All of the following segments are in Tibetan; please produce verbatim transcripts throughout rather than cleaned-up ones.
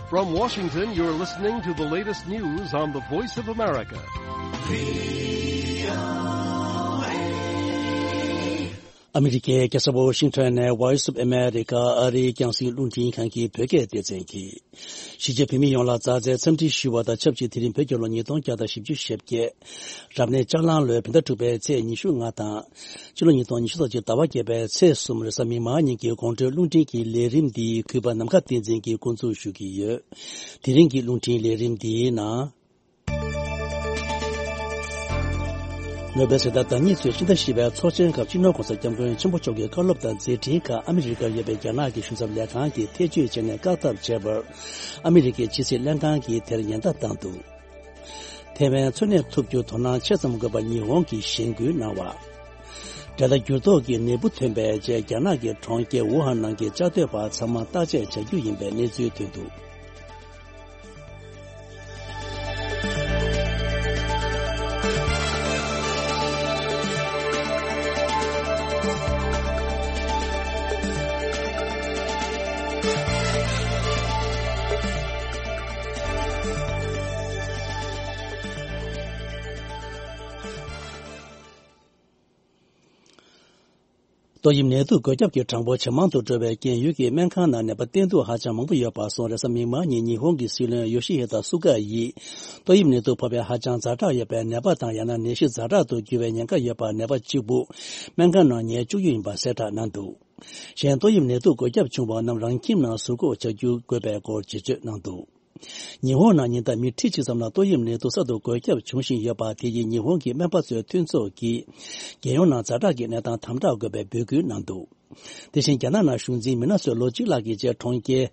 From Washington, you're listening to the latest news on the Voice of America. ཨ་མི་རི་ཀའི་རྒྱལ་ས་ཝོ་ཤིང་ཊོན་ནས་Voice of America ཨ་རིའི་རྒྱང་སྲིང་རླུང་འཕྲིན་ཁང་གི་བོད་སྐད་སྡེ་ཚན་གྱིས། གཞིས་བྱེས་བོད་མི་ཡོངས་ལ་མཛའ་བརྩེའི་འཚམས་འདྲི་ཞུ་བ་དང་ཆབས་ཅིག་དེ་རིང་བོད་རྒྱལ་ལོ་ཉིས་སྟོང་བརྒྱ་དང་བཞི་བཅུ་ཞེ་བརྒྱད། རབ་གནས་ལྕགས་གླང་ལོའི་བོད་ཟླ་དྲུག་པའི་ཚེས་ཉི་ཤུ་ལྔ་དང་། སྤྱི་ལོ་ཉིས་སྟོང་ཉི་ཤུ་རྩ་གཅིག་ཟླ་བ་བརྒྱད་པའི་ཚེས་གསུམ་རེས་གཟའ་མིག་དམར་ཉིན་གྱི་དགོང་དྲོའི་རླུང་འཕྲིན་གྱི་ལས་རིམ་འདི་གུས་པ་ནམ་མཁའ་བསྟན་འཛིན་གྱིས་འགོ་འཛུགས་ཞུ་གི་ཡོད། དེ་རིང་གི་རླུང་འཕྲིན་ལས་རིམ་འདིའི་ནང་། ནོ་བེལ་གཟེངས་རྟགས་བདག་ཉིད་ཚོས་སྤྱི་ཟླ་བཞི་པའི་ཚོགས་ཆེན་སྐབས་སྤྱི་ནོར་༸གོང་ས་༸སྐྱབས་མགོན་ཆེན་པོ་མཆོག་གི་བཀའ་སློབ་དང་མཛད་འཕྲིན་ཁག་ཨ་མི་རི་ཀར་ཡོད་པའི་རྒྱ་ནག་གི་གཞུང་ཚབ་ལས་ཁང་གིས་ཐེ་བྱུས་བྱས་ནས་བཀག་ཐབས་བྱས་པར། ཨ་མི་རི་ཀའི་ཕྱི་སྲིད་ལྷན་ཁང་གིས་དེར་ཉེན་བརྡ་བཏང་འདུག་ཐའེ་ཝན་འཚོ་གནས་ཐུབ་རྒྱུར་དོ་སྣང་ཆེ་ཙམ་དགོས་པ་ཉི་ཧོང་གིས་གཞེན་སྐུལ་གནང་བ། འབྲེལ་ཟླ་འགྱུར་ལྡོག་གི་ནད་འབུ་ཐོན་པའི་རྗེས་རྒྱ་ནག་གི་གྲོང་ཁྱེར་ཝུ་ཧན་ནང་གི་བཅའ་སྡོད་པ་ཚང་མ་བརྟག་དཔྱད་བྱ་རྒྱུ་ཡིན་པའི་གནས་ཚུལ་ཐོན་འདུག་ཏོག་དབྱིབས་ནད་དུག་འགོས་ཁྱབ་ཀྱི་གྲངས་འབོར་ཇེ་མང་དུ་འགྲོ་བའི་རྐྱེན། ཡུལ་གྱི་སྨན་ཁང་ནང་ནད་པ་བསྟེན་གཏུག་ཧ་ཅང་མང་པོ་ཡོད་པ་སོང་། རེས་གཟའ་མིག་དམར་ཉིན་ཉི་ཧོང་གི་སྲིད་བློན་ཡོ་ཤི་ཧི་ད་སུ་ག་ཡིས། ཏོག་དབྱིབས་ནད་དུག་ཕོག་པའི་ཧ་ཅང་ཛ་དྲག་ཡོད་པའི་ནད་པ་དང་། ཡང་ན་ནད་གཞི་ཛ་དྲག་ཏུ་འགྱུར་བའི་ཉེན་ཁ་ཡོད་པ་ནད་པ་གཅིག་པུ་སྨན་ཁང་ནང་ཉལ་བཅུག་རྒྱུ་ཡིན་པ་གསལ་བསྒྲགས་གནང་འདུག་གཞན་ཏོག་དབྱིབས་ནད་དུག་འགོས་ཁྱབ་བྱུང་བ་རྣམས་རང་ཁྱིམ་ནང་ཟུར་འགོག་བྱ་རྒྱུ་དགོས་པའི་སྐོར་བརྗོད་བརྗོད་གནང་འདུག་ཉི་ཧོང་ནང་ཉིན་ལྟར་མི་ཁྲི་གཅིག་ཙམ་ལ་ཏོག་དབྱིབས་ནད་དུག་གསར་དུ་འགོས་ཁྱབ་འབྱུང་བཞིན་ཡོད་པ། དེ་ཡིས་ཉི་ཧོང་གི་སྨན་པ་ཚོའི་མཐུན་ཚོགས་ཀྱིས་རྒྱལ་ཡོངས་ནང་ཛ་དྲག་གི་གནས་སྟངས་དམ་དྲག་དགོས་པའི་འབོད་སྐུལ་གནང་འདུག་དེ་བཞིན་རྒྱ་ནག་ནང་གཞུང་འཛིན་མི་སྣ་ཚོས་ལོ་གཅིག་ལྷག་གི་རྗེས་གྲོང་ཁྱེར་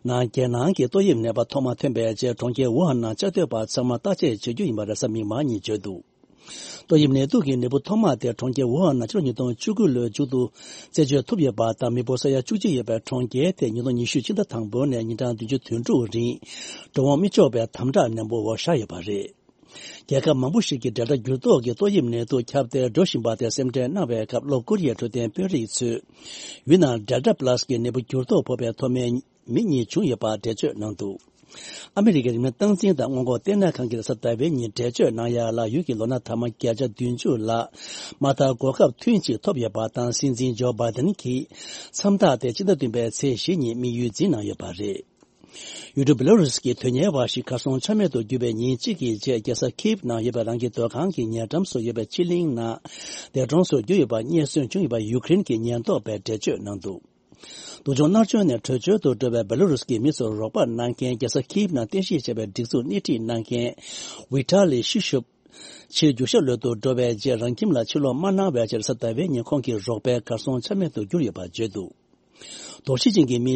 ནང་རྒྱལ་ནང་གི་ཏོག་དབྱིབས་ནད་པ་ཐོག་མ་ཐོན་པའི་རྗེས་གྲོང་ཁྱེར་ཝུ་ཧན་ནང་བཅའ་སྡོད་པ་ཚང་མ་བརྟག་དཔྱད་བྱེད་རྒྱུ་ཡིན་པ་རེས་གཟའ་མིག་དམར་ཉིན་བརྗོད་འདུག་ཏོག་དབྱིབས་ནད་དུག་གི་ནད་འབུ་ཐོག་མ་དེ་གྲོང་ཁྱེར་ཝུ་ཧན་ནང་ཕྱི་ལོ་ཉིས་སྟོང་བཅུ་དགུ་ལོའི་མཇུག་ཏུ་རྩད་གཅོད་ཐུབ་ཡོད་པ་དང་། མི་འབོར་ས་ཡ་བཅུ་གཅིག་ཡོད་པའི་གྲོང་ཁྱེར་དེ་ཉིས་སྟོང་ཉི་ཤུ་སྤྱི་ཟླ་དང་པོ་ནས་ཉིན་གྲངས་བདུན་ཅུ་དོན་དྲུག་རིང་འགྲོ་འོང་མི་ཆོག་པའི་དམ་དྲག་ནན་པོ་འོག་བཞག་ཡོད་པ་རེད། རྒྱལ་ཁབ་མང་པོ་ཞིག་གིས་ཌེལ་ཊ་འགྱུར་ལྡོག་གི་ཏོག་དབྱིབས་ནད་དུག་ཁྱབ་གདལ་འགྲོ་བཞིན་པ་དེ་སེམས་ཁྲལ་གནང་བའི་སྐབས། ལྷོ་ཀོ་རི་ཡའི་འཕྲོད་བསྟེན་དཔོན་རིགས་ཚོས་ཡུལ་ནང་ཌེལ་ཊ་པ་ལ་སི་གི་ནད་འབུ་འགྱུར་ལྡོག་ཕོག་པའི་ཐོག་མའི་མི་གཉིས་བྱུང་ཡོད་པ་འགྲེལ་བརྗོད་གནང་འདུག་ཨ་མི་རི་ཀའི་རིམས་ནད་སྟངས་འཛིན་དང་སྔོན་འགོག་ལྟེ་གནས་ཁང་གིས་རེས་གཟའ་ཟླ་བའི་ཉིན་འགྲེལ་བརྗོད་གནང་ཡ་ལ། ཡུལ་གྱི་ལོ་ན་ཐ་མ་བརྒྱ་ཆ་བདུན་ཅུ་ལ་མ་མཐའ་གོ་སྐབས་ཐུན་གཅིག་ཐོབ་ཡོད་པ་དང་། སྲིད་འཛིན་ཇོ་བྷའི་ཌེན་གྱིས་མཚམས་རྟགས་དེ་ཕྱི་ཟླ་བདུན་པའི་ཚེས་བཞི་ཉིན་དམིགས་ཡུལ་འཛིན་གནང་ཡོད་པ་རེད། ཡུལ་གྲུ་བེ་ལ་རུས་ཀྱི་དོན་གཉེར་བ་ཞིག་གར་སོང་ཆ་མེད་དུ་གྱུར་བའི་ཉིན་གཅིག་གི་རྗེས། རྒྱལ་ས་ཁིབ་ནང་ཡོད་པའི་རང་གི་སྡོད་ཁང་གི་ཉེ་འགྲམ་སུ་ཡོད་པའི་ཕྱི་གླིང་ནང་འདས་གྲོངས་སུ་གྱུར་ཡོད་པ་རྙེད་སོན་བྱུང་ཡོད་པ་ཡུ་ཀེ་རེན་གྱི་ཉེན་རྟོག་པས་འགྲེལ་བརྗོད་གནང་འདུག་སྡུག་སྦྱོང་མནར་གཅོད་ནས་བྲོས་བྱོལ་དུ་འགྲོ་བའི་བེ་ལ་རུས་ཀྱི་མི་ཚོར་རོགས་པ་གནང་མཁན། རྒྱལ་ས་ཁིབ་ནང་རྟེན་གཞི་བྱས་པའི་སྒྲིག་འཛུགས་སྣེ་ཁྲིད་གནང་མཁན་ཝི་ཊ་ལི་ཤི་ཤུབ། ཕྱིར་རྒྱུག་ཤར་ལོད་དུ་འགྲོ་བའི་རྗེས་རང་ཁྱིམ་ལ་ཕྱིར་ལོག་མ་གནང་བའི་ཕྱིར། རེས་གཟའ་ཟླ་བའི་ཉིན་ཁོང་གི་རོགས་པས་གར་སོང་ཆ་མེད་དུ་གྱུར་ཡོད་པ་བརྗོད་འདུག་དོགས་གཞི་ཅན་གྱི་མི་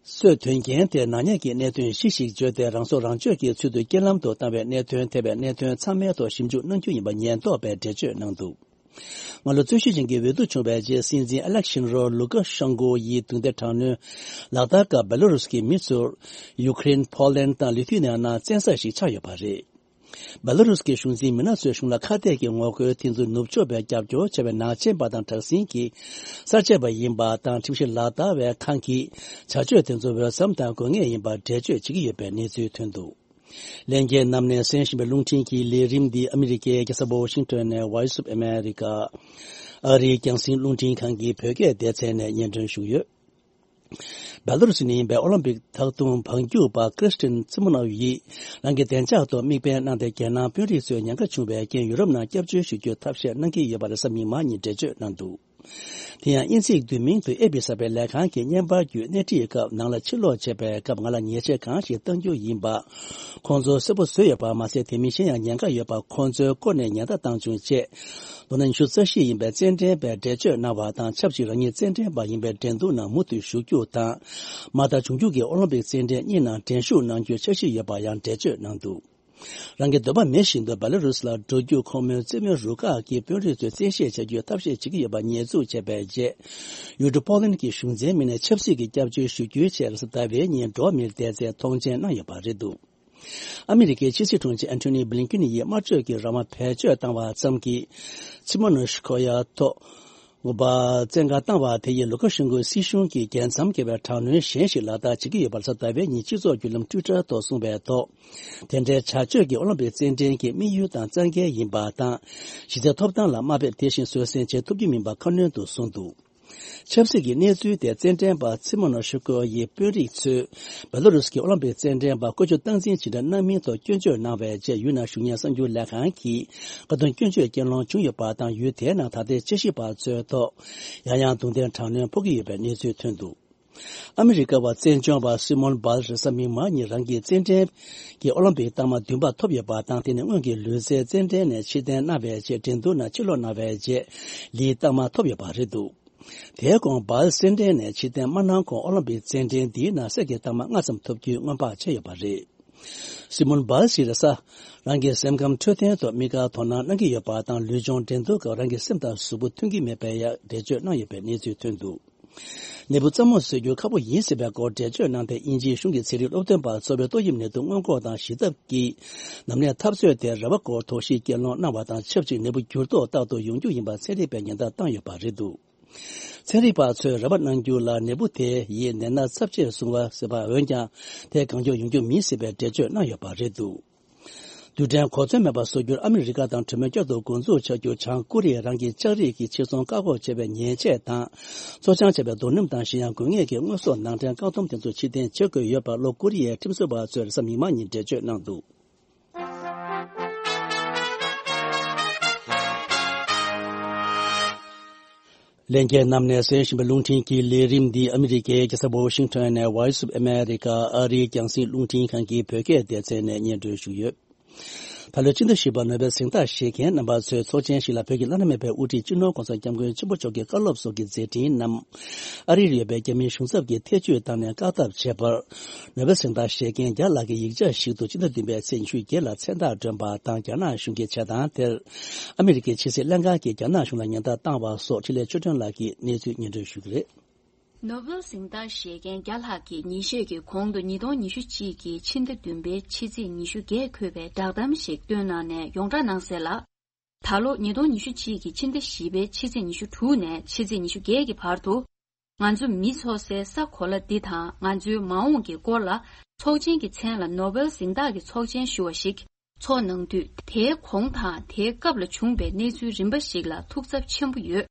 གསོད་དོན་རྐྱེན་དེ་ནག་ཉེས་ཀྱི་གནད་དོན་གཞི་ཞིག་བརྗོད་དེ། རང་སྲོག་རང་གཅོད་ཀྱི་ཚུལ་དུ་རྐྱེན་ལམ་དུ་བཏང་བའི་གནད་དོན། ཐེ་བའི་གནད་དོན་ཚང་མའི་ཐོག་ཞིབ་འཇུག་གནང་རྒྱུ་ཡིན་པ་ཉེན་རྟོག་པས་འགྲེལ་བརྗོད་གནང་འདུག་སྔ་ལོ་རྩོད་གཞི་ཅན་གྱི་འོས་བསྡུ་བྱུང་བའི་རྗེས། སྲིད་འཛིན་ཨ་ལེག་ཤན་རོ་ལུ་ཀ་ཤན་ཀོ་ཡིས་རྡུང་རྡེག་དྲག་གནོན་ལག་བསྟར་སྐབས། བེ་ལ་རུས་ཀྱི་མི་ཚོར་ཡུ་ཀེ་རེན། ཕོ་ལན་དང་ལི་ཐུ་ནི་ཡ་ནང་བཙན་ས་ཞིག་ཆགས་ཡོད་པ་རེད། བེ་ལ་རུས་ཀྱི་གཞུང་འཛིན་མི་སྣ་ཚོའི་གཞུང་ལ་ཁ་གཏད་ཀྱི་ངོ་རྒོལ་དེ་ཚོ་ནུབ་ཕྱོགས་པས་རྒྱབ་སྐྱོར་བྱས་པའི་ནག་ཅན་པ་དང་དྲག་ཟིང་གི་གསར་བརྗེ་པ་ཡིན་པ་དང་། ཁྲིམས་གཞི་ལག་བསྟར་བའི་ཁང་གིས་བྱ་སྤྱོད་དེ་ཚོ་འོས་འཚམ་དང་དགོས་ངེས་ཡིན་པར་འགྲེལ་བརྗོད་བྱེད་ཀྱི་ཡོད་པའི་གནས་ཚུལ་ཐོན་འདུག་ལྷན་རྒྱས་རྣམས་ནས་གསན་བཞིན་པའི་རླུང་འཕྲིན་གྱི་ལས་རིམ་འདི་ཨ་མི་རི་ཀའི་རྒྱལ་ས་ཝོ་ཤིང་ཊོན་ནས་Voice of America ཨ་རིའི་རྒྱང་སྲིང་རླུང་འཕྲིན་ཁང་གི་བོད་སྐད་སྡེ་ཚན་ནས་སྙན་སྒྲོན་ཞུས་ཡོད། བེ་ལ་རུ་སི་ནས་ཡིན་པའི་ཨོ་ལིམ་པིག་མཐའ་སྟོང་འབངས་སྒྱུར་པ་ཀྲིས་ཏིན་ཚི་མོ་ནོབ་ཡིས་རང་གི་བདེ་འཇགས་ཐོག་དམིགས་འབེན་གནང་སྟེ། རྒྱལ་ནང་དཔོན་རིགས་ཚོས་ཉེན་ཁ་བྱུང་བའི་རྐྱེན་ཡུ་རོབ་ནང་སྐྱབས་བཅོལ་ཞུ་རྒྱུའི་ཐབས་ཤེས་གནང་གི་ཡོད་པ་རེས་གཟའ་མིག་དམར་ཉིན་འགྲེལ་བརྗོད་གནང་འདུག་དེ་ཡང་དབྱིན་ཚིག་བསྡུས་མིང་དུ་ཨེ་པི་ཟེར་བའི་ལས་ཁང་གི་བརྙན་པར་བརྒྱུད་སྣེ་ཁྲིད་སྐབས། ནང་ལ་ཕྱིར་ལོག་བྱེད་པའི་སྐབས་ང་ལ་ཉེས་ཆད་གང་ཞིག་གཏང་རྒྱུ་ཡིན་པ་ཁོང་ཚོས་གསལ་པོ་བཟོས་ཡོད་པ་མ་ཟད། དེ་མིན་གཞན་ཡང་ཉེན་ཁ་ཡོད་པ་ཁོང་ཚོའི་སྐོར་ནས་ཉེན་བརྡ་བཏང་བྱུང་ཅེས། ལོ་ན་ཉི་ཤུ་རྩ་བཞི་ཡིན་པའི་རྩེད་འགྲན་པས་འགྲེལ་བརྗོད་གནང་བ་དང་། ཆབས་ཅིག་རང་ཉིད་རྩེད་འགྲན་པ་ཡིན་པའི་འགྲན་བསྡུར་ནང་མུ་མཐུད་ཞུགས་རྒྱུ་དང་། མ་མཐའ་འབྱུང་འགྱུར་གྱི་ཨོ་ལིམ་པིག་རྩེད་འགྲན་གཉིས་ནང་འགྲན་ཞུགས་གནང་རྒྱུའི་འཆར་གཞི་ཡོད་པ་ཡང་འགྲེལ་བརྗོད་གནང་འདུག་རང་གི་འདོད་པ་མེད་བཞིན་དུ་བེ་ལ་རུས་ལ་འགྲོ་རྒྱུ་ཁོང་མོའི་རྩེད་མོའི་རུ་ཁག་གི་དཔོན་རིགས་ཚོས་བཙན་ཤེད་བྱ་རྒྱུའི་ཐབས་ཤེས་བྱེད་ཀྱི་ཡོད་པ་ཉེས་འཛུགས་བྱས་པའི་རྗེས། ཡུལ་གྲུ་པོ་ལན་གྱི་གཞུང་འཛིན་མི་སྣས་ཆབ་སྲིད་ཀྱི་སྐྱབས་བཅོལ་ཞུ་རྒྱུའི་ཆེད་རེས་གཟའ་ཟླ་བའི་ཉིན་འགྲོ་བ་མིར་བསྡད་སའི་ཐོངས་མཆན་གནང་ཡོད་པ་རེད་འདུག་ཨ་མི་རི་ཀའི་ཕྱི་སྲིད་དྲུང་ཆེ་ཨན་ཐོ་ནི་བྷི་ལིན་ཀིན་ཡིས་དམར་གཅོད་ཀྱི་རང་དབང་བེད་སྤྱོད་བཏང་བ་ཙམ་གྱིས་ཚི་མོ་ནོ་ཤི་ཁོ་ཡ་ཐོག་དགོངས་པ་བཙན་བཀའ་བཏང་བ་དེ་ཡིས་ལུ་ཀ་ཤན་ཀོའི་སྲིད་གཞུང་གིས་རྒྱལ་མཚམས་བརྒལ་བའི་དྲག་གནོན་གཞན་ཞིག་ལག་བསྟར་བྱེད་ཀྱི་ཡོད་པ་རེད། གཟའ་ཟླ་བའི་ཉིན་སྤྱི་ཚོགས་བརྒྱུད་ལམ་ཊུའི་ཊར་ཐོག་གསུངས་པའི་ཐོག་དེ་འདྲའི་བྱ་སྤྱོད་ཀྱིས་ཨོ་ལིམ་པིག་རྩེད་འགྲན་གྱི་དམིགས་ཡུལ་དང་རྩ་འགལ་ཡིན་པ་དང་། གཞི་རྩའི་ཐོབ་ཐང་ལ་དམའ་འབེབས་དེ་བཞིན་བཟོད་བསྲན་བྱེད་ཐུབ་ཀྱི་མིན་པ་ཁ་སྣོན་དུ་གསུངས་འདུག་ཆབ་སྲིད་ཀྱི་གནས་ཚུལ་དེ་རྩེད་འགྲན་པ་ཚི་མོ་ནོ་ཤུ་ཀོ་ཡི་དཔོན་རིགས་ཚོས་བེ་ལོ་རུས་ཀྱི་ཨོ་ལིམ་པིག་རྩེད་འགྲན་པ་བཀོལ་སྤྱོད་སྟངས་འཛིན་ཇི་འདྲ་གནང་མིན་ཐོག་སྐྱོན་བརྗོད་གནང་བའི་རྗེས། ཡུལ་ནང་ཞུགས་མཁན་གསར་འགྱུར་ལས་ཁང་གིས་བཀའ་བསྡུར་སྐྱོན་བརྗོད་རྐྱེན་སློང་བྱུང་ཡོད་པ་དང་། ཡུལ་དེའི་ནང་ད་ལྟའི་དཔྱད་ཞིབ་པ་ཚོའི་ཐོག་ཡང་ཡང་རྡུང་རྡེག་དྲག་གནོན་ཕོག་གི་ཡོད་པའི་གནས་ཚུལ་ཐོན་འདུག་ཨ་མི་རི་ཀ་བ་རྩེད་འཇོ་བ་སི་མོན་བཱལ་རེས་གཟའ་མིག་དམར་ཉིན་རང་གི་རྩེད་འགྲན་གྱི་ཨོ་ལིམ་པིག་རྟགས་མ་བདུན་པ་ཐོབ་ཡོད་པ་དང་། དེ་ནི་སྔོན་གྱི་ལུས་རྩལ་རྩེད་འགྲན་ནས་ཕྱིར་འཐེན་གནང་བའི་རྗེས། འགྲན་བསྡུར་ནང་ཕྱིར་ལོག་གནང་བའི་རྗེས་ལིའི་རྟགས་མ་ཐོབ་ཡོད་པ་རེད་འདུག་དེའི་གོང་བཱལ་རྩེད་འགྲན་ནས་ཕྱིར་འཐེན་མ་གནང་གོང་། ཨོ་ལིམ་པིག་རྩེད་འགྲན་འདིའི་ནང་གསེར་གྱི་རྟགས་མ་ལྔ་ཙམ་ཐོབ་རྒྱུའི་སྔོན་དཔག་བྱས་ཡོད་པ་རེད། སི་མོན་བཱལ་ཞིག་རེས་གཟའ་རང་གི་སེམས་ཁམས་འཕྲོད་བསྟེན་ཐོག་དམིགས་བཀར་དོ་སྣང་གནང་གི་ཡོད་པ་དང་། ལུས་སྦྱོང་འགྲན་བསྡུར་སྐབས་རང་གི་སེམས་དང་གཟུགས་པོ་མཐུན་གྱི་མེད་པའི་ཡ་འགྲེལ་བརྗོད་གནང་ཡོད་པའི་གནས་ཚུལ་ཐོན་འདུག་ནད་འབུ་རྩ་མོ་བཟོ་རྒྱུ་ཁག་པོ་ཡིན་སྲིད་པའི་སྐོར་འགྲེལ་བརྗོད་གནང་སྟེ། དབྱིན་ཇིའི་གཞུང་གི་ཚན་རིག་སློབ་སྟོན་པ་ཚོ་བའི་ཏོག་དབྱིབས་ནད་དུག་སྔོན་འགོག་དང་ཞི་ཐབས་ཀྱི་ནམ་ནས་འཐབ་རྩོད་དེ་རེ་བ་སྐོར་དོགས་གཞི་རྐྱེན་སློང་གནང་བ་དང་ཆབས་ཅིག་ནད་འབུ་འགྱུར་ལྡོག་རྟག་ཏུ་ཡོང་རྒྱུ་ཡིན་པ་ཚན་རིག་པས་ཉེན་བརྡ་བཏང་ཡོད་པ་རེད་འདུག་ཚན་རིག་པ་ཚོས་རེ་བ་གནང་རྒྱུ་ལ། ནད་འབུ་དེ་ཡིས་ནད་མནར་ཚབས་ཆེར་བཟུང་བ་ཟེར་བ། འོན་ཀྱང་དེ་གང་མགྱོགས་ཡོང་རྒྱུ་མིན་ཟེར་བའི་འགྲེལ་བརྗོད་གནང་ཡོད་པ་རེད་འདུག་རྡུལ་ཕྲན་གོ་མཚོན་མེད་པ་བཟོ་རྒྱུར་ཨ་མི་རི་ཀ་དང་གྲོས་མོལ་བསྐྱར་དུ་འགོ་འཛུགས་བྱ་རྒྱུ། བྱང་ཀོ་རི་ཡས་རང་གི་ལྕགས་རིགས་ཀྱི་ཕྱིར་ཚོང་བཀག་འགོག་བྱས་པའི་ཉེས་ཆད་དང་། བཙོ་སྦྱང་བྱས་པའི་རྡོ་སྣུམ་དང་། གཞན་ཡང་དགོས་ངེས་ཀྱི་དངོས་ཟོག་ནང་འདྲེན་བཀག་སྡོམ་དེ་ཚོ་ཕྱིར་འཐེན་བྱེད་དགོས་ཡོད་པར། ལྷོ་ཀོ་རི་ཡའི་ཁྲིམས་བཟོ་བ་ཚོས་རེས་གཟའ་མིག་དམར་ཉིན་འགྲེལ་བརྗོད་གནང་འདུག་ལྷན་རྒྱས་རྣམས་ནས་གསན་བཞིན་པའི་རླུང་འཕྲིན་གྱི་ལས་རིམ་འདི་ཨ་མི་རི་ཀའི་རྒྱལ་ས་ཝ་ཤིང་ཊོན་ནས་Voice of America ཨ་རིའི་རྒྱང་སྲིང་རླུང་འཕྲིན་ཁང་གི་བོད་སྐད་སྡེ་ཚན་ནས་སྙན་སྒྲོན་ཞུས་ཡོད། ད་ལོའི་ཕྱི་ཟླ་བཞི་པར་ནོ་བེལ་གཟེངས་རྟགས་བཞེས་མཁན་རྣམ་པ་ཚོའི་ཚོགས་ཆེན་ཞིག་ལ་བོད་ཀྱི་བླ་ན་མེད་པའི་དབུ་ཁྲིད་སྤྱི་ནོར་༸གོང་ས་༸སྐྱབས་མགོན་ཆེན་པོ་མཆོག་གི་བཀའ་སློབ་སོགས་ཀྱི་མཛད་འཕྲིན་རྣམས་ཨ་རིར་ཡོད་པའི་རྒྱ་མིའི་གཞུང་ཚབ་ཀྱིས་ཐེ་བྱུས་བཏང་ནས་བཀའ་ཐབས་བྱས་པར། ནོ་བེལ་གཟེངས་རྟགས་བཞེས་མཁན་བརྒྱ་ལྷག་གིས་ཡིག་ཆ་ཞིག་ཏུ་སྤྱི་ཟླ་བདུན་པའི་ཚེས་ཉི་ཤུ་བརྒྱད་ལ་མཚན་རྟགས་བསྒྲོན་པ་དང་། རྒྱ་ནག་གཞུང་གི་བྱེད་སྟངས་དེར་ཨ་མི་རི་ཀའི་ཕྱི་སྲིད་ལྷན་ཁང་གིས་རྒྱ་ནག་གཞུང་ལ་ཉེན་བརྡ་བཏང་བ་སོགས་འཕྲིན་ལས་ཆོས་སྒྲོན་ལགས་ཀྱིས་གནས་ཚུལ་སྙན་སྒྲོན་ཞུ་གི་རེད། ནོ་བེལ་གཟེངས་རྟགས་བཞེས་མཁན་བརྒྱ་ལྷག་གིས་ཉིན་ཤས་ཀྱི་གོང་དུ་ཉིས་སྟོང་ཉི་ཤུ་གཅིག་གི་ཕྱི་ཟླ་བདུན་པའི་ཕྱི་ཚེས་ཉི་ཤུ་བརྒྱད་འཁོད་པའི་བསྒྲགས་གཏམ་ཞིག་བཏོན་གནང་ནས་ཡོངས་བསྒྲགས་གནང་གསལ་ལ། ད་ལོ་ཉིས་སྟོང་ཉི་ཤུ་གཅིག་གི་ཕྱི་ཟླ་བཞི་པའི་ཕྱི་ཚེས་ཉི་ཤུ་དྲུག་ནས་ཕྱི་ཚེས་ཉི་ཤུ་བརྒྱད་ཀྱི་བར་དུ། ང་ཚོ་མི་འཚོ་སའི་ས་གོ་ལ་འདི་དང་ང་ཚོའི་མ་འོངས་ཀྱི་སྐོར་ལ། ཚོགས་ཆེན་གྱི་མཚན་ལ་ནོ་བེལ་གཟེངས་རྟགས་ཀྱི་ཚོགས་ཆེན་ཞུ་བ་ཞིག་འཚོགས་གནང་དུས། དེའི་གོང་དང་དེའི་སྐབས་ལ་བྱུང་བའི་གནས་ཚུལ་རིམ་པ་ཞིག་ལ་ཐུགས་འཚབ་ཆེན་པོ་ཡོད།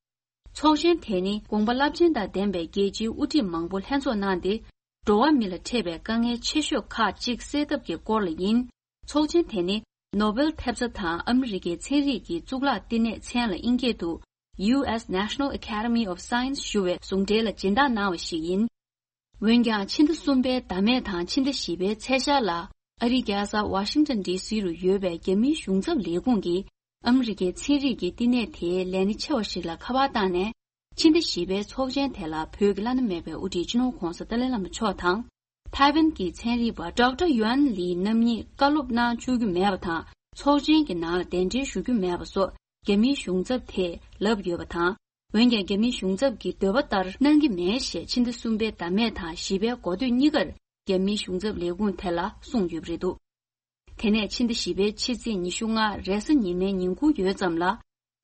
ཚོགས་ཆེན་དེ་ནི་དགོངས་པ་རླབས་ཆེན་དང་ལྡན་པའི་རྒྱལ་སྤྱིའི་དབུ་ཁྲིད་མང་པོ་ལྷན་ཚོགས་གནང་སྟེ། འགྲོ་བ་མི་ལ་འཕྲད་པའི་དཀའ་ངལ་ཆེ་ཤོས་ཁག་ཅིག་སེལ་ཐབས་ཀྱི་སྐོར་ལ་ཡིན། ཚོགས་ཆེན་དེ་ནི་ནོ་བེལ་ཐེབས་རྩ་དང་ཨ་མི་རི་ཀའི་ཚན་རིག་གི་གཙུག་ལག་བསྟི་གནས་མཚན་ལ་དབྱིན་སྐད་དུ་ཡུ་ཨེས་National Academy of Science ཞུ་བའི་ཟུང་འབྲེལ་ལ་སྦྱིན་བདག་གནང་བ་ཞིག་ཡིན། འོན་ཀྱང་ཕྱི་ཟླ་གསུམ་པའི་ཟླ་སྨད་དང་ཕྱི་ཟླ་བཞི་པའི་ཚེས་ཤར་ལ་ཨ་རིའི་རྒྱལ་ས་ཝ་ཤིང་ཊོན་ཌི་སི་རུ་ཡོད་པའི་རྒྱ་མིའི་གཞུང་ཚབ་ལས་ཁུངས་ཀྱིས་ཨ་མི་རི་ཀའི་ཚན་རིག་གི་བསྟི་གནས་དེའི་ལས་སྣེ་ཆེ་བ་ཞིག་ལ་ཁ་པར་བཏང་ནས། ཕྱི་ཟླ་བཞི་པའི་ཚོགས་ཆེན་དེ་ལ་བོད་ཀྱི་བླ་ན་མེད་པའི་དབུ་ཁྲིད་སྤྱི་ནོར་༸གོང་ས་ཏཱ་ལའི་བླ་མ་མཆོག་དང་། ཐའེ་ཝན་གྱི་ཚན་རིག་པ་ཌོག་ཊར་ཡུའན་ལི་རྣམ་གཉིས་བཀའ་སློབ་གནང་བཅུག་རྒྱུ་མེད་པ་དང་། ཚོགས་ཆེན་གྱི་ནང་ལ་གདན་འདྲེན་ཞུ་རྒྱུ་མེད་པ་སོགས་རྒྱ་མིའི་གཞུང་ཚབ་དེས་ལབ་ཡོད་པ་དང་། འོན་ཀྱང་རྒྱ་མིའི་གཞུང་ཚབ་ཀྱི་འདོད་པ་ལྟར་གནང་གི་མེད་ཞེས་ཕྱི་ཟླ་གསུམ་པའི་ཟླ་སྨད་དང་བཞི་པའི་འགོ་སྟོད་གཉིས་ཀར་རྒྱ་མིའི་གཞུང་ཚབ་ལས་ཁུངས་དེ་ལ་གསུངས་ཡོད་པ་རེད་འདུག་དེ་ནས་ཕྱི་ཟླ་བཞི་པའི་ཕྱི་ཚེས་ཉི་ཤུ་ལྔ་རེས་གཟའ་ཉི་མའི་ཉིན་གུང་ཡོལ་ཙམ་ལ།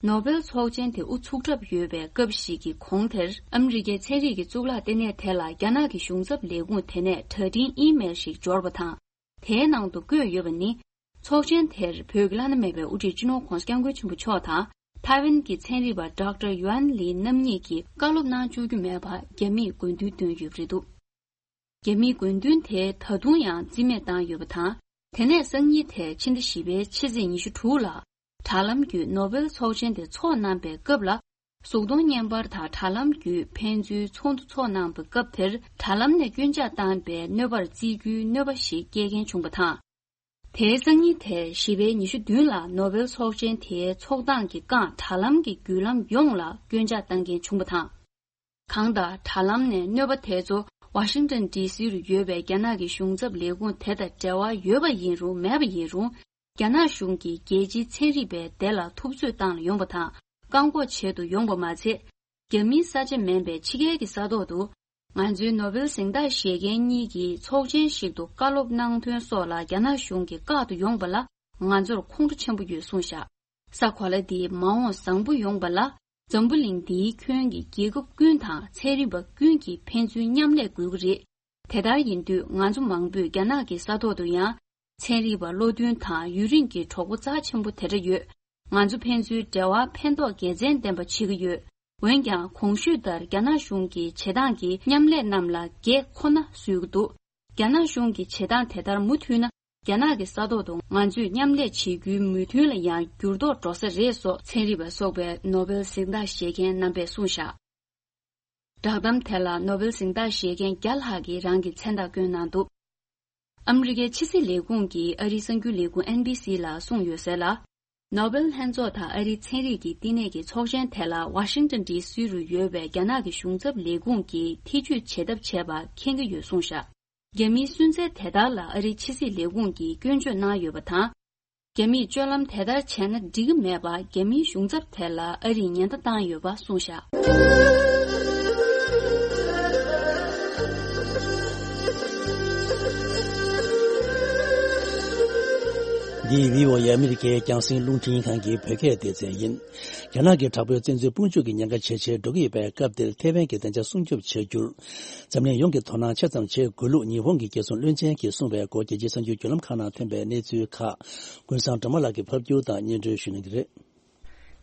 ནོ་བེལ་ཚོགས་ཆེན་དེ་དབུ་ཚུགས་གྲབས་ཡོད་པའི་སྐབས་ཤིག་གི་གོང་དེར། ཨ་མི་རི་ཀའི་ཚན་རིག་གི་གཙུག་ལག་ལྟེ་གནས་དེ་ལ་རྒྱ་ནག་གི་གཞུང་ཚབ་ལས་ཁུངས་དེ་ནས་དྲ་འཕྲིན་ཨི་མེལ་ཞིག་འབྱོར་བ་དང་། དེའི་ནང་དུ་བཀོད་ཡོད་པ་ནི། ཚོགས་ཆེན་དེར་བོད་ཀྱི་བླ་ན་མེད་པའི་དབུ་ཁྲིད་སྤྱི་ནོར་༸གོང་ས་༸སྐྱབས་མགོན་ཆེན་པོ་མཆོག་དང་། ཐའེ་ཝན་གྱི་ཚན་རིག་པ་ཌོག་ཊར་ཡུའན་ལི་རྣམ་གཉིས་ཀྱིས་བཀའ་སློབ་གནང་བཅུག་རྒྱུ་མེད་པར་རྒྱ་མིས་དགོས་འདུན་བཏོན་ཡོད་པ་རེད་འདུག་རྒྱ་མིའི་དགོས་འདུན་དེ་ད་དུང་ཡང་རྩིས་མེད་བཏང་ཡོད་པ་དང་། དེ་ནས་སང་ཉིན་དེ་ཕྱི་ཟླ་བཞི་པའི་ཕྱི་ཚེས་ཉི་ཤུ་དྲུག་ལ། དྲ་ལམ་བརྒྱུད་ནོ་བེལ་ཚོགས་ཆེན་དེ་འཚོགས་གནང་པའི་སྐབས་ལ། གཟུགས་མཐོང་བརྙན་པར་དང་དྲ་ལམ་བརྒྱུད་ཕན་ཚུན་ཚོགས་འདུ་འཚོགས་གནང་པའི་སྐབས་དེར། དྲ་ལམ་ནས་སྐྱོན་ཆ་བཏང་པའི་གནོད་པར་བརྩི་རྒྱུའི་གནོད་པ་ཞིག་སྐྱེལ་མཁན་བྱུང་བ་དང་། དེའི་སང་ཉིན་དེ་བཞི་པའི་ཉི་ཤུ་བདུན་ལ་ནོ་བེལ་ཚོགས་ཆེན་དེའི་ཚོགས་སྟངས་ཀྱི་རྐང་དྲ་ལམ་གྱི་བརྒྱུད་ལམ་ཡོངས་ལ་སྐྱོན་ཆ་བཏང་མཁན་བྱུང་བ་དང་། གང་ལྟར་དྲ་ལམ་ནས་གནོད་པ་དེ་ཚོ་ཝ་ཤིང་ཊོན་ཌི་སི་རུ་ཡོད་པའི་རྒྱ་ནག་གི་གཞུང་ཚབ་ལས་ཁུངས་དེ་དང་འབྲེལ་བ་ཡོད་པ་ཡིན་རུང་མེད་པ་ཡིན་རུང་། རྒྱ་ནག་གཞུང་གིས་རྒྱལ་སྤྱིའི་ཚན་རིག་པའི་སྡེ་ལ་ཐུབ་ཚོད་བཏང་ལ་ཡོང་པ་དང་བཀག་འགོག་བྱེད་དུ་ཡོང་པ་མ་ཚད། རྒྱ་མིའི་ས་ཆ་མིན་པའི་ཕྱི་རྒྱལ་གྱི་ས་ཐོག་ཏུ། ང་ཚོའི་ནོ་བེལ་གཟེངས་རྟགས་བཞེས་མཁན་གཉིས་ཀྱིས་ཚོགས་ཆེན་ཞིག་ཏུ་བཀའ་སློབ་གནང་དོན་སོགས་ལ་རྒྱ་ནག་གཞུང་གིས་བཀག་ཏུ་ཡོང་པ་ལ་ང་ཚོར་ཁོང་ཁྲོ་ཆེན་པོ་ཡོད་གསུངས་བཞག་ས་གོ་ལ་འདིའི་མ་འོངས་བཟང་པོ་ཡོང་པ་ལ་ འཛམ་བུ་གླིང་འདིའི་ཁྱོན་གྱི་རྒྱལ་ཁབ་ཀུན་དང་ཚན་རིག་པ་ཀུན་གྱིས་ཕན་ཚུན་མཉམ་ལས་དགོས་ཀྱི་རེད། དེ་ལྟར་ཡིན་དུས་ང་ཚོ་མང་པོས་རྒྱ་ནག་གི་ས་ཐོག་ཏུ་ཡང་། ཚན་རིག་པ་བློ་མཐུན་དང་ཡུན་རིང་གི་གྲོགས་པོ་རྩ་ཆེན་པོ་དེ་འདྲ་ཡོད། ང་ཚོ་ཕན་ཚུན་འབྲེལ་བ་ཕན་ཐོགས་དགེ་མཚན་ལྡན་པ་བྱེད་ཀྱི་ཡོད། འོན་ཀྱང་གོང་ཞུས་ལྟར་རྒྱ་ནག་གཞུང་གི་བྱེད་སྟངས་ཀྱིས་མཉམ་ལས་རྣམས་ལ་གེགས་ཁོ་ན་བཟོས་ཀྱི་འདུག་རྒྱ་ནག་གཞུང་གི་བྱེད་སྟངས་དེ་ལྟར་མུ་མཐུད་ན། རྒྱ་ནག་གི་ས་ཐོག་ཏུ་ང་ཚོས་མཉམ་ལས་བྱེད་རྒྱུའི་མོས་མཐུན་ལ་ཡང་འགྱུར་ལྡོག་འགྲོ་ས་རེད་སོགས་ཚན་རིག་པ་སོགས་པས་ནོ་བེལ་གཟེངས་རྟགས་བཞེས་མཁན་རྣམ་པས་གསུངས་བཞག་བསྒྲགས་གཏམ་དེ་ལ་ནོ་བེལ་གཟེངས་རྟགས་བཞེས་མཁན་བརྒྱ་ལྷག་གིས་རང་གི་མཚན་རྟགས་བསྐྱོན་གནང་འདུག་ཨ་མི་རི་ཀའི་ཕྱི་སྲིད་ལས་ཁུངས་ཀྱིས་ཨ་རིའི་གསར་འགྱུར་ལས་ཁུངས་ཨེན་བྷི་སི་ལ་གསུངས་ཡོད་གསལ་ལ། ནོ་བེལ་ལྷན་ཚོགས་དང་ཨ་རིའི་ཚན་རིག་གི་བསྟི་གནས་ཀྱི་ཚོགས་ཆེན་དེ་ལ་ཝ་ཤིང་ཏོན་ཌི་སི་རུ་ཡོད་པའི་རྒྱ་ནག་གི་གཞུང་ཚབ་ལས་ཁུངས་ཀྱིས་ཐེ་ཇུས་བྱེད་ཐབས་བྱས་པ་མཁྱེན་གྱི་ཡོད་གསུངས་བཞག་རྒྱ་མིའི་སུན་གཙེར་དེ་ལྟར་ལ་ཨ་རིའི་ཕྱི་སྲིད་ལས་ཁུངས་ཀྱིས་སྐྱོན་བརྗོད་གནང་ཡོད་པ་དང་། རྒྱ་མིས་སྤྱོད་ལམ་དེ་ལྟར་བྱས་ན་འགྲིག་གི་མེད་པ་རྒྱ་མིའི་གཞུང་ཚབ་དེ་ལ་ཨ་རིས་ཉེན་བརྡ་བཏང་ཡོད་པ་གསུངས་བཞག་འདི་བྷི་ཨོ་ཨེ་ཨ་མི་རི་ཀའི་རྒྱང་སྲིང་རླུང་འཕྲིན་ཁང་གི་བོད་སྐད་སྡེ་ཚན་ཡིན། རྒྱ་ནག་གི་དྲག་པོའི་བཙན་འཛུལ་དཔུང་འཇུག་གི་ཉེན་ཁ་ཇེ་ཆེར་འགྲོ་གི་ཡོད་པའི་སྐབས་འདིར་ཐའེ་ཝན་གྱི་བདེ་འཇགས་སྲུང་སྐྱོབ་བྱ་རྒྱུར། འཛམ་གླིང་ཡོངས་ཀྱིས་དོ་སྣང་ཆེ་ཙམ་བྱེད་དགོས་ལུགས་ཉི་ཧོང་གི་རྒྱལ་སྲུང་བློན་ཆེན་གྱིས་གསུངས་པའི་སྐོར་རྒྱལ་སྤྱིའི་གསར་འགྱུར་བརྒྱུད་ལམ་ཁག་ནང་ཐོན་པའི་གནས་ཚུལ་ཁག་ཀུན་བཟང་སྒྲོལ་མ་ལགས་ཀྱིས་ཕབ་སྒྱུར་དང་སྙན་སྒྲོན་ཞུ་གནང་གི་རེད།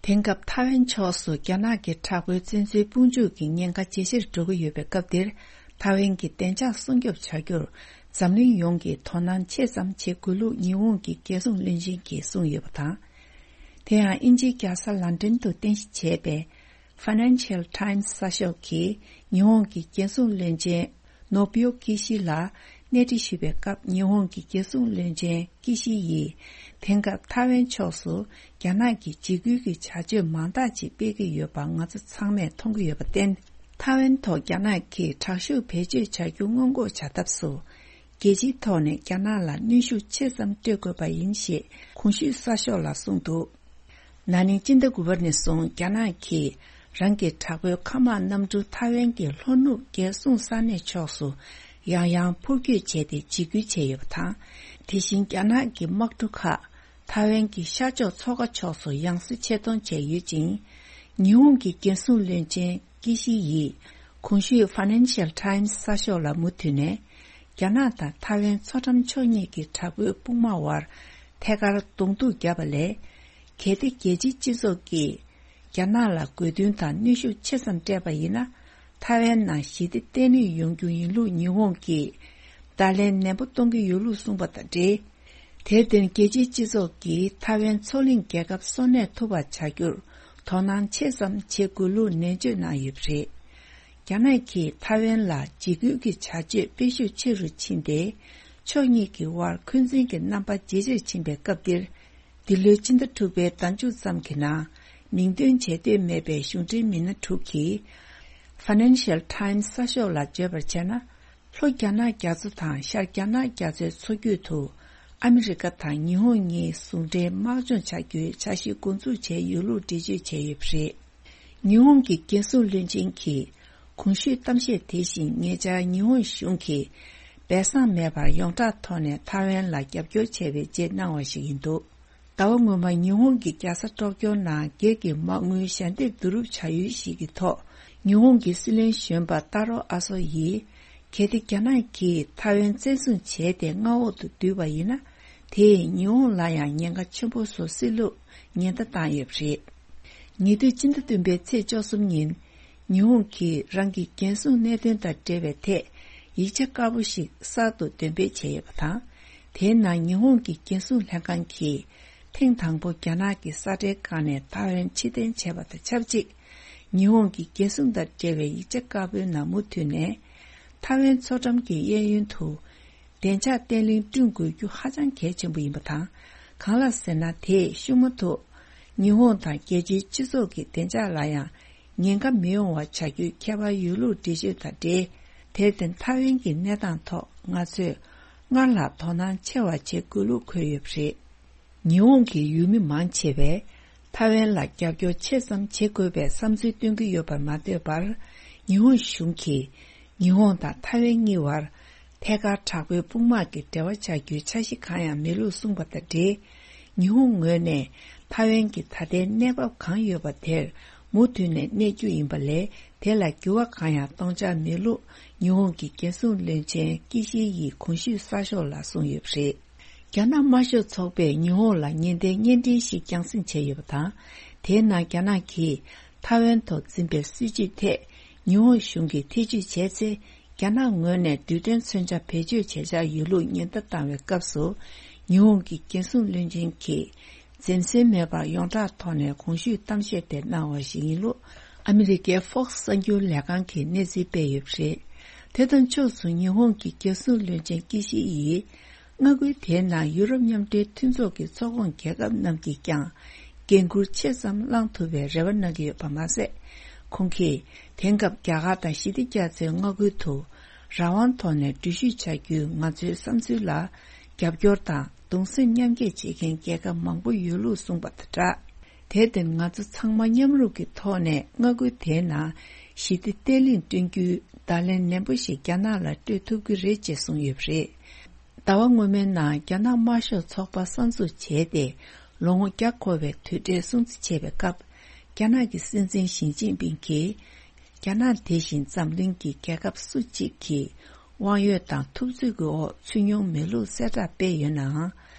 དེང་སྐབས་ཐའེ་ཝན་ཕྱོགས་སུ་རྒྱ་ནག་གི་དྲག་པོའི་བཙན་འཛུལ་དཔུང་འཇུག་གི་ཉེན་ཁ་ཇེ་ཆེར་འགྲོ་གི་ཡོད་པའི་སྐབས་འདིར། ཐའེ་ཝན་གྱི་བདེ་འཇགས་སྲུང་སྐྱོབ་བྱ་རྒྱུར་འཛམ་གླིང་ཡོངས་ཀྱིས་དོ་སྣང་ཆེ་ཙམ་བྱེད་དགོས་ལུགས་ཉི་ཧོང་གི་རྒྱལ་སྲུང་བློན་ཆེན་གྱིས་གསུངས་ཡོད་པ་དང་། དེ་ཡང་དབྱིན་ཇིའི་རྒྱལ་ས་ལན་ཀྲན་དུ་རྟེན་གཞི་བྱས་པའི་Financial Times་གསར་ཤོག་གིས་ཉི་ཧོང་གི་རྒྱལ་སྲུང་བློན་ཆེན་ནོ་བིའོ་ཀི་ཤི་ལ་གནས་འདྲི་ཞུས་པའི་སྐབས། ཉི་ཧོང་གི་རྒྱལ་སྲུང་བློན་ཆེན་ཀི་ཤི་ཡིས་དེང་སྐབས་ཐའེ་ཝན་ཕྱོགས་སུ་རྒྱ་ནག་གིས་འཇིགས་སྐུལ་གྱི་བྱ་སྤྱོད་མང་དག་ཅིག་སྤེལ་གྱི་ཡོད་པ་ང་ཚོ་ཚང་མས་མཐོང་གི་ཡོད་པར་བརྟེན། ཐའེ་ཝན་ཐོག་རྒྱ་ནག་གིས་དྲག་ཤུགས་བེད་སྤྱོད་བྱ་རྒྱུ་སྔོན་འགོག་བྱ་ཐབས་སུ། རྒྱལ་སྤྱིའི་ཐོག་ནས་རྒྱ་ནག་ལ་གནོན་ཤུགས་ཆེ་ཙམ་སྤྲོད་དགོས་པ་ཡིན་ཞེས་གོང་ཞུས་གསར་ཤོག་ལ་གསུངས་འདུག་ན་ནིང་སྤྱི་ཟླ་དགུ་པ་ནས་བཟུང་རྒྱ་ནག་གིས་རང་གི་དྲག་པོའི་མཁའ་དམག་གནམ་གྲུ་ཐའེ་ཝན་གྱི་ལྷོ་ནུབ་རྒྱལ་སྲུང་ས་གནས་ཕྱོགས་སུ་ཡང་ཡང་འཕུར་སྐྱོད་བྱས་ཏེ་འཇིགས་སྐུལ་བྱས་ཡོད་པ་དང་། དེ་བཞིན་རྒྱ་ནག་གི་དམག་གྲུ་ཁག་ཐའེ་ཝན་གྱི་ཤར་ཕྱོགས་མཚོ་ཁ་ཕྱོགས་སུ་ཡང་སེ་ཆེད་གཏོང་བྱས་ཡོད་ཅིང་། ཉི་ཧོང་གི་རྒྱལ་སྲུང་བློན་ཆེན་ཀི་ཤི་ཡིས་གོང་ཞུས་Financial Times་གསར་ཤོག་ལ་མུ་མཐུད་ནས། རྒྱ་ནག་དང་ཐའེ་ཝན་མཚོ་འགྲམ་ཕྱོགས་གཉིས་ཀྱི་དྲག་པོའི་དཔུང་དམག་དབར་ཐད་ཀར་གདོང་ཐུག་བརྒྱབ་པ་ལས། གལ་ཏེ་རྒྱལ་སྤྱིའི་སྤྱི་ཚོགས་ཀྱིས་རྒྱ་ནག་ལ་རྒོལ་རྡུང་དང་གནོན་ཤུགས་ཆེ་ཙམ་སྤྲད་པ་ཡིན་ན། ཐའེ་ཝན་ནང་ཞི་བདེ་བརྟན་ལྷིང་ཡོང་རྒྱུ་ཡིན་ལུགས་ཉི་ཧོང་གིས་བརྡ་ལན་ནན་པོ་གཏོང་གི་ཡོད་ལུགས་གསུངས་པ་དང་འབྲེལ། དེར་བརྟེན་རྒྱལ་སྤྱིའི་སྤྱི་ཚོགས་ཀྱིས་ཐའེ་ཝན་མཚོ་གླིང་རྒྱལ་ཁབ་གསོ་གནས་ཐུབ་པ་བྱ་རྒྱུར་དོ་སྣང་ཆེ་ཙམ་བྱེད་དགོས་ལུགས་ནན་བརྗོད་གནང་ཡོད་པ་རེད། རྒྱ་ནག་གིས་ཐའེ་ཝན་ལ་འཇིགས་སྐུལ་གྱི་བྱ་སྤྱོད་སྤེལ་ཤུགས་ཆེ་རུ་ཕྱིན་ཏེ། ཕྱོགས་གཉིས་ཀྱི་དབར་འཁོན་འཛིན་གྱི་རྣམ་པ་ཇེ་ཆེར་ཕྱིན་པའི་སྐབས་འདིར། འདི་ལོའི་ཕྱི་ཟླ་དྲུག་པའི་ཟླ་མཇུག་ཙམ་གྱི་ནང་། མིང་འདོན་བྱེད་འདོད་མེད་པའི་གཞུང་འབྲེལ་མི་སྣ་དྲུག་གིས། Financial Times་གསར་ཤོག་ལ་བརྗོད་པར་བྱས་ན། ལྷོ་རྒྱ་ནག་རྒྱ་མཚོ་དང་ཤར་རྒྱ་ནག་རྒྱ་མཚོའི་མཚོ་རྒྱུད་དུ། ཨ་མི་རི་ཀ་དང་ཉི་ཧོང་གཉིས་ཟུང་འབྲེལ་དམག་སྦྱོང་བྱ་རྒྱུའི་འཆར་གཞི་འགོ་འཛུགས་བྱས་ཡོད་ལུགས་འགྲེལ་བརྗོད་བྱས་ཡོད་པ་རེད། ཉི་ཧོང་གི་རྒྱལ་སྲུང་བློན་ཆེན་གྱིས་གོང་ཞུས་གཏམ་བཤད་དེ་བཞིན་ཉེ་ཆར་ཉི་ཧོང་གཞུང་གིས་སྦས་གསང་མེད་པར་ཡོངས་གྲགས་ཐོག་ནས་ཐའེ་ཝན་ལ་རྒྱབ་སྐྱོར་བྱས་པའི་རྗེས་གནང་བ་ཞིག་ཡིན་འདུག་ཟླ་བ་སྔོན་མ་ཉི་ཧོང་གི་རྒྱལ་ས་ཊོག་ཀྱོ་ནང་སྒེར་གྱི་མ་དངུལ་ཞལ་འདེབས་བསྡུ་རུབ་བྱ་ཡུལ་ཞིག་གི་ཐོག་ཉི་ཧོང་གི་སྲིད་བློན་གཞོན་པ་ཏཱ་རོ་ཨ་སོ་ཡིས། གལ་ཏེ་རྒྱ་ནག་གིས་ཐའེ་ཝན་བཙན་བཟུང་བྱས་ཏེ་མངའ་འོག་ཏུ་བསྡུས་པ་ཡིན་ན། དེས་ཉི་ཧོང་ལ་ཡང་ཉེན་ཁ་ཆེན་པོ་བཟོ་སྲིད་ལུགས་ཉེན་བརྡ་བཏང་ཡོད་པ་རེད། ཉེ་དུས་སྤྱི་ཟླ་བདུན་པའི་ཚེས་བཅུ་གསུམ་ཉིན། ཉི་ཧོང་གིས་རང་གི་རྒྱལ་སྲུང་གནད་དོན་དང་འབྲེལ་བའི་ཐད་ཡིག་ཆ་དཀར་པོ་ཞིག་གསར་དུ་འདོན་སྤེལ་བྱས་ཡོད་པ་དང་། དེའི་ནང་ཉི་ཧོང་གི་རྒྱལ་སྲུང་ལྷན་ཁང་གིས་ཐེངས་དང་པོ་རྒྱ་ནག་གི་ས་ཁྲའི་སྒང་ནས་ཐའེ་ཝན་ཕྱིར་འཐེན་བྱས་པ་དང་ཆབས་ཅིག་ཉི་ཧོང་གི་རྒྱལ་སྲུང་དང་འབྲེལ་བའི་ཡིག་ཆ་དཀར་པོའི་ནང་མུ་མཐུད་ནས། ཐའེ་ཝན་མཚོ་འགྲམ་གྱི་གཡས་གཡོན་དུ། བདེ་འཇགས་བརྟན་ལྷིང་བསྐྲུན་དགོས་རྒྱུ་ཧ་ཅང་གལ་ཆེན་པོ་ཡིན་པ་དང་། གང་ལ་ཟེར་ན། དེས་ཤུགས་མ་ཐུག་ཉི་ཧོང་དང་རྒྱལ་སྤྱིའི་སྤྱི་ཚོགས་ཀྱི་བདེ་འཇགས་ལ་ཡང་ཉེན་ཁ་མི་ཡོང་བ་བྱ་རྒྱུའི་ཁྱད་པར་ཡོད་ལུགས་འགྲེལ་བརྗོད་དང་འབྲེལ། དེར་བརྟེན་ཐའེ་ཝན་གྱི་གནས་སྟངས་ཐོག་ང་ཚོས་སྔར་ལྷག་དོ་སྣང་ཆེ་བ་བྱེད་དགོས་ལུགས་འཁོད་ཡོད་པ་རེད། ཉི་ཧོང་གི་ཡུལ་མི་མང་ཆེ་བས་ཐའེ་ཝན་ལ་རྒྱབ་སྐྱོར་ཆེ་ཙམ་བྱེད་དགོས་པའི་བསམ་ཚུལ་སྟོན་གྱི་ཡོད་པར་མ་ལྟོས་པར། ཉི་ཧོང་གཞུང་གིས་ཉི་ཧོང་དང་ཐའེ་ཝན་གཉིས་བར་ཐད་ཀར་དྲག་པོའི་དཔུང་དམག་གི་འབྲེལ་བ་བྱ་རྒྱུའི་འཆར་གཞི་གང་ཡང་མེད་ལུགས་གསུངས་པ་དང་འབྲེལ། ཉི་ཧོང་ངོས་ནས་ཐའེ་ཝན་གྱི་ད་ལྟའི་གནས་བབ་གང་ཡོད་པ་དེར་ མུ་མཐུད་ནས་གནས་རྒྱུ་ཡིན་པ་ལས། དེ་ལ་འགྱུར་བ་གང་ཡང་གཏོང་འཆར་མེད་ལུགས་ཉི་ཧོང་གི་རྒྱལ་སྲུང་བློན་ཆེན་ཀི་ཤི་ཡིས་གོང་ཞུས་གསར་ཤོག་ལ་གསུངས་ཡོད་པ་རེད། རྒྱ་ནག་དམར་ཤོག་ཚོགས་པས་ཉི་ཧོང་ལ་ཉེན་བརྡའི་བརྙན་འཕྲིན་ཞིག་རྒྱང་སྲིང་བྱས་ཡོད་པ་དང་། དེའི་ནང་རྒྱ་ནག་གིས་ཐའེ་ཝན་ཐོག་འཛིན་པའི་སྲིད་བྱུས་ཐད་ཉི་ཧོང་གཞུང་གིས་ཐེ་བྱུས་བྱས་ཚེ། རྒྱ་ནག་ངོས་ནས་རྡུལ་ཕྲན་མཚོན་ཆ་བེད་སྤྱོད་བྱེད་འཆར་ཡོད་ལུགས་ཉེན་བརྡ་བཏང་བའི་སྐབས་སུ། ཉི་ཧོང་གི་རྒྱལ་སྲུང་བློན་ཆེན་གྱིས་འཛེམ་ཟོན་མེད་པར་ཡོངས་གྲགས་ཐོག་ནས་གོང་ཞུས་གཏམ་བཤད་དེ་གནང་བ་ཞིག་ཡིན་ལུགས། ཨ་མི་རི་ཀའི་Fox་གསར་འགྱུར་ལས་ཁང་གིས་གནས་ཚུལ་སྤེལ་ཡོད་པ་རེད། དེ་དང་ཕྱོགས་སུ་ཉི་ཧོང་གི་རྒྱལ་སྲུང་བློན་ཆེན་ཀི་ཤི་ཡིས། མངའ་ཁུལ་དེའི་ནང་ཡུ་རོབ་མཉམ་འབྲེལ་མཐུན་ཚོགས་ཀྱི་ཚོགས་ཁོངས་རྒྱལ་ཁབ་རྣམས་ཀྱིས་ཀྱང་འགན་འཁུར་ཆེ་ཙམ་བླང་ཐུབ་པའི་རེ་བ་གནང་གི་ཡོད་པ་མ་ཟད། ཁོང་གིས་དེང་སྐབས་རྒྱ་གར་དང་ཞི་བདེ་རྒྱ་མཚོའི་མངའ་ཁུལ་དུ་རང་དབང་ཐོག་ནས་འགྲུལ་བཞུད་བྱ་རྒྱུའི་ང་ཚོའི་བསམ་ཚུལ་ལ་རྒྱབ་སྐྱོར་དང་གདུང་སེམས་མཉམ་སྐྱེད་བྱེད་མཁན་རྒྱལ་ཁབ་མང་པོ་ཡོད་ལུགས་གསུངས་པ་དང་སྦྲགས། དེར་བརྟེན་ང་ཚོ་ཚང་མ་མཉམ་རུབ་ཀྱི་ཐོག་ནས་མངའ་ཁུལ་དེའི་ནང་ཞི་བདེ་བརྟན་ལྷིང་བསྐྲུན་རྒྱུའི་བརྡ་ལན་ནན་པོ་ཞིག་རྒྱ་ནག་ལ་སྤྲོད་ཐུབ་ཀྱི་རེད་ཅེས་གསུངས་ཡོད་པ་རེད། ཟླ་བ་སྔོན་མའི་ནང་རྒྱ་ནག་དམར་ཤོག་ཚོགས་པ་གསར་འཛུགས་བྱས་ཏེ་ལོ་ངོ་བརྒྱ་འཁོར་བའི་དུས་དྲན་སྲུང་བརྩི་བྱས་པའི་སྐབས། རྒྱ་ནག་གི་སྲིད་འཛིན་ཞི་ཅིན་ཕིང་གིས། རྒྱ་ནག་དེ་བཞིན་འཛམ་གླིང་གི་རྒྱལ་ཁབ་སུ་གཅིག་གིས་དབང་ཡོད་དང་ཐུབ་ཚོད་ཀྱི་འོག་ཚུད་མྱོང་མེད་ལུགས་གསལ་བསྒྲགས་སྤེལ་ཡོད་ནའང་།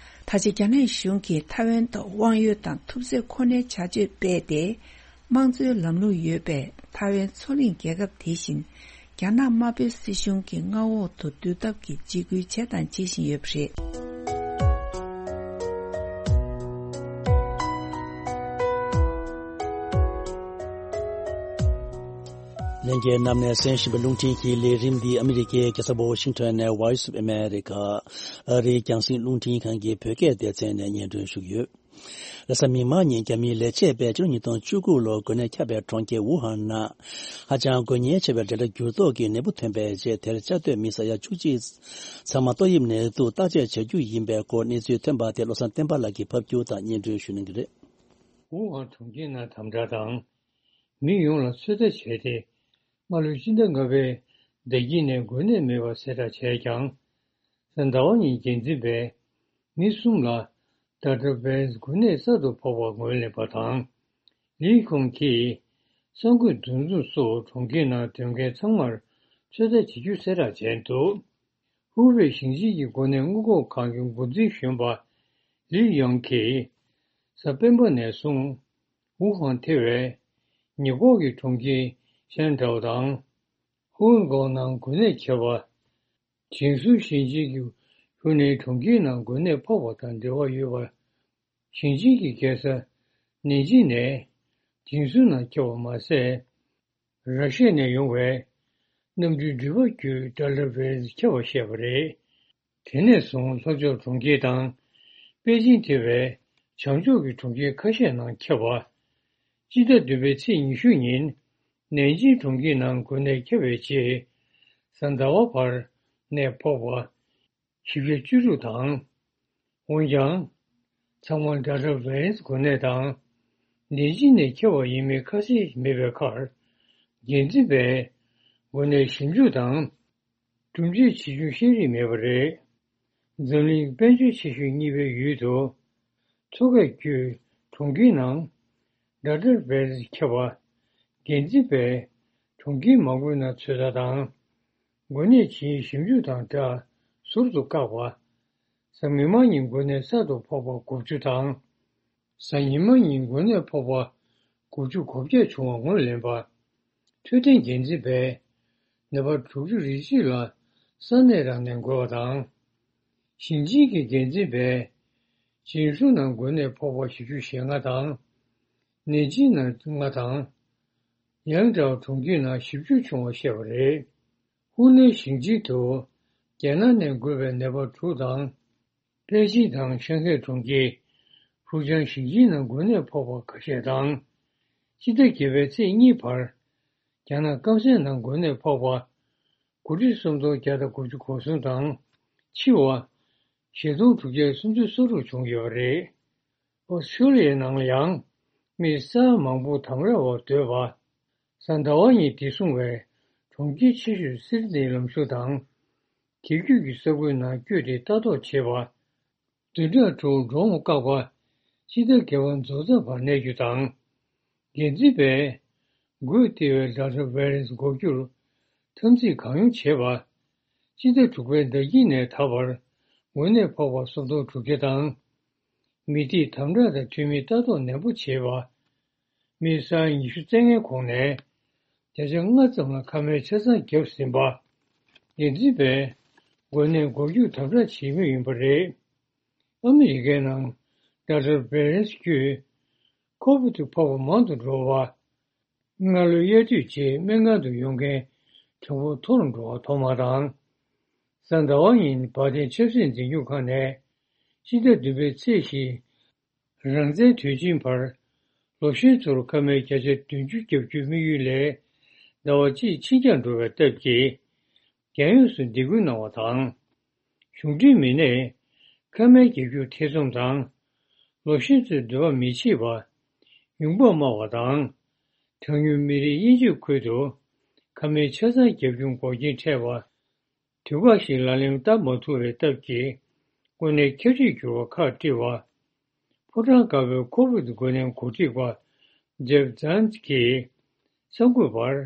ད་ཆ་རྒྱ་ནག་གཞུང་གིས་ཐའེ་ཝན་ཐོག་དབང་ཡོད་དང་ཐུབ་ཚོད་ཁོ་ནའི་བྱ་སྤྱོད་སྤེལ་ཏེ། དམངས་གཙོའི་ལམ་ལུགས་ཡོད་པའི་ཐའེ་ཝན་མཚོ་གླིང་རྒྱལ་ཁབ་དེ་བཞིན། རྒྱ་ནག་དམར་པོའི་སྲིད་གཞུང་གི་མངའ་འོག་ཏུ་བསྡུ་ཐབས་ཀྱི་འཇིགས་སྐུལ་བྱས་དང་བྱེད་བཞིན་ཡོད་པ་རེད། ལྷན་རྒྱས་རྣམས་ནས་གསན་བཞིན་པའི་རླུང་འཕྲིན་གྱི་ལས་རིམ་འདི་ཨ་མི་རི་ཀའི་རྒྱལ་ས་ཝ་ཤིང་ཊོན་ནས་Voice of America ཨ་རིའི་རྒྱང་སྲིང་རླུང་འཕྲིན་ཁང་གི་བོད་སྐད་སྡེ་ཚན་ནས་སྙན་སྒྲོན་ཞུ་གི་ཡོད། རེས་གཟའ་མིག་དམར་ཉིན་རྒྱ་མིའི་ལས་བྱེད་པས་ཕྱི་ལོ་ཉིས་སྟོང་བཅུ་དགུ་ལོར་འགོས་ནད་ཁྱབ་པའི་གྲོང་ཁྱེར་ཝུ་ཧན་ནང་ཧ་ཅང་འགོས་ཉེན་ཆེ་བའི་འབྲེལ་སྒྲ་འགྱུར་ལྡོག་གི་ནད་འབུ་ཐོན་པའི་རྗེས། དེར་བཅའ་སྡོད་མི་ས་ཡ་བཅུ་གཅིག་ཚང་མ་ཏོག་དབྱིབས་ནད་དུག་བརྟག་དཔྱད་བྱ་རྒྱུ་ཡིན་པའི་སྐོར་གནས་ཚུལ་ཐོན་པ་དེ་བློ་བཟང་བསྟན་པ་ལགས་ཀྱིས་ཕབ་སྒྱུར་དང་སྙན་སྒྲོན་ཞུ་གནང་གི་རེད། ཝུ་ཧན་གྲོང་ཁྱེར་ནང་དམ་དྲག་དང་། མི་ཡོངས་ལ་ཚོད་ལྟ་བྱས་ཏེ། སྔ་ལོའི་སྤྱི་ཟླ་ལྔ་པའི་ཟླ་དཀྱིལ་ནས་འགོས་ནད་མེད་པ་གསལ་བསྒྲགས་བྱས་ཀྱང་། གཟའ་ཟླ་བ་ཉིན་འགན་འཛིན་པས་མི་གསུམ་ལ་ཌེལ་ཊ་བྷེ་རི་ཡན་སི་འགོས་ནད་གསར་དུ་ཕོག་པ་ངོས་ལེན་པ་དང་། ལིའི་ཁུང་གིས་གསར་འགོད་འདུ་འཛོམས་སུ་གྲོང་ཁྱེར་ནང་སྡོད་མཁན་ཚང་མར་ཚོད་ལྟ་བྱེད་རྒྱུ་གསལ་བསྒྲགས་བྱས་འདུག་ཧུའུ་པེ་ཞིང་ཆེན་གྱི་འགོས་ནད་སྔོན་འགོག་ཁང་གི་འགོ་འཛིན་གཞོན་པ་ལི་ཡང་གིས་གཟའ་སྤེན་པ་ནས་བཟུང་ཝུ་ཧན་ཐེ་བའི་ཉེ་འཁོར་གྱི་གྲོང་ཁྱེར་ཤན་ཀྲའོ་དང་། ཧུའུ་ཀའོ་ནང་འགོས་ནད་ཁྱབ་པ། ཇིང་སུའུ་ཞིང་ཆེན་གྱི་ཧུའུ་ནན་གྲོང་ཁྱེར་ནང་འགོས་ནད་ཕོག་པ་དང་འབྲེལ་བ་ཡོད་པ། ཞིང་ཆེན་གྱི་རྒྱལ་ས་ནན་ཅིང་ནས་ཇིང་སུའུ་ནང་ཁྱབ་པ་མ་ཟད། ར་ཤི་ཡ་ནས་ཡོང་བའི་གནམ་གྲུའི་འགྲུལ་པ་བརྒྱུད་ཌེལ་ཊ་བྷེ་རི་ཡན་སི་ཁྱབ་པ་བཤད་པ་རེད། དེ་ནས་བཟུང་ལྷོ་ཕྱོགས་གྲོང་ཁྱེར་དང་པེ་ཅིང་ཐེ་བའི་བྱང་ཕྱོགས་ཀྱི་གྲོང་ཁྱེར་ཁ་ཤས་ནང་ཁྱབ་པ། སྤྱི་ཟླ་བདུན་པའི་ཚེས་ཉི་ཤུ་ཉིན་ནན་ཅིང་གྲོང་ཁྱེར་ནང་འགོས་ནད་ཁྱབ་པའི་རྗེས། གཟའ་ཟླ་བ་བར་ནད་ཕོག་པ། བཞི་བརྒྱ་བཅུ་དྲུག་དང་། འོན་ཀྱང་། ཚང་མ་ཌེལ་ཊ་བྷེ་རི་ཡན་སི་འགོས་ནད་དང་། ནད་གཞི་ནས་ཁྱབ་པ་ཡིན་མིན་ཁ་གསལ་མེད་པའི་ཁར། འགན་འཛིན་པས་འགོས་ནད་ཞིབ་འཇུག་དང་། སྒྲུབ་བྱེད་ཆེ་ཆུང་ཤེས་རིག་མེད་པ་རེད། འཛམ་གླིང་དཔལ་འབྱོར་ཆེ་ཤོས་གཉིས་པའི་ཡུལ་དུ། མཚོ་ཁ་བརྒྱུད་གྲོང་ཁྱེར་ནང་ཌེལ་ཊ་བྷེ་རི་ཡན་སི་ཁྱབ་པ། འགན་འཛིན་པས་གྲོང་ཁྱེར་མང་པོའི་ནང་ཚོད་ལྟ་དང་། འགོས་ནད་ཇི་ཡིན་ཞིབ་འཇུག་དང་སྦྲགས་ཟུར་དུ་བཀག་པ། གཟའ་མིག་དམར་ཉིན་འགོས་ནད་གསར་དུ་ཕོག་པ་དགུ་བཅུ་དང་། གཟའ་ཉི་མ་ཉིན་འགོས་ནད་ཕོག་པ་དགུ་བཅུ་གོ་བརྒྱད་བྱུང་བ་ངོས་ལེན་པ། འཕྲོད་བསྟེན་འགན་འཛིན་པས་ནད་པ་དྲུག་ཅུ་རེ་གཅིག་ལ་ས་གནས་རང་ནས་འགོས་པ་དང་། ཞིང་ཆེན་གྱི་འགན་འཛིན་པས་ཇིང་སུའུ་ནང་འགོས་ནད་ཕོག་པ་བཞི་བཅུ་ཞེ་ལྔ་དང་། ནན་ཅིང་ནང་ལྔ་དང་། ཡང་ཀྲའོ་གྲོང་ཁྱེར་ནང་བཞི་བཅུ་བྱུང་བ་བཤད་པ་རེད། ཧུའུ་ནན་ཞིང་ཆེན་དུ་རྒྱ་ནག་ནས་འགོས་པའི་ནད་པ་དྲུག་དང་། པེ་ཅིང་དང་ཤང་ཧེ་གྲོང་ཁྱེར། ཧྥུ་ཅང་ཞིང་ཆེན་ནང་འགོས་ནད་ཕོག་པ་ཁ་ཤས་དང་། སྤྱི་ཟླ་བརྒྱད་པའི་ཚེས་གཉིས་བར། རྒྱ་ནག་སྐམ་སའི་ནང་འགོས་ནད་ཕོག་པ། དགུ་ཁྲི་སུམ་སྟོང་བརྒྱ་དང་དགུ་བཅུ་གོ་གསུམ་དང་། འཆི་བ། བཞི་སྟོང་དྲུག་བརྒྱ་སུམ་ཅུ་སོ་དྲུག་བྱུང་ཡོད་པ་རེད། ཨོ་སི་ཁྲུ་ལི་ཡའི་ནང་ལ་ཡང་མི་ས་ཡ་མང་པོ་དམ་ར་བར་སྡོད་པ། གཟའ་ཟླ་བ་ཉིན་བདེ་སྲུང་བས་གྲོང་ཁྱེར་ཆེ་ཤོས་སིད་ནིའི་ལམ་ཟུར་དང་། དེ་བརྒྱུད་ཀྱི་ས་ཁུལ་ནང་བསྐྱོད་དེ་ལྟ་རྟོག་བྱེད་པ། བདུན་ཕྲག་དྲུག་འགྲོ་འོང་བཀག་པ། སྤྱི་ཟླ་བརྒྱད་པ་རྫོགས་ཚར་བར་གནས་རྒྱུ་དང་། འགན་འཛིན་པས་ འགོས་ཏེ་བའི་ཌེལ་ཊ་བྷེ་རིན་སི་འགོག་རྒྱུར་འཐབ་འཛིང་གང་ཡོང་བྱེད་པ། སྤྱི་ཟླ་དྲུག་པའི་ཟླ་དཀྱིལ་ནས་ད་བར་འགོས་ནད་ཕོག་པ་སུམ་སྟོང་དྲུག་བརྒྱ་དང་། མི་སྡེའི་དམ་དྲག་དང་འཐུས་མིའི་ལྟ་རྟོག་ནན་པོ་བྱེད་པ། མི་ས་ཡ་ཉི་ཤུ་རྩ་ལྔའི་གོང་ནས་བརྒྱ་ཆ་ལྔ་ཙམ་ལ་ཁ་མའི་ཆ་ཚང་བརྒྱབ་ཟིན་པ། འདི་འཛིན་པས་འགོས་ནད་འགོག་རྒྱུར་དམ་དྲག་བྱེད་མུས་ཡིན་པ་རེད། ཨ་མི་རི་ཀའི་ནང་ཌེལ་ཊ་བྷེ་རིན་སི་བརྒྱུད་ཁོ་བིད་ཕོག་པ་མང་དུ་འགྲོ་བ། སྔ་ལོའི་དབྱར་དུས་རྗེས་སྨན་ཁང་དུ་ཡོང་མཁན་གྲངས་འབོར་མཐོ་རུ་འགྲོ་བ་ཐོག་མ་དང་། གཟའ་ཟླ་བ་ཉིན་བར་ལྡན་ཆབ་སྲིད་འཛིན་སྐྱོང་ཁང་ནས་ཕྱི་ཟླ་བདུན་པའི་ཚེས་བཞི་རང་བཙན་དུས་ཆེན་བར་ལོ་གཞོན་ཚོར་ཁ་མའི་བརྒྱ་ཆ་བདུན་ཅུ་བརྒྱབ་རྒྱུའི་དམིགས་ཡུལ་ལས་ཟླ་བ་གཅིག་ཕྱིན་རྐྱང་འགྲོ་བའི་སྟབས་ཀྱིས། རྒྱལ་ཡོངས་སུ་འདེད་སྐུལ་གནང་བ་དང་། གཞུང་འབྲེལ་མི་སྣས་ཁ་མའི་རྒྱག་རྒྱུ་ཐེ་ཚོམ་དང་། ལོ་གཞོན་ཚོས་འདོད་པ་མི་བྱེད་པ། ཡོང་འབབ་དམའ་བ་དང་། གྲངས་ཉུང་མི་རིགས་དབྱེ་འབྱེད་ཁུལ་དུ་ཁ་མའི་ཆ་ཚང་རྒྱབ་སྐྱོར་འགོག་རྐྱེན་འཕྲད་པ། དུས་བཀག་ཞིག་ལག་ལེན་བསྟར་མ་ཐུབ་པའི་སྟབས་ཀྱིས་དངོས་གནས་ཁྱབ་བསྒྲིགས་གྱུར་བ་ཁག་དཀྲི་བ། ཕོ་བྲང་དཀར་པོའི་ཁོ་བིད་འགོས་ནད་འགོ་ཁྲིད་པ་ཇེབ་ཛན་གྱིས་གསར་འགོད་པར།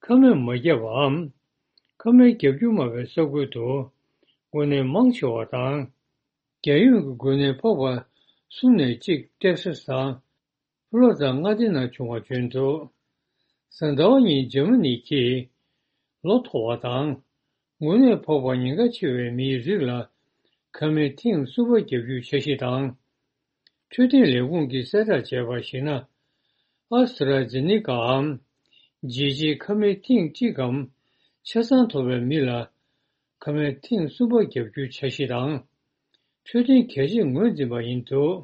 ཁ་སྨན་མ་བརྒྱབ་པའམ། ཁ་སྨན་རྒྱག་རྒྱུ་མ་བའི་ས་ཁུལ་དུ་འགོས་ནད་མང་ཆེ་བ་དང་། རྒྱལ་ཡོངས་ཀྱི་འགོས་ནད་ཕོག་པ་གསུམ་ནས་གཅིག་ཏེག་སཱས་དང་། ཕོ་ལོ་རི་ཌ་མངའ་སྡེ་ནང་བྱུང་བ་བརྗོད་འདུག་གཟའ་ཟླ་བ་ཉིན་འཇར་མ་ནི་གྱིས་ལོ་མཐོ་བ་དང་། འགོས་ནད་ཕོག་པར་ཉེན་ཁ་ཆེ་བའི་མིའི་རིགས་ལ་ཁ་སྨན་ཐེངས་གསུམ་པ་བརྒྱབ་རྒྱུའི་འཆར་གཞི་དང་། འཕྲོད་བསྟེན་ལས་ཁུངས་ཀྱིས་གསལ་བསྒྲགས་བྱས་པར་གཞིགས་ན། ཨ་སི་ཊ་ར་ཛེ་ནེ་ཀའམ། ཇི་ཇི་ཁ་སྨན་ཐེངས་གཅིག་གམ་ཆ་ཚང་ཐོབ་པའི་མི་ལ་ཁ་སྨན་ཐེངས་གསུམ་པ་བརྒྱབ་རྒྱུའི་འཆར་གཞི་དང་། འཕྲོད་བསྟེན་གལ་ཆེར་ངོས་འཛིན་པ་ཡིན་འདུག་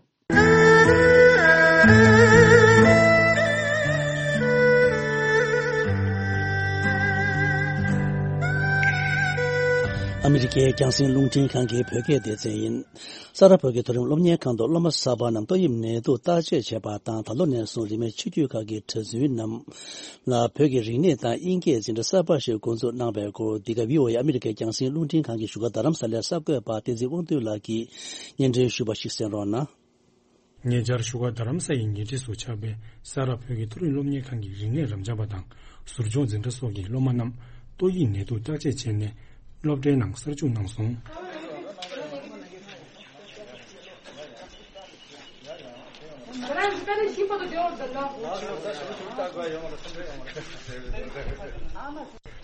ཨ་མི་རི་ཀའི་རྒྱང་སྲིང་རླུང་འཕྲིན་ཁང་གི་བོད་སྐད་སྡེ་ཚན་ཡིན། ས་རཱ་བོད་ཀྱི་མཐོ་རིམ་སློབ་གཉེར་ཁང་དུ་སློབ་མ་གསར་པ་རྣམས་ཏོག་དབྱིབས་ནད་དུག་བརྟག་དཔྱད་བྱས་པ་དང་། ད་ལོ་ནས་བཟུང་རིན་མེད་ཆོས་བརྒྱུད་ཁག་གི་གྲྭ་བཙུན་རྣམས་ལ་བོད་ཀྱི་རིག་གནས་དང་དབྱིན་སྐད་འཛིན་གྲྭ་གསར་པ་ཞིག་འགོ་འཛུགས་གནང་བའི་སྐོར། འདི་ག་བྷི་ཨོ་ཨེ་ཨ་མི་རི་ཀའི་རྒྱང་སྲིང་རླུང་འཕྲིན་ཁང་གི་བཞུགས་སྒར་རྡ་རམ་ས་ལའི་གསར་འགོད་པ་བསྟན་འཛིན་དབང་འདུས་ལགས་ཀྱིས་སྙན་སྒྲོན་ཞུས་པ་ཞིག་གསན་རོགས་གནང་། ཉེ་ཆར་བཞུགས་སྒར་རྡ་རམ་ས་ཡི་ཉེ་འཁྲིས་སུ་ཆགས་པའི་ས་རཱ་བོད་ཀྱི་མཐོ་རིམ་སློབ་གཉེར་ཁང་གི་རིག་གནས་རབ་འབྱམས་པ་དང་ཟུར་སྦྱོང་འཛིན་གྲྭ་སོགས་ཀྱི་སློབ་མ་རྣམས་ཏོག་དབྱིབས་ནད་དུག་བརྟག་དཔྱད་བྱས་ནས་སློབ་གྲྭའི་ནང་གསར་བཅུག་གནང་སོང་།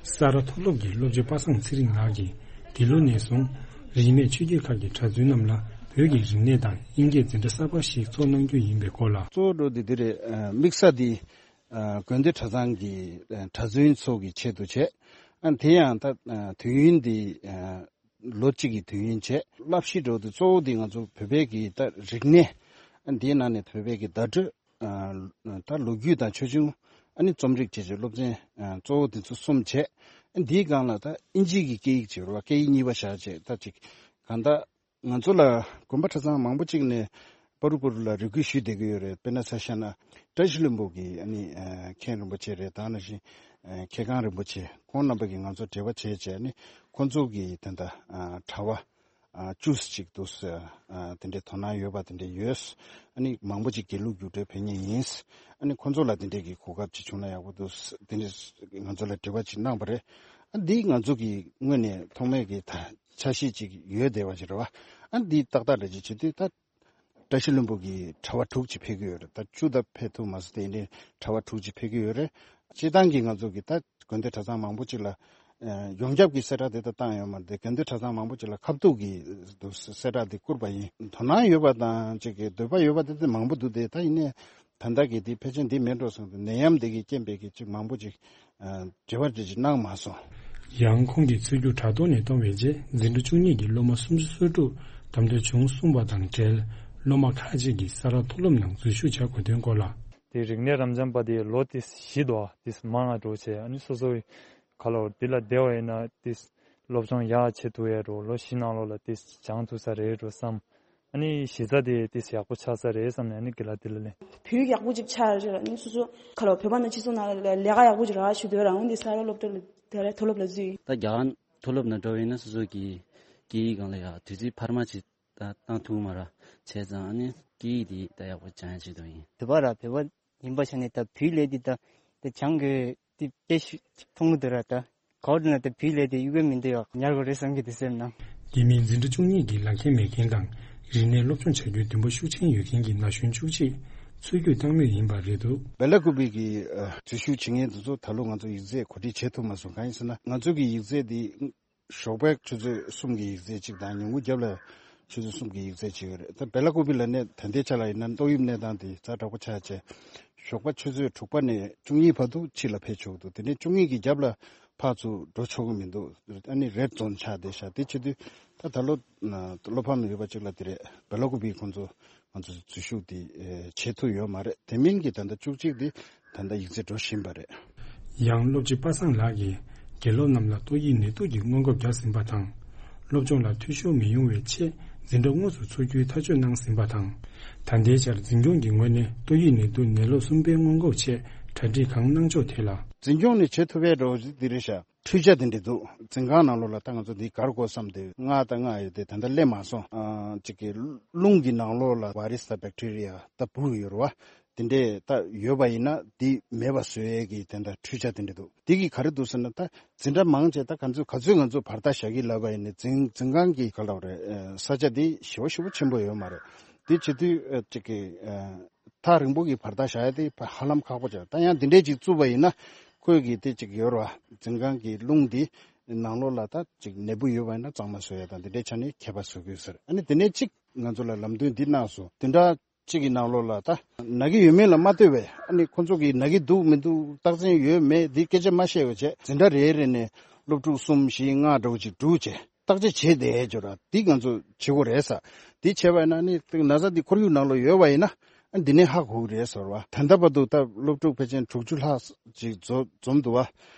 ས་རཱ་མཐོ་སློབ་ཀྱི་སློབ་སྤྱི་པ་སངས་ཚེ་རིང་ལགས་ཀྱིས་འདི་ལོ་ནས་བཟུང་རིས་མེད་ཆོས་བརྒྱུད་ཁག་གི་གྲྭ་བཙུན་རྣམས་ལ་བོད་ཀྱི་རིག་གནས་དང་དབྱིན་སྐད་འཛིན་གྲྭ་གསར་པ་ཞིག་འཚོགས་གནང་རྒྱུ་ཡིན་པའི་སྐོར་ལ། གཙོ་བོ་འགྲོ་འདི་འདི་རེད། དམིགས་ས་འདི་དགོན་སྡེ་གྲྭ་ཚང་གི་གྲྭ་བཙུན་ཚོ་གི་ཆེད་དུ་བྱས། ཨ་དེ་ཡང་ད་དུས་ཡུན་འདི་ལོ་གཅིག་གི་དུས་ཡུན་བྱས། བསླབ་གཞི་འགྲོ་འདི་གཙོ་བོ་འདི་ང་ཚོ་བོད་པའི་གི་ད་རིག་གནས། ཨ་འདིའི་ནང་ནས་བོད་པའི་གི་བརྡ་སྤྲོད། ད་ལོ་རྒྱུས་དང་ཆོས་འབྱུང་། ཨ་ནི་རྩོམ་རིག་བཅས་ཀྱི་སློབ་ཚན་གཙོ་བོ་འདི་ཚོ་གསུམ་བྱས། འདིའི་སྒང་ལ་ད་དབྱིན་ཇིའི་གི་སྐད་ཡིག་བྱས་རོགས། སྐད་ཡིག་གཉིས་པ་བཞག་བྱས་ད་ཅིག་གང་ལྟར་ང་ཚོ་ལ་དགོན་པ་གྲྭ་ཚང་མང་པོ་ཅིག་ནས་པ་རུ་པ་རུ་ལ་རེ་སྐུལ་ཞུས་བསྡད་ཀྱི་ཡོད་རེད། དཔེར་ན་ཆ་བཞག་ན་བཀྲ་ཤིས་ལྷུན་པོ་གི་ཨ་ནི་མཁན་རིན་པོ་ཆེ་རེད། ད་ནང་བཞིན་མཁས་གང་རིན་པོ་ཆེ་ཁོང་རྣམ་པ་གིས་ང་ཚོ་འབྲེལ་བ་བྱས་བྱས་ནས་ཁོང་ཚོ་གི་དེ་འདྲ་གྲྭ་པ། ཨ་བཅུ་ཙམ་ཅིག་འདུག་ཟེར། ཨ་དེ་འདྲའི་དོ་སྣང་ཡོད་པ་དེ་འདྲ་ཡོད། ཨ་ནི་མང་པོ་ཅིག་དགེ་ལུགས་རྒྱུགས་སྤྲོད་ཕེབས་མཁན་ཡིན། ཨ་ནི་ཁོང་ཚོ་ལ་དེ་འདྲའི་གི་གོ་སྐབས་ཅིག་བྱུང་ན་ཡག་པོ་འདུག་ཟེར་དེ་འདྲའི་ང་ཚོ་ལ་འབྲེལ་བ་ཅིག་གནང་པ་རེད། ཨ་འདི་ང་ཚོ་གི་དངོས་ནས་ཐོག་མའི་གི་ད་འཆར་གཞི་ཅིག་ཡོད་བསྡད་པ་ཅིག་རེད་བ། ཨ་འདི་ཏག་ཏག་རེད་ཅེས་བྱེད་དུས་ད་བཀྲ་ཤིས་ལྷུན་པོ་གི་གྲྭ་པ་དྲུག་ཅིག་ཕེབས་ཀྱི་ཡོད་རེད། ད་བཅུ་ད་ཕེབས་ཐུབ་མ་སོང་། དེ་ཡིན་དུས་གྲྭ་པ་དྲུག་ཅིག་ཕེབས་ཀྱི་ཡོད་རེད། སྤྱིར་བཏང་གི་ང་ཚོ་གི་ད་དགོན་སྡེ་གྲྭ་ཚང་མང་པོ་ཅིག་ལ་ཡོངས་ཁྱབ་ཀྱི་གསལ་བསྒྲགས་དེ་ད་བཏང་ཡོད་མ་རེད་དེ། དགོན་སྡེ་གྲྭ་ཚང་མང་པོ་ཅིག་ལ་ཁ་ཐུག་གི་གསལ་བསྒྲགས་དེ་བསྐུར་བ་ཡིན། དོ་སྣང་ཡོད་པ་དང་ཅིག་གི་འདོད་པ་ཡོད་པ་དེ་དེ་མང་པོ་འདུག་སྟེ། ད་ཡིན་ནའི་ད་ལྟ་གི་དེ་ཕལ་ཆེར་འདི་མེད་འགྲོ་སོང་སྟེ། ནད་ཡམས་དེ་གི་རྐྱེན་པས་གི་ཅིག་མང་པོ་ཅིག་འབྲེལ་བ་དེ་ཅིག་གནང་མ་སོང་། ཡང་ཁོང་གིས་ཚུར་རྒྱུགས་དྲ་ཐོག་ནས་གཏོང་བའི་རྗེས་འཛིན་གྲྭ་བཅུ་གཉིས་ཀྱི་སློབ་མ་སུམ་ཅུ་སོ་དྲུག་གདམ་འཐུ་བྱུང་གསུངས་པ་དང་འབྲེལ། སློབ་མ་ཁག་ཅིག་གིས་ས་རཱ་མཐོ་སློབ་ནང་འཛུལ་ཞུགས་བྱ་དགོས་དོན་སྐོར་ལ། དེ་རིག་གནས་རབ་འབྱམས་པ་དེ་ལོ་དེ་བཞི་འདུག་ཨ། དེ་མང་ང་འགྲོ་བྱས། ཨ་ནི་སོ་སོའི་ཁ་ལོ་འདི་ལ་བསྡད་པ་ཡིན་ན་དེ་སློབ་སྦྱོང་ཡག་བྱེད་ཐུབ་ཡ་འགྲོ། ལོ་བཞི་ནང་ལོགས་ལ་དེ་སྦྱང་ཐུབ་ས་རེད་འགྲོ་བསམ། ཨ་ནི་གཞི་རྩ་དེ་དེ་ཡག་པོ་ཆགས་ས་རེད་བསམ་ནས་ཨ་ནི་དགེ་ལགས་དེ་ལ་ལེན། བོད་ཡིག་ཡག་པོ་ཅིག་ཆགས་ཡོད་རེད། ཨ་ནི་སོ་སོ་ཁ་ལོ་བོད་པ་ནང་སྤྱི་ཚོགས་ནང་ལ་ལས་ཀ་ཡག་པོ་ཅིག་རག་ཞུ་འདོད་རང་འོན་ཏེ་ས་རཱ་སློབ་གྲྭ་ལ་དེ་རེད། མཐོ་སློབ་ལ་འཛུལ་ཡིན། ད་རྒྱ་གར་མཐོ་སློབ་ནང་འགྲོ་བ་ཡིན་ན་སོ་སོ་གི་སྐད་ཡིག་སྒང་ལ་ཡ་དུས་ཚོད་འཕར་མ་ཅིག་ད་བཏང་ཐུབ་མ་རེད། བྱས་ཙང་ཨ་ནི་སྐད་ཡིག་འདི་ད་ཡག་པོ་སྦྱང་ཡ་ཆེད་དུ་ཡིན། བོད་པ་ར་བོད་པ་ཡིན་པ་ཤ་ནས་ད་བོད་ལས་འདི་ད་ དེ་བྱང་གི་དེ་དཔེ་ཤི་མཐོང་གི་འདུག་ར་ད། གོ་བདེ་ན་དེ་བིས་ལས་དེ་གཡུག་གི་མི་འདུག་ཡོག་ཉར་དགོས་རེད་བསམ་གི་དེ་སེམས་ནང་། དེ་མིན་འཛིན་གྲྭ་བཅུ་གཉིས་ཀྱི་ལག་ཁྱེར་མེད་མཁན་དང་རིག་གནས་སློབ་སྦྱོང་བྱ་རྒྱུའི་འདུན་པ་ཤུགས་ཆེན་ཡོད་མཁན་གྱི་ན་གཞོན་བཅུ་གཅིག་འཚོལ་སྐྱོད་བཏང་མུས་ཡིན་པ་རེད་འདུག་བེ་ལ་ཀུ་པི་གི་ཨ་འཛུལ་ཞུགས་བྱེད་མཁན་དེ་ཚོ་ད་ལོ་ང་ཚོ་ཡིག་ཚད་གོ་སྒྲིག་བྱེད་ཐུབ་མ་སོང་། གང་ཡིན་ཟེར་ན་ང་ཚོ་གི་ཡིག་ཚད་དེ་ཞོགས་པའི་ཆུ་ཚོད་གསུམ་གྱི་ཡིག་ཚད་གཅིག་དང་ཉིན་གུང་རྒྱབ་ལ་ཆུ་ཚོད་གསུམ་གྱི་ཡིག་ཚད་གཅིག་ཡོད་རེད། ད་བེ་ལ་ཀུ་པི་ལ་གནས་ད་ལྟའི་ཆ་ལ་ཡིན་ན་ཏོག་དབྱིབས་གནས་སྟངས་དེ་ཛ་དྲག་པོ་ཆགས་བྱས་ཞོགས་པ་ཆུ་ཚོད་དྲུག་པ་ནས་བཅུ་གཉིས་བར་དུ་ཕྱི་ལ་ཕེབས་ཆོག་གི་འདུག་དེ་ནས་བཅུ་གཉིས་ཀྱི་རྒྱབ་ལ་ཕར་ཚུར་འགྲོ་ཆོག་གི་མི་འདུག་ཨ་ནི་རེད་ཛོན་ཆགས་བསྡད་ཤག་དེ་བྱེད་དུས་ད་ད་ལོ་བློ་ཕམ་ཡོད་པ་གཅིག་ལ་དེ་རེད། བེ་ལ་ཀུ་པི་ཁོང་ཚོ་ང་ཚོ་འཛུལ་ཞུགས་དེ་བྱེད་ཐུབ་ཡོད་མ་རེད། དེ་མིན་གྱི་ད་ལྟ་བཅུ་གཅིག་དེ་ད་ལྟ་ཡིག་ཚད་འགྲོ་བཞིན་པ་རེད། ཡང་སློབ་སྤྱི་པ་སངས་ལགས་ཀྱིས་དགེ་སློབ་རྣམས་ལ་ཏོག་དབྱིབས་ནད་དུག་གི་སྔོན་འགོག་བརྒྱབ་ཟིན་པ་དང་། སློབ་སྦྱོང་ལ་འཐུས་ཤོར་མི་ཡོང་བའི་ཆེད་འཛིན་གྲྭ་དངོས་སུ་འཚོགས་རྒྱུའི་ཐག་གཅོད་གནང་ཟིན་པ་དང་། ད་ལྟའི་ཆར་འཛིན་སྐྱོང་གི་ངོས་ནས་ཏོག་དབྱིབས་ནད་དུག་ནད་ལོ་གསུམ་པའི་སྔོན་འགོག་ཆེད་གྲ་སྒྲིག་གང་གནང་ཕྱོགས་ཐད་ལ། འཛིན་སྐྱོང་ནས་བྱེད་ཐུབ་པའི་འགྲོ་འདི་རེད་ཤག་འཕྲུལ་ཆས་དེ་འདྲ་འདུག་འཛིན་ཁང་ནང་ལོགས་ལ་ད་ང་ཚོ་འདི་གར་དགོས་བསམ་དེ་ལྔ་དང་ལྔ་ཡོད་དེ་ད་ལྟ་སླེབས་མ་སོང་། ཨ་གཅིག་གི་རླུང་གི་ནང་ལོགས་ལ་བྷ་རི་སི་དང་བེག་ཊི་རི་ཡ་ད་འབུ་ཡོད་རེད་བ། དེ་འདྲས་ད་ཡོད་པ་ཡིན་ན་འདི་མེད་པ་བཟོ་ཡས་ཀྱི་དེ་འདྲ་འཕྲུལ་ཆས་དེ་འདྲ་འདུག་འདི་གི་ག་རེ་འདུག་ཟེར་ན་ད་འཛིན་གྲྭ་མང་ཆེ་ད་ག་ཚོད་ག་ཚོད་ང་ཚོ་བར་ཐག་བཞག་གི་ལབ་པ་ཡིན་ན་འཛིན་འཛིན་ཁང་གི་ག་ལབ་རེད། ས་ཆ་འདི་ཞེ་པོ་ཞེ་པོ་ཆེན་པོ་ཡོད་མ་རེད། འདི་བྱེད་དུས་ཨ་གཅིག་གི་ཨ་ཐག་རིང་པོ་གི་བར་ཐག་བཞག་ཡ་དེ་ཧ་ལམ་ཁག་པོ་ཆགས། ད་ཡང་འདི་འདྲས་ཅིག་བཙུགས་པ་ཡིན་ན་ཁོས་གི་དེ་ཅིག་ཡོད་ར། འཛིན་ཁང་གི་རླུང་འདི་ནང་ལོགས་ལ་ད་ཅིག་ནད་འབུ་ཡོད་པ་ཡིན་ན་གཙང་མ་བཟོ་ཡ་དང་འདི་འདྲའི་ཆ་ནས་ཁྱད་པར་བཟོ་དགོས་ཟེར། ཨ་ནི་དེ་ནས་གཅིག་ང་ཚོ་ལ་ལམ་སྟོན་འདི་གནང་སོང་། བདུན་ཕྲག་གཅིག་གི་ནང་ལོགས་ལ་ད་ན་གི་ཡོད་མེད་ལ་མ་ལྟོས་པའི་ཨ་ནི་ཁོ་ཚོ་གི་ན་གི་འདུག་མི་འདུག་རྟགས་མཚན་ཡོད་མེད་འདི་སྐད་ཆ་མ་བཤད་པ་བྱས། འཛིན་གྲྭ་རེ་རེ་ནས་སློབ་ཕྲུག་གསུམ་བཞི་ལྔ་འདྲ་བོ་ཅིག་བསྒྲུགས་བྱས། བརྟག་དཔྱད་བྱས་བསྡད་ཡོད་ར། འདི་ང་ཚོ་བྱེད་དགོས་རེད་ས། འདི་བྱས་པ་ཡིན་ན་ནི་ན་ཚ་འདི་ཁོར་ཡུག་ནང་ལ་ཡོད་པ་ཡིན་ན་འདི་ནས་ཧ་གོ་གི་རེད་ཟེར་བ། ད་ལྟ་བར་དུ་ད་སློབ་ཕྲུག་ཕལ་ཆེར་དྲུག་ཅུ་ལྷག་ཅིག་འཛོམས་འཛོམས་འདུག་བ།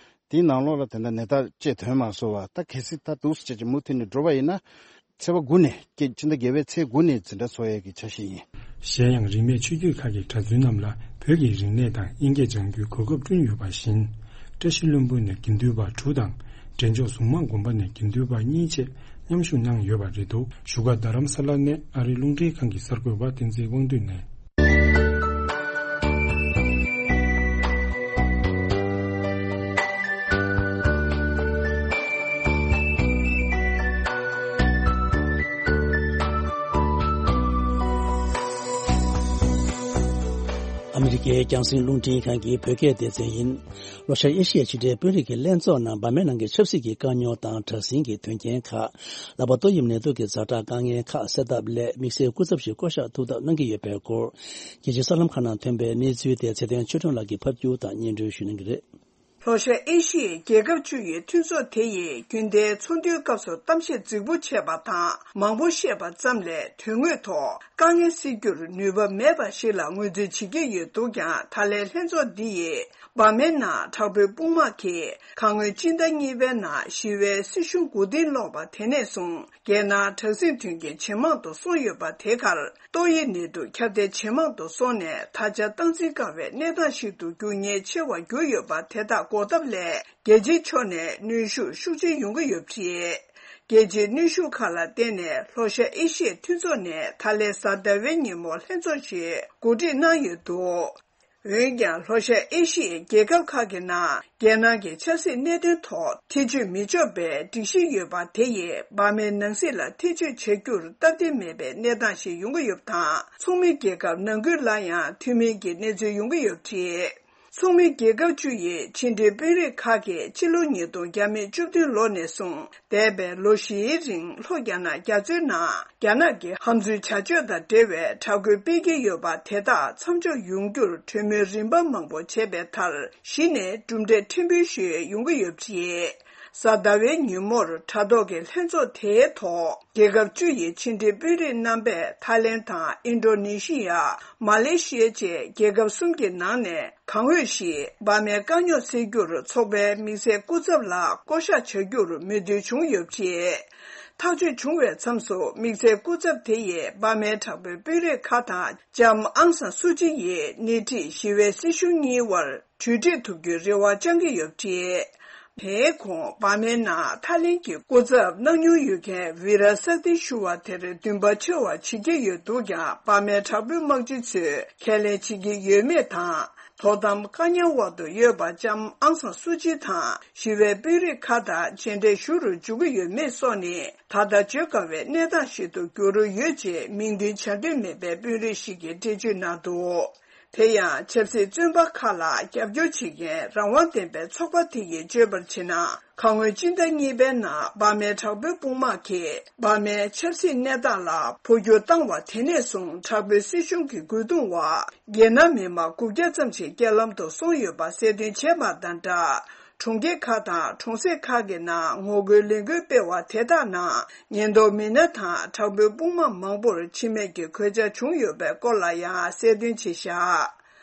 དེའི་ནང་ལོགས་ལ་དེ་འདྲ་ནད་རྟགས་བཅས་ཐོན་མ་སོང་བ། ད་གལ་སྲིད་ད་འདུག་སེ་བྱས་ཀྱི་མུ་མཐུད་ནས་འགྲོ་བ་ཡིན་ན་ཚེས་པ་དགུ་ནས་ཀྱི་ཕྱི་ཟླ་བརྒྱད་པའི་ཚེས་དགུ་ནས་འཛིན་གྲྭ་ཚོགས་ཡས་ཀྱི་འཆར་གཞི་ཡིན། གཞན་ཡང་རིས་མེད་ཆོས་བརྒྱུད་ཁག་གི་གྲྭ་བཙུན་རྣམས་ལ་བོད་ཀྱི་རིག་གནས་དང་དབྱིན་སྐད་སྦྱང་རྒྱུའི་གོ་སྐབས་བསྐྲུན་ཡོད་པ་བཞིན། བཀྲ་ཤིས་ལྷུན་པོ་ནས་དགེ་འདུན་པ་དྲུག་དང་འབྲས་ལྗོངས་གཟུངས་མང་དགོན་པ་ནས་དགེ་འདུན་པ་གཉིས་བཅས་མཉམ་ཞུགས་གནང་ཡོད་པ་རེད་འདུག་བཞུགས་སྒར་རྡ་རམ་ས་ལ་ནས་ཨ་རིའི་རླུང་འཕྲིན་ཁང་གི་གསར་འགོད་པ་བསྟན་འཛིན་དབང་འདུས་ནས། ཨ་མི་རི་ཀའི་རྒྱང་སྲིང་རླུང་འཕྲིན་ཁང་གི་བོད་སྐད་སྡེ་ཚན་ཡིན། ལྷོ་ཤར་ཨེ་ཤི་ཡའི་ཕྱི་འབྲེལ་དཔོན་རིགས་ཀྱི་ལྷན་ཚོགས་ནང་འབར་མའི་ནང་གི་ཆབ་སྲིད་ཀྱི་དཀའ་རྙོག་དང་དྲག་ཟིང་གི་དོན་རྐྱེན་ཁག་ལྷག་པར་ཏོག་དབྱིབས་ནད་དུག་གི་ཛ་དྲག་དཀའ་ངལ་ཁག་སེལ་ཐབས་སླད་དམིགས་བསལ་སྐུ་ཚབ་ཞིག་བསྐོ་གཞག་ཐུབ་ཐབས་གནང་གི་ཡོད་པའི་སྐོར། རྒྱལ་སྤྱིའི་གསར་ལམ་ཁག་ནང་ཐོན་པའི་གནས་ཚུལ་དེ་ཚེ་བརྟན་ཆོས་སྒྲོན་ལགས་ཀྱིས་ཕབ་སྒྱུར་དང་སྙན་སྒྲོན་ཞུ་གནང་གི་རེད། ལྷོ་ཤར་ཨེ་ཤི་ཡའི་རྒྱལ་ཁབ་བཅུ་ཡི་མཐུན་ཚོགས་དེ་ཡིས་རྒྱུན་ལྡན་ཚོགས་འདུའི་སྐབས་སུ་གཏམ་བཤད་རྫིག་པོ་བྱས་པ་དང་མང་པོ་བཤད་པ་ཙམ་ལས་དོན་དངོས་ཐོག་དཀའ་ངལ་སེལ་རྒྱུར་ནུས་པ་མེད་པ་ཞིག་ལ་ངོས་འཛིན་བྱེད་ཀྱི་ཡོད་འདུག་ཀྱང་། ད་ལན་ལྷན་ཚོགས་འདི་ཡིས་འབར་མའི་ནང་དྲག་པོའི་དཔུང་དམག་གིས་ཁ་སྔོན་སྤྱི་ཟླ་གཉིས་པའི་ནང་ཞི་བའི་སྲིད་གཞུང་མགོ་རྟིང་སློག་པ་དེ་ནས་བཟུང་རྒྱལ་ནང་དྲག་ཟིང་དོན་རྐྱེན་ཇེ་མང་དུ་སོང་ཡོད་པ་དེ་གར། ཏོག་དབྱིབས་ནད་དུག་ཁྱབ་གདལ་ཇེ་མང་དུ་སོང་ནས་ད་ཆ་སྟངས་འཛིན་དཀའ་བའི་གནས་སྟངས་ཤིག་ཏུ་འགྱུར་ཉེན་ཆེ་བར་གྱུར་ཡོད་པ་དེ་དག་འགོག་ཐབས་སླད་རྒྱལ་སྤྱིའི་ཕྱོགས་ནས་གནོན་ཤུགས་ཤུགས་ཆེ་ཡོང་གི་ཡོད་པ་རེད། རྒྱལ་སྤྱིའི་གནོན་ཤུགས་ཁག་ལ་བརྟེན་ནས་ལྷོ་ཤར་ཨེ་ཤི་ཡའི་མཐུན་ཚོགས་ནས་ད་ལན་གཟའ་ཟླ་བའི་ཉིན་མོ་ལྷན་ཚོགས་ཤིག་གོ་སྒྲིག་གནང་ཡོད་འདུག་འོན་ཀྱང་ལྷོ་ཤར་ཨེ་ཤི་ཡའི་རྒྱལ་ཁབ་ཁག་གི་ནང་རྒྱལ་ནང་གི་ཆབ་སྲིད་གནད་དོན་ཐོག་ཐེ་བྱུས་མི་ཆོག་པའི་སྒྲིག་གཞི་ཡོད་པ་དེ་ཡིས་འབར་མའི་ནང་སྲིད་ལ་ཐེ་བྱུས་བྱ་རྒྱུར་སྟབས་བདེ་མེད་པའི་གནས་སྟངས་ཤིག་ཡོང་གི་ཡོད་པ་དང་། ཚོགས་མི་རྒྱལ་ཁབ་ནང་ཁུལ་ལ་ཡང་མཐུན་མིན་གྱི་གནས་ཚུལ་ཡོང་གི་ཡོད་པ་རེད། ཚོགས་མི་རྒྱལ་ཁབ་བཅུ་ཡི་ཕྱི་འབྲེལ་དཔོན་རིགས་ཁག་གིས་ཕྱི་ལོ་ཉིས་སྟོང་བརྒྱ་མེད་བཅུ་བདུན་ལོ་ནས་བཟུང་འདས་པའི་ལོ་བཞིའི་རིང་ལྷོ་རྒྱ་ནག་རྒྱ་མཚོའི་ནང་རྒྱ་ནག་གི་ཧམ་འཛུལ་བྱ་སྤྱོད་དང་འབྲེལ་བའི་དྲག་རྒོལ་སྤེལ་གྱི་ཡོད་པ་དེ་དག་མཚམས་འཇོག་ཡོང་རྒྱུར་གྲོས་མོལ་རིམ་པ་མང་པོ་བྱས་པའི་མཐར། གཞི་ནས་གྲུབ་འབྲས་ཕྲན་བུ་ཞིག་ཡོང་གི་ཡོད་པ་རེད། གཟའ་ཟླ་བའི་ཉིན་མོར་དྲ་ཐོག་གི་ལྷན་ཚོགས་དེའི་ཐོག་རྒྱལ་ཁབ་བཅུ་ཡི་ཕྱི་འབྲེལ་དཔོན་རིགས་རྣམ་པས་ཐའི་ལེན་དང་ཨིན་ཌོ་ནེ་ཤི་ཡ། མ་ལེ་ཤི་ཡ་བཅས་རྒྱལ་ཁབ་གསུམ་གྱི་ནང་ནས་གང་འོས་ཤིག་འབར་མའི་དཀའ་རྙོག་སེལ་རྒྱུར་ཚོགས་པའི་དམིགས་བསལ་སྐུ་ཚབ་ལ་བསྐོ་གཞག་བྱ་རྒྱུར་མོས་མཐུན་བྱུང་ཡོད་པ་རེད། ཐག་གཅོད་བྱུང་བའི་མཚམས་སུ་དམིགས་བསལ་སྐུ་ཚབ་དེ་ཡིས་འབར་མའི་དྲག་པོའི་དཔོན་རིགས་ཁག་དང་ལྕམ་ཨང་སང་སུ་ཅི་ཡིས་སྣེ་ཁྲིད་ཞི་བའི་སྲིད་གཞུང་གཉིས་དབར་གྲོས་འགྲིག་ཐུབ་རྒྱུའི་རེ་བ་བཅང་གི་ཡོད་པ་རེད། དེའི་གོང་འབར་མའི་ནང་ཐའི་ལེན་གྱི་སྐུ་ཚབ་གནང་མྱོང་ཡོད་མཁན་ཝི་ར་སག་ཏི་ཞུ་བ་དེར་འདུན་པ་ཆེ་བ་བྱེད་ཀྱི་ཡོད་འདུག་ཀྱང་། འབར་མའི་དྲག་པོའི་དམག་སྤྱི་ཚོས་ཁས་ལེན་བྱེད་ཀྱི་ཡོད་མེད་དང་། དོ་དམ་བཀག་ཉར་འོག་ཏུ་ཡོད་པ་ལྕམ་ཨང་སང་སུ་ཅི་དང་ཞི་བའི་དཔོན་རིགས་ཁག་དང་མཇལ་འཕྲད་ཞུ་རུ་འཇུག་གི་ཡོད་མེད་སོགས་ནི་ད་ལྟ་བརྗོད་དཀའ་བའི་གནས་སྟངས་ཤིག་ཏུ་གྱུར་ཡོད་ཅེས་མིང་འདོན་བྱ་འདོད་མེད་པའི་དཔོན་རིགས་ཤིག་གིས་འགྲེལ་བརྗོད་གནང་འདུག་དེ་ཡང་ཆབ་སྲིད་བཙོན་པ་ཁག་ལ་རྒྱབ་སྐྱོར་བྱེད་མཁན་རང་དབང་ལྡན་པའི་ཚོགས་པ་དེ་ཡིས་བརྗོད་པར་བྱས་ན། ཁ་སྔོན་སྤྱི་ཟླ་གཉིས་པའི་ནང་འབར་མའི་དྲག་པོའི་དཔུང་དམག་གིས་འབར་མའི་ཆབ་སྲིད་གནས་སྟངས་ལ་འཕོ་འགྱུར་བཏང་བ་དེ་ནས་བཟུང་དྲག་པོའི་སྲིད་གཞུང་གི་རྒོལ་རྡུང་འོག་རྒྱལ་ནང་མི་མང་དགུ་བརྒྱ་ཙམ་ཞིག་རྐྱེན་ལམ་དུ་སོང་ཡོད་པ་གསལ་སྟོན་བྱས་པ་དང་སྦྲགས། གྲོང་ཁྱེར་ཁག་དང་གྲོང་གསེབ་ཁག་གི་ནང་ངོ་རྒོལ་ལས་འགུལ་སྤེལ་བ་དེ་དག་ནང་ཉེན་རྟོག་མི་སྣ་དང་དྲག་པོའི་དཔུང་དམག་མང་པོར་འཆི་རྨས་ཀྱི་གོད་ཆག་བྱུང་ཡོད་པའི་སྐོར་ལ་ཡང་གསལ་སྟོན་བྱས་བཞག་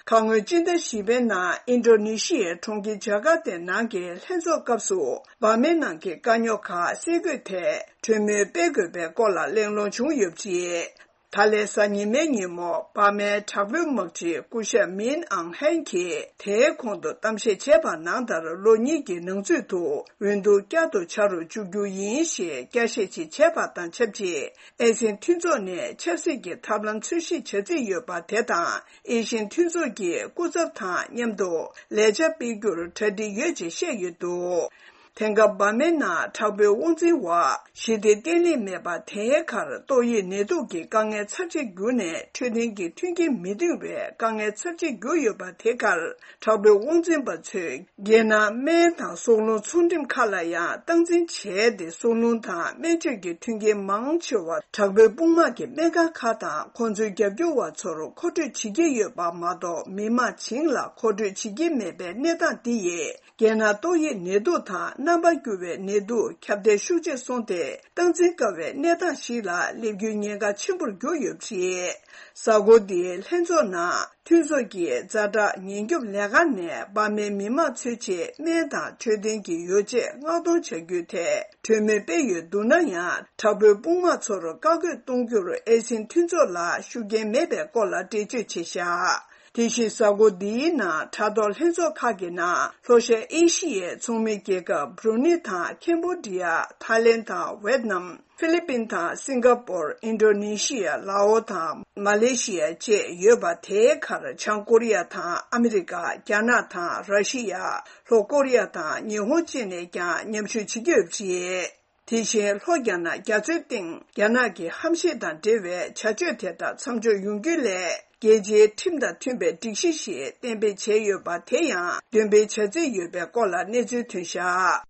ཁ་སྔོན་སྤྱི་ཟླ་བཞི་པའི་ནང་ཨིན་ཌོ་ནེ་ཤི་ཡའི་གྲོང་ཁྱེར་ཇ་ཀར་ཏའི་ནང་གི་ལྷན་ཚོགས་སྐབས་སུ་འབར་མའི་ནང་གི་དཀའ་རྙོག་ཁག་སེལ་དགོས་ཐད་གྲོས་མོལ་སྤེལ་དགོས་པའི་སྐོར་ལ་གླེང་སློང་བྱུང་ཡོད་པ་རེད། ད་ལན་གཟའ་ཉི་མའི་ཉིན་མོ་འབར་མའི་དྲག་པོའི་དམག་སྤྱི་སྐུ་ཞབས་མིན་ཨང་ཧན་གྱིས་དེའི་གོང་དུ་གཏམ་བཤད་བྱས་པ་ནང་ལྟར་ལོ་གཉིས་ཀྱི་ནང་ཚུད་དུ་འོས་བསྡུ་བསྐྱར་དུ་བྱ་རུ་བཅུག་རྒྱུ་ཡིན་ཞེས་བསྐྱར་བཤད་ཅིག་བྱས་པ་དང་ཆབས་ཅིག་ཨེ་ཤི་ཡན་མཐུན་ཚོགས་ནས་ཆབ་སྲིད་ཀྱི་ཐབས་ལམ་འཚོལ་ཞིབ་བྱ་རྩིས་ཡོད་པ་དེ་དང་ཨེ་ཤི་ཡན་མཐུན་ཚོགས་ཀྱི་སྐུ་ཚབ་དང་མཉམ་དུ་ལས་འཆར་སྤེལ་རྒྱུར་གྲ་སྒྲིག་ཡོད་ཅེས་བཤད་ཡོད་འདུག་དེང་སྐབས་འབར་མའི་ནང་དྲག་པོའི་དབང་འཛིན་འོག་ཞི་བདེ་བརྟན་ལྷིང་མེད་པ་དེའི་ཁར་ཏོག་དབྱིབས་ནད་དུག་གི་དཀའ་ངལ་ཚབས་ཆེ་གྱུར་ནས་འཕྲོད་བསྟེན་གྱི་མཐུན་རྐྱེན་མི་འདང་བའི་དཀའ་ངལ་ཚབས་ཆེ་གྱུར་ཡོད་པ་དེ་ཁར་དྲག་པོའི་དབང་འཛིན་པ་ཚོས་རྒྱལ་ནང་སྨན་དང་སྲོག་རླུང་ཚོང་འགྲེམས་ཁག་ལ་ཡང་སྟངས་འཛིན་བྱས་ཏེ་སྲོག་རླུང་དང་སྨན་བཅོས་ཀྱི་མཐུན་རྐྱེན་མང་ཆེ་བ་དྲག་པོའི་དཔུང་དམག་གི་སྨན་ཁང་ཁག་དང་ཁོང་ཚོའི་རྒྱབ་སྐྱོར་བ་ཚོར་མཁོ་སྤྲོད་བྱེད་ཀྱི་ཡོད་པ་མ་གཏོགས་མི་དམངས་བྱིངས་ལ་མཁོ་སྤྲོད་བྱེད་ཀྱི་མེད་པའི་གནས་སྟངས་འདི་ཡིས། རྒྱལ་ནང་ཏོག་དབྱིབས་ནད་དུག་དང་རྣམ་པ་འགྱུར་བའི་ནད་དུག་ཁྱབ་གདལ་ཤུགས་ཆེ་སོང་སྟེ་སྟངས་འཛིན་དཀའ་བའི་གནས་སྟངས་ཤིག་ལ་སླེབས་རྒྱུའི་ཉེན་ཁ་ཆེན་པོར་གྱུར་ཡོད་པ་རེད། གཟའ་འཁོར་འདིའི་ལྷན་ཚོགས་ནང་མཐུན་ཚོགས་ཀྱི་ཛ་དྲག་ཉེན་སྐྱོབ་ལས་ཁང་ནས་འབར་མའི་མི་དམངས་ཚོའི་ཆེད་སྨན་དང་འཕྲོད་བསྟེན་གྱི་ཡོ་བྱད་མངགས་གཏོང་བྱ་རྒྱུའི་ཐད་གྲོས་མོལ་སྤེལ་ཡོད་འདུག་ན་ཡང་དྲག་པོའི་དཔུང་དམག་ཚོར་བཀག་འགོག་གཏོང་རྒྱུར་ཨེ་ཤི་ཡན་མཐུན་ཚོགས་ལ་ཤུགས་རྐྱེན་མེད་པའི་སྐོར་ལ་འགྲེལ་བརྗོད་བྱས་བཞག་དེ་བཞིན་གཟའ་འཁོར་འདིའི་ནང་དྲ་ཐོག་ལྷན་ཚོགས་ཁག་གི་ནང་ལྷོ་ཤར་ཨེ་ཤི་ཡའི་ཚོགས་མི་རྒྱལ་ཁབ་བྷྲུ་ནི་དང་ཁེམ་བྷོ་ཌི་ཡ། ཐའི་ལེན་དང་ཝེད་ནམ། ཧྥི་ལི་པིན་དང་སིང་ག་པོར། ཨིན་ཌོ་ནེ་ཤི་ཡ། ལའོ་དང་མ་ལེ་ཤི་ཡ་བཅས་ཡོད་པ། དེའི་ཁར་བྱང་ཀོ་རི་ཡ་དང་ཨ་མི་རི་ཀ། རྒྱ་ནག་དང་ར་ཤི་ཡ། ལྷོ་ཀོ་རི་ཡ་དང་ཉི་ཧོང་བཅས་ནས་ཀྱང་མཉམ་ཞུགས་བྱེད་ཀྱི་ཡོད་པ་རེད། དེ་བཞིན་ལྷོ་རྒྱ་ནག་རྒྱ་མཚོའི་སྟེང་རྒྱ་ནག་གི་ཧམ་ཤེད་དང་འབྲེལ་བའི་བྱ་སྤྱོད་དེ་དག་མཚམས་འཇོག་ཡོང་རྒྱུའི་སླད་རྒྱལ་སྤྱིའི་ཁྲིམས་དང་མཐུན་པའི་སྒྲིག་གཞི་ཞིག་གཏན་འབེབས་བྱས་ཡོད་པ་དེ་ཡང་འདོན་སྤེལ་བྱ་རྩིས་ཡོད་པའི་སྐོར་ལ་གནས་ཚུལ་ཐོན་བཞག་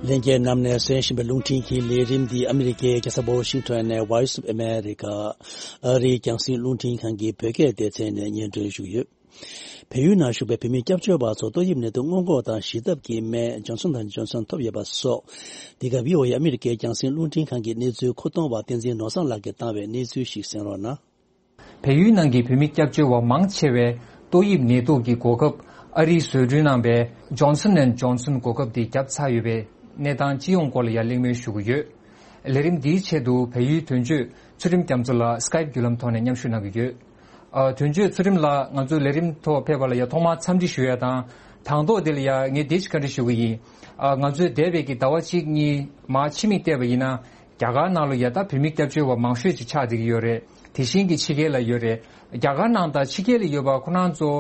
ལྷན་རྒྱས་རྣམས་ནས་གསན་བཞིན་པའི་རླུང་འཕྲིན་གྱི་ལས་རིམ་འདི་ཨ་མི་རི་ཀའི་རྒྱལ་ས་ཝ་ཤིང་ཊོན་ནས་Voice of America ཨ་རིའི་རྒྱང་སྲིང་རླུང་འཕྲིན་ཁང་གི་བོད་སྐད་སྡེ་ཚན་ནས་སྙན་སྒྲོན་ཞུས་ཡོད། བལ་ཡུལ་ནང་བཞུགས་པའི་བོད་མི་སྐྱབས་བཅོལ་བ་ཚོ་ཏོག་དབྱིབས་ནད་དུག་སྔོན་འགོག་དང་ཞི་ཐབས་ཀྱི་སྨན་Johnson and Johnson ཐོབ་ཡོད་པ་སོགས། འདི་ག་བྷི་ཨོ་ཨེ་ཨ་མི་རི་ཀའི་རྒྱང་སྲིང་རླུང་འཕྲིན་ཁང་གི་གནས་ཚུལ་མཁོ་གཏོང་བ་བསྟན་འཛིན་ནོར་བཟང་ལགས་ཀྱིས་བཏང་བའི་གནས་ཚུལ་ཞིག་གསན་རོགས་གནང་། བལ་ཡུལ་ནང་གི་བོད་མི་སྐྱབས་བཅོལ་བ་མང་ཆེ་བས་ཏོག་དབྱིབས་ནད་དུག་གི་འགོག་ཁབ་ཨ་རིའི་བཟོ་སྐྲུན་གནང་བའི་Johnson and Johnson འགོག་ཁབ་དེ་བརྒྱབ་ཚར་ཡོད་པའི་གནས་སྟངས་སྤྱི་ཡོངས་སྐོར་ལ་ཡང་གླེང་མོལ་ཞུ་གི་ཡོད། ལས་རིམ་འདིའི་ཆེད་དུ་བལ་ཡུལ་དོན་གཅོད་ཚུལ་ཁྲིམས་རྒྱ་མཚོ་ལགས་Skype་བརྒྱུད་ལམ་ཐོག་ནས་མཉམ་ཞུགས་གནང་གི་ཡོད། ཨ། དོན་གཅོད་ཚུལ་ཁྲིམས་ལགས་ང་ཚོའི་ལས་རིམ་ཐོག་ཕེབས་པ་ལ་ཡང་ཐོག་མར་འཚམས་འདྲི་ཞུ་ཡ་དང་། དང་ཐོག་དེ་ལ་ཡང་ངས་འདི་ཞིག་བཀའ་འདྲི་ཞུ་གི་ཡིན། ཨ། ང་ཚོས་འདས་པའི་གི་ཟླ་བ་གཅིག་གཉིས་མར་ཕྱི་མིག་བལྟས་པ་ཡིན་ན། རྒྱ་གར་ནང་ལ་ཡ་ད་བོད་མི་སྐྱབས་བཅོལ་བ་མང་ཤོས་ཅིག་ཆགས་བསྡད་ཀྱི་ཡོད་རེད། དེ་བཞིན་གྱི་ཕྱི་རྒྱལ་ལ་ཡོད་རེད། རྒྱ་གར་ནང་དང་ཕྱི་རྒྱལ་ལ་ཡོད་པ་ཁོ་རང་ཚོ།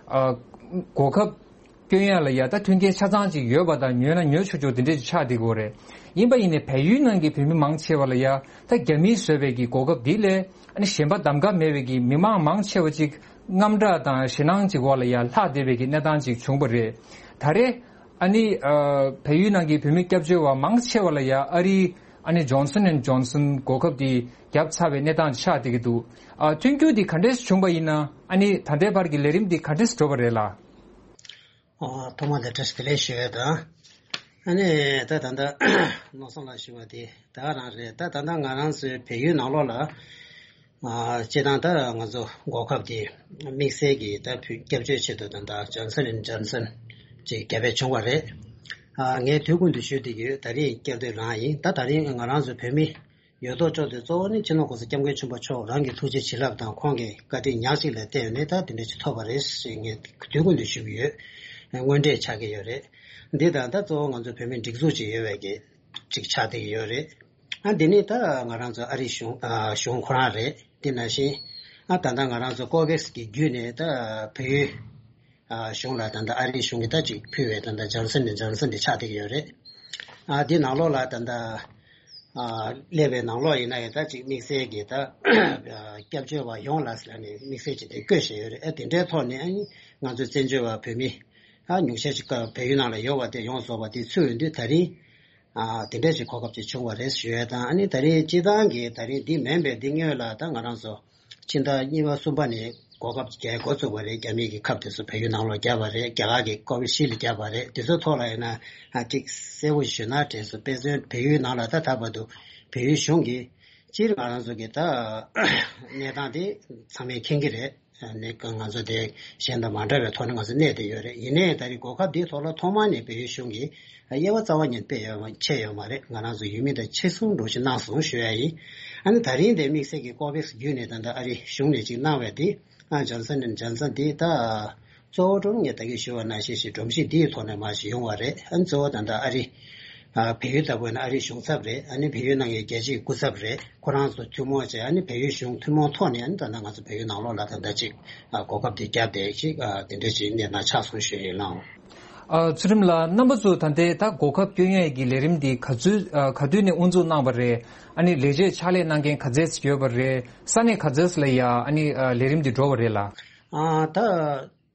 ཨ། གོ་སྐབས་སྐྱོན་ཡ་ལ་ཡ་ད་མཐུན་རྐྱེན་ཆ་ཚང་ཅིག་ཡོད་པ་དང་ཉོས་ན་ཉོ་ཆོག་ཆོག་དེ་འདྲས་ཅིག་ཆགས་བསྡད་ཀྱི་ཡོད་རེད། ཡིན་པ་ཡིན་ནའི་བལ་ཡུལ་ནང་གི་བོད་མི་མང་ཆེ་བ་ལ་ཡ་ད་རྒྱ་མིས་བཟོས་པའི་གི་གོ་སྐབས་འདི་ལས་ཨ་ནི་གཞན་པ་གདམ་ག་མེད་པའི་གི་མི་མང་མང་ཆེ་བ་ཅིག་དངངས་སྐྲག་དང་ཞེད་སྣང་ཅིག་འོག་ལ་ཡ་ལྷག་བསྡད་པའི་གི་གནས་སྟངས་ཅིག་བྱུང་བ་རེད། ད་རེས། ཨ་ནི། ཨ། བལ་ཡུལ་ནང་གི་བོད་མི་སྐྱབས་བཅོལ་བ་མང་ཆེ་བ་ལ་ཡ་ཨ་རིའི་ཨ་ནི་Johnson and Johnson གོ་སྐབས་འདི་བརྒྱབ་ཚར་བའི་གནས་སྟངས་ཆགས་བསྡད་ཀྱི་འདུག་ཨ། མཐུན་འགྱུར་འདི་ག་འདྲས་བྱུང་བ་ཡིན་ན་ཨ་ནི་ད་ལྟའི་བར་གྱི་ལས་རིམ་འདི་ག་འདྲས་འགྲོ་བ་རེད་ལགས། ཨོ། ཐོག་མ་དེ་བཀྲ་ཤིས་བདེ་ལེགས་ཞུ་ཡས་དང་། ཨ་ནི་ད་ད་ལྟ་ནོར་བཟང་ལགས་ཞུ་བ་དེ་ད་ག་རང་རེད། ད་ད་ལྟ་ང་རང་ཚོའི་བལ་ཡུལ་ནང་ལོགས་ལ། ཨ། སྤྱིར་བཏང་ད་ང་ཚོ་འགོག་ཁབ་དེ་དམིགས་བསལ་གྱི་ད་བོད་སྐྱབས་བཅོལ་ཆེད་དུ་ད་ལྟ་Johnson and Johnson ཅིག་བརྒྱབ་པ་བྱུང་བ་རེད། ཨ། ངས་དུས་ཀུན་ཏུ་ཞུ་བསྡད་ཀྱི་ཡོད། ད་རིང་བསྐྱར་ཟློས་རང་ཡིན། ད་ད་རིང་ང་རང་ཚོ་བོད་མི་ ཡོད་དོ་ཅོག་དེ་གཙོ་བོ་ནི་སྤྱི་ནོར་༸གོང་ས་༸སྐྱབས་མགོན་ཆེན་པོ་མཆོག་རང་གི་ཐུགས་རྗེ་བྱིན་རླབས་དང་ཁོང་གི་བཀའ་དྲིན་ཉག་གཅིག་ལ་བརྟེན་ནས་ད་དེ་འདྲ་ཅིག་ཐོབ་པ་རེད་ཞེས་ངས་དུས་རྒྱུན་དུ་ཞུ་གི་ཡོད། དངོས་འབྲེལ་ཆགས་ཀྱི་ཡོད་རེད། འདི་དང་ད་གཙོ་བོ་ང་ཚོ་བོད་མིའི་སྒྲིག་འཛུགས་ཅིག་ཡོད་པའི་གི་ཅིག་ཆགས་བསྡད་ཀྱི་ཡོད་རེད། ཨ་འདི་ནི་ད་ང་རང་ཚོ་ཨ་རིའི་གཞུང་ཨ་གཞུང་ཁོ་རང་རེད། དེ་ནང་བཞིན་ཨ་ད་ལྟ་ང་རང་ཚོ་ཀོ་བེག་སི་གི་བརྒྱུད་ནས་ད་བལ་ཡུལ་ཨ་གཞུང་ལ་ད་ལྟ་ཨ་རིའི་གཞུང་གིས་ད་ཅིག་ཕུལ་བའི་ད་ལྟ་ཇོན་སན་ནི་ཇོན་སན་དེ་ཆགས་བསྡད་ཀྱི་ཡོད་རེད། ཨ་འདི་ནང་ལོགས་ལ་ད་ལྟ་ཨ་སླེབས་པའི་ནང་ལོགས་ཡིན་ན་ཡང་ད་ཅིག་དམིགས་བསལ་གྱི་ད་ཨ་སྐྱབས་བཅོལ་བ་ཡོངས་ལ་ཟེར་ནས་དམིགས་བསལ་ཅིག་དེ་བཀོད་བཞག་ཡོད་རེད། ཨ་དེ་འདྲའི་ཐོག་ནས་ཨ་ནི་ང་ཚོའི་བཙན་བྱོལ་བ་བོད་མི་ཨ་ཉུང་ཤས་ཅིག་བལ་ཡུལ་ནང་ལ་ཡོད་པ་དེ་ཡོངས་རྫོགས་པ་དེ་ཚུད་ཡོང་དུས་ད་རིང་ཨ་དེ་འདྲ་ཞིག་གོ་སྐབས་ཅིག་བྱུང་བ་རེད་ཞུ་ཡས་དང་། ཨ་ནི་ད་རེས་སྤྱི་བཏང་གི་ད་རིང་འདི་མིན་པའི་འདི་སྔོན་ལ་ད་ང་རང་ཚོ་ཕྱི་ཟླ་གཉིས་པ་གསུམ་པ་ནས་གོ་སྐབས་རྒྱག་འགོ་བཙུགས་པ་རེད། རྒྱ་མི་གི་ཁབ་དེ་ཚོ་བལ་ཡུལ་ནང་ལོགས་བརྒྱབ་པ་རེད། རྒྱ་གར་གྱི་ཀོ་བི་ཤིལ་ལ་བརྒྱབ་པ་རེད། དེ་ཚོའི་ཐོག་ལ་ཡིན་ན་ཨ་ཅིག་གསལ་པོ་ཞུས་ན་དྲན་སོང་། དཔེ་མཚོན་བལ་ཡུལ་ནང་ལ་ད་ད་བར་དུ་བལ་ཡུལ་གཞུང་གིས་སྤྱིར་ང་རང་ཚོ་གི་ད་གནས་སྟངས་དེ་ཚང་མས་མཁྱེན་གྱི་རེད། ནས་ང་ཚོ་དེ་གཞན་དང་མ་འདྲ་བའི་ཐོག་ནས་ང་ཚོ་གནས་བསྡད་ཡོད་རེད། ཡིན་ནའི་ད་རེས་གོ་སྐབས་འདིའི་ཐོག་ལ་ཐོག་མ་ནས་བལ་ཡུལ་གཞུང་གིས་དབྱེ་བ་རྩ་བ་ཉིད་སྤེལ་ཡོད་མ་ཆད་ཡོད་མ་རེད། ང་རང་ཚོ་ཡུལ་མི་དང་ཕྱི་སྲུང་འདྲ་ཞིག་གནང་སོང་ཞུ་ཡ་ཡིན། ཨ་ནི་ད་རིང་དེ་དམིགས་བསལ་གྱི་ཀོ་བེག་སི་བརྒྱུད་ནས་ད་ལྟ་ཨ་རི་གཞུང་ནས་ཅིག་གནང་བའི་དེ་ཨ་ཇོན་སན་ཨེན་ཇོན་སན་དེ་ད་གཙོ་བོ་ཀྲུང་ངས་ད་གིན་ཞུ་བ་ནང་བཞིན་ཞིག་སྒྲོམ་གཞི་འདིའི་ཐོག་ནས་མར་ཞིག་ཡོང་བ་རེད། ཨ་ནི་གཙོ་བོ་ད་ལྟ་ཨ་རི་ཨ་བལ་ཡུལ་ལྟ་བུ་ཡིན་ན་ཨ་རིའི་གཞུང་ཚབ་རེད། ཨ་ནི་བལ་ཡུལ་ནང་གི་རྒྱལ་སྤྱིའི་སྐུ་ཚབ་རེད། ཁོ་རང་ཚོ་ཐུན་མོང་བྱས། ཨ་ནི་བལ་ཡུལ་གཞུང་ཐུན་མོང་ཐོག་ནས་ཨ་ནི་ད་ལྟ་ང་ཚོ་བལ་ཡུལ་ནང་ལོགས་ལ་ད་ལྟ་ཅིག་ཨ་གོ་སྐབས་དེ་བརྒྱབ་བསྡད་ཅིག་ཨ་དེ་འདྲ་ཅིག་གནས་སྟངས་ཆགས་སོང་ཞུ་ཡིན་ལགས། ཨ་ཚུལ་ཁྲིམས་ལགས། རྣམ་པ་ཚོ་ད་ལྟའི་ད་གོ་སྐབས་བསྐྱོན་ཡས་ཀྱི་ལས་རིམ་འདི་ག་ཚོད་ཨ་ག་དུས་ནས་དབུ་འཛུགས་གནང་བ་རེད། ཨ་ནི་ལས་བྱེད་ཕྱག་ལས་གནང་མཁན་ག་ཚད་ཡོད་པ་རེད། ས་གནས་ག་ཚད་ལ་ཡ་ཨ་ནི་ཨ་ལས་རིམ་འདི་འགྲོ་བ་རེད་ལགས། ཨ་ད།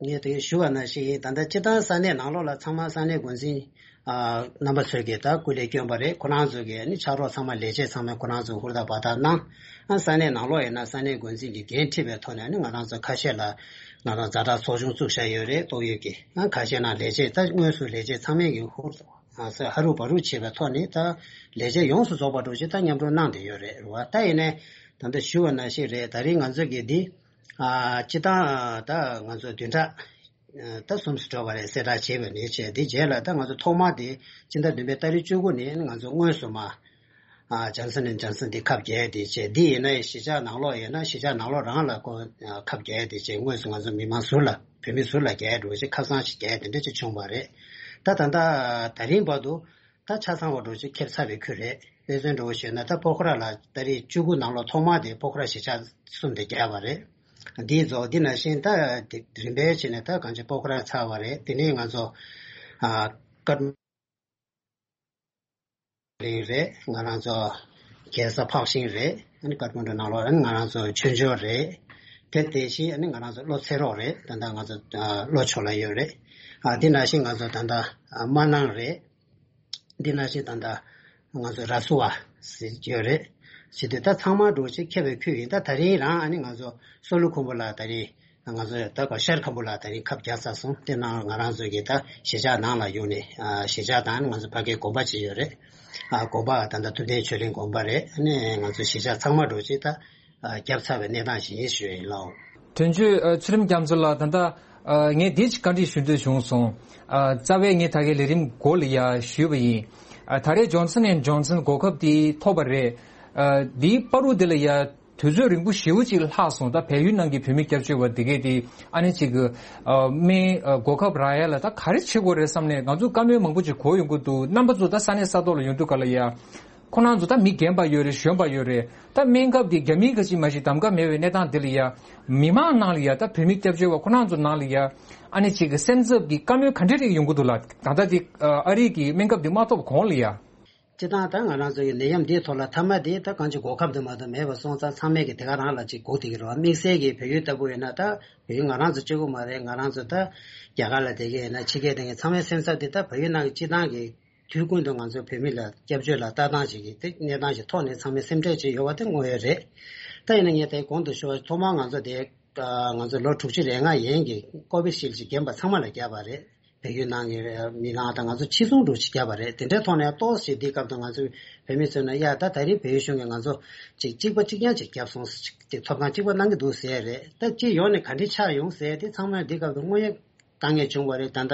ངས་དེ་ཞུ་བ་ནང་བཞིན་ཡིན། ད་ལྟ་སྤྱི་བཏང་ས་གནས་ནང་ལོགས་ལ་ཚང་མ་ས་གནས་འགོ་འཛིན་ཨ་རྣམ་པ་ཚོས་ཀྱིས་ད་སྐུ་ལས་བསྐྱོན་པ་རེད། ཁོ་རང་ཚོ་གིས་ནི་ཕྱག་རོགས་ཚང་མ་ལས་བྱེད་ཚང་མས་ཁོ་རང་ཚོ་ཧུར་ཐག་འབད་ཐག་གནང་། ཨ་ས་གནས་ནང་ལོགས་ཡིན་ན་ས་གནས་འགོ་འཛིན་གྱིས་འགན་འཁྲི་བའི་ཐོག་ནས་ནི་ང་རང་ཚོ་ཁ་ཤས་ལ་ང་རང་ཛ་དྲག་ཚོགས་ཆུང་བཙུགས་བཞག་ཡོད་རེད། ཏོག་དབྱིབས་ཀྱི་ཨ་ཁ་ཤས་ནང་ལས་བྱེད་ད་དངོས་སུ་ལས་བྱེད་ཚང་མས་ཀྱིས་ཧུར་ཐག་ཨ་ཧ་རུ་བ་རུ་བྱས་པའི་ཐོག་ནས་ད་ལས་བྱེད་ཡོངས་སུ་རྫོགས་པ་འདྲ་ཅིག་ད་མཉམ་རུབ་གནང་བསྡད་ཡོད་རེད། རེད་བ། ད་ཡིན་ནའི་ད་ལྟ་ཞུ་བ་ནང་བཞིན་རེད། ད་རིང་ང་ཚོ་གིས་འདི། ཨ་སྤྱི་བཏང་ད་ང་ཚོ་བདུན་ཕྲག་ཨ་ད་གསུམ་ཙམ་འགྲོ་བ་རེད། གསལ་བསྒྲགས་བྱས་པ་ནས་བྱས། དེ་རྗེས་ལ་ད་ང་ཚོ་ཐོག་མ་དེ་སྤྱི་ཟླ་བདུན་པའི་ཏ་རིག་བཅུ་དགུ་ནས་ང་ཚོ་དངོས་སུ་མར་ཨ་ཇོན་སན་ཨེན་ཇོན་སན་དེ་ཁབ་རྒྱག་དེ་བྱས། འདི་ཡིན་ན་གཞིས་ཆགས་ནང་ལོགས་ཡིན་ན་གཞིས་ཆགས་ནང་ལོགས་རང་ལ་ཁོ་ཁབ་རྒྱག་དེ་བྱས། དངོས་སུ་ང་ཚོ་མི་མང་ཟུར་ལ་བོད་མི་ཟུར་ལ་རྒྱག་འགྲོ་བྱས། ཁབ་གསང་ཞིག་རྒྱག་དེ་འདྲ་ཅིག་བྱུང་བ་རེད། ད་ད་ལྟ་ད་རིང་བར་དུ། ད་ཆ་ཚང་བ་འདྲ་ཅིག་ཁེབས་ཚར་བའི་ཁུལ་རེད། དཔེ་མཚོན་འདྲ་བོ་ཞུས་ན་ད་པོ་ཁ་ར་ལ་ཏ་རིག་བཅུ་དགུ་ནང་ལོགས་ཐོག་མ་དེ་པོ་ཁ་ར་གཞིས་ཆགས་གསུམ་དེ་བརྒྱབ་པ་རེད། འདིའི་རྫོགས་འདི་ནང་བཞིན་ད་དེ་རིམ་པས་བྱས་ནས་ད་གང་ཅི་པོ་ཁ་ར་ཚར་བ་རེད། དེ་ནས་ང་ཚོ་ཨ་ཀ་ཐ་མན་གླིང་རེད། ང་རང་ཚོ་རྒྱལ་ས་འཕགས་ཤིང་རེད། ཨ་ནི་ཀ་ཐ་མན་གྲུ་ནང་ལོགས་ཨ་ནི་ང་རང་ཚོ་ཆོས་འབྱོར་རེད། དེ་དེ་བཞིན་ཨ་ནི་ང་རང་ཚོ་བློ་ཚེ་རོགས་རེད། ད་ལྟ་ང་ཚོ་ཨ་བློ་ཆོས་ལ་ཡོད་རེད། ཨ་དེ་ནང་བཞིན་ང་ཚོ་ད་ལྟ་ཨ་སྨར་ནང་རེད། འདི་ནང་བཞིན་ད་ལྟ་ང་ཚོ་ར་སུ་བ་ཟེར་ཡོད་རེད། བྱེད་དུས་ད་ཚང་མ་འགྲོ་ཆེད་ཁྱབ་པའི་ཁུལ་ཡིན། ད་ད་རིང་རང་ཨ་ནི་ང་ཚོ་སོ་ལུ་ཁུམ་བུ་ལ་ད་རིང་ང་ཚོ་ད་ག་ཤར་ཁམ་བུ་ལ་ད་རིང་ཁབ་རྒྱག་ཚར་སོང་། དེ་ནང་ང་རང་ཚོ་གི་ད་གཞིས་ཆགས་ནང་ལ་ཡོང་ནས་ཨ་གཞིས་ཆགས་དང་ང་ཚོ་ཕ་གིའི་དགོན་པ་ཅིག་ཡོད་རེད། ཨ་དགོན་པ་ད་ལྟ་ཐུབ་བསྟན་ཆོས་གླིང་དགོན་པ་རེད། ཨ་ནི་ང་ཚོ་གཞིས་ཆགས་ཚང་མ་འགྲོ་ཆེད་ད། ཨ་བརྒྱབ་ཚར་བའི་གནས་སྟངས་ཤིག་ཡིན་ཞུ་ཡ་ཡིན་ལགས། དོན་གཅོད་ཨ་ཚུལ་ཁྲིམས་རྒྱ་མཚོ་ལགས། ད་ལྟ་ཨ་ངས་འདི་ཅིག་བཀའ་འདྲི་ཞུ་འདོད་བྱུང་སོང་། ཨ་རྩ་བའི་ངས་ད་གའི་ལས་རིམ་འགོ་ལ་ཡ་ཞུས་པ་ཡིན། ཨ་ད་རེས་ཇོན་སན་ཨེན་ཇོན་སན་གོ་སྐབས་འདི་ཐོབ་པ་རེད། ཨ་འདིའི་བར་དུ་འདི་ལ་ཡ་དུས་ཚོད་རིང་པོ་ཞེ་པོ་ཅིག་ལྷག་སོང་། ད་བལ་ཡུལ་ནང་གི་བོད་མི་སྐྱབས་བཅོལ་བ་འདི་གས་འདི་ཨ་ནི་ཅིག་ཨ་སྨན་ཨ་གོ་སྐབས་རག་ཡ་ལ་ད་ག་རེ་བྱེད་དགོས་རེད་བསམ་ནས་ང་ཚོ་བཀའ་མོལ་མང་པོ་ཅིག་གོ་ཡོང་གི་འདུག། རྣམ་པ་ཚོ་ད་ས་གནས་ས་ཐོག་ལ་ཡོང་དུས་ག་ལ་ཡ། ཁོ་རང་ཚོ་ད་མི་རྒན་པ་ཡོད་རེད། གཞོན་པ་ཡོད་རེད། ད་སྨན་ཁབ་དེ་རྒྱ་མིའི་ག་ཅིག་མ་ཞིག་གདམ་ག་མེད་པའི་གནས་སྟངས་འདི་ལ་ཡ། མི་མང་ནང་ལ་ཡ་ད་བོད་མི་སྐྱབས་བཅོལ་བ་ཁོ་རང་ཚོ་ནང་ལ་ཡ། ཨ་ནི་ཅིག་གི་སེམས་འཚབ་ཀྱི་བཀའ་མོལ་ག་འདྲ་རེ་ཡོང་གི་འདུག་ལ། ད་ལྟ་དེ་ཨ་རི་གི་སྨན་ཁབ་དེ་མ་ཐོབ་གོང་ལ་ཡ། སྤྱིར་བཏང་ད་ང་རང་ཚོ་ཡི་ནད་ཡམས་འདིའི་ཐོག་ལ་མཐའ་མ་དེ་ད་གང་ཅི་གོ་སྐབས་དེ་མ་གཏོགས་མེད་པ་སོང་ཙང་ཚང་མས་ཀྱི་དེ་ག་རང་ལ་ཅིག་སྒུག་བསྡད་ཀྱི་རེད་བ། དམིགས་བསལ་གྱི་བལ་ཡུལ་ལྟ་བུ་ཡིན་ན་ད་བལ་ཡུལ་ང་རང་ཚོ་གཅིག་པུ་མ་རེད། ང་རང་ཚོ་ད་རྒྱ་གར་ལ་བསྡད་ཀྱི་ཡིན་ན་ཕྱི་རྒྱལ་བསྡད་མཁན་ཚང་མའི་སེམས་འཚབ་དེ་ད་བལ་ཡུལ་ནང་གི་སྤྱིར་བཏང་གི་དུས་ཀུན་ཏུ་ང་ཚོ་བོད་མི་ལ་སྐྱབས་བཅོལ་ལ་ལྟ་སྟངས་ཤིག་གི་དེ་གནས་སྟངས་ཤིག་ཐོག་ནས་ཚང་མས་སེམས་ཁྲལ་བྱས་ཡོད་པ་དེ་དངོས་ཡོད་རེད། ད་ཡིན་ན་ངས་དེ་གོང་དུ་ཞུ་བ་ཐོག་མར་ང་ཚོ་དེ་ང་ཚོ་ལོ་དྲུག་ཅུ་རེ་ལྔ་ཡན་གྱི་ཀོ་བི་ཤིལ་ཅིག་རྒན་པ་ཚང་མ་ལ་བརྒྱབ་པ་རེད། བལ་ཡུལ་ནང་གི་མི་ནང་དང་ང་ཚོ་ཕྱི་སྲུང་འདྲ་ཅིག་བརྒྱབ་པ་རེད། དེ་འདྲའི་ཐོག་ནས་ཏོག་ཙམ་འདིའི་སྐབས་དུ་ང་ཚོ་བོད་མི་ཚོས་ན་ཡ་ད་ད་རེས་བལ་ཡུལ་གཞུང་གིས་ང་ཚོ་ཅིག་གཅིག་པ་གཅིག་རྐྱང་ཅིག་བརྒྱབ་སོང་། ཅིག་ཐོབ་ཐང་གཅིག་པ་གནང་གི་འདུག་ཟེར་རེད། ད་སྤྱི་ཡོངས་ནས་ག་འདྲ་ཆགས་ཡོང་ཟེར་དེ་ཚང་མས་འདིའི་སྐབས་དུ་དངོས་ཡོད་དཀའ་ངལ་བྱུང་བ་རེད། ད་ལྟ་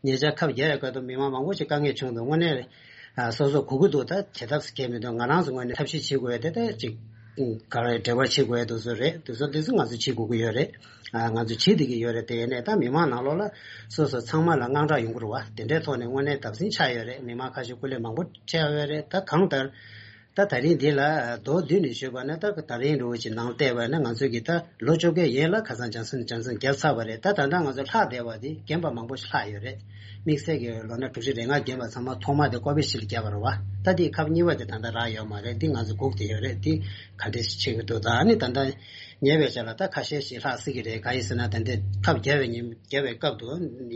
ཉེ་ཆར་ཁབ་རྒྱག་ཡ་སྐབས་དུ་མི་མང་མང་པོ་ཞིག་དཀའ་ངལ་བྱུང་འདུག། དངོས་གནས་ ཨ་སོ་སོ་གོ་གི་འདུག་ད་བྱེད་ཐབས་སུ་སྐྱེལ་མི་འདུག་ང་རང་ཚོ་ངོས་ནས་ཐབས་ཤེས་བྱེད་དགོས་དེ་ད་ཅིག་ག་རེ་འབྲེལ་བ་བྱེད་དགོས་དུ་བཟོ་རེད། དུ་བཟོ་དུས་སུ་ང་ཚོ་བྱེད་དགོས་ཀྱི་ཡོད་རེད། ཨ་ང་ཚོ་བྱེད་བསྡད་ཀྱི་ཡོད་རེད། དེ་ཡིན་ནས་ད་མི་མང་ནང་ལོགས་ལ་སོ་སོ་ཚང་མ་ལ་དངངས་སྐྲག་ཡོང་གི་རེད་བ། དེ་འདྲའི་ཐོག་ནས་དངོས་གནས་བརྡབ་གསིག་ཆགས་ཡོད་རེད། མི་མང་ཁ་ཤས་སྐུ་ལས་མང་པོ་ཆགས་ཡོད་རེད། ད་གང་ལྟར། ད་ད་རིང་འདི་ལ་མདོར་བསྡུས་ནས་ཞུས་པ་ན། ད་ད་རིང་འདྲ་བོ་ཅིག་ནང་བལྟས་པ་ན་ང་ཚོ་གི་ད་ལོ་བཅོ་བརྒྱད་ཡན་ལ་ཁ་སང་བྱང་སེམས་བྱང་སེམས་བརྒྱབ་ཚར་བ་རེད། ད་ད་ལྟ་ང་ཚོ་ལྷག་བསྡད་པ་འདི་རྒན་པ་མང་པོ་ཞིག་ལྷག་ཡོད་རེད། དམིགས་བསལ་གྱི་ལོ་ན་དྲུག་ཅུ་རེ་ལྔ་རྒན་པ་ཚང་མ་ཐོག་མ་དེ་ཀོ་བི་ཤིལ་བརྒྱབ་པ་རེད་བ། ད་འདི་ཁབ་གཉིས་པ་དེ་ད་ལྟ་རག་ཡོད་མ་རེད། འདི་ང་ཚོ་སྒུག་བསྡད་ཡོད་རེད། འདི་ག་འདྲས་ཤིག་ཆགས་ཀྱི་འདུག་ད་ཨ་ནི་ད་ལྟ་ཉེ་བའི་ཆར་ལ་ད་ཁ་ཤས་ཤིག་ལྷག་སྲིད་ཀྱི་རེད། ག་ཡིན་ཟེར་ན་ད་འདི་ཁབ་བརྒྱབ་པའི་ཉིན་བརྒྱབ་པའི་སྐབས་དུ་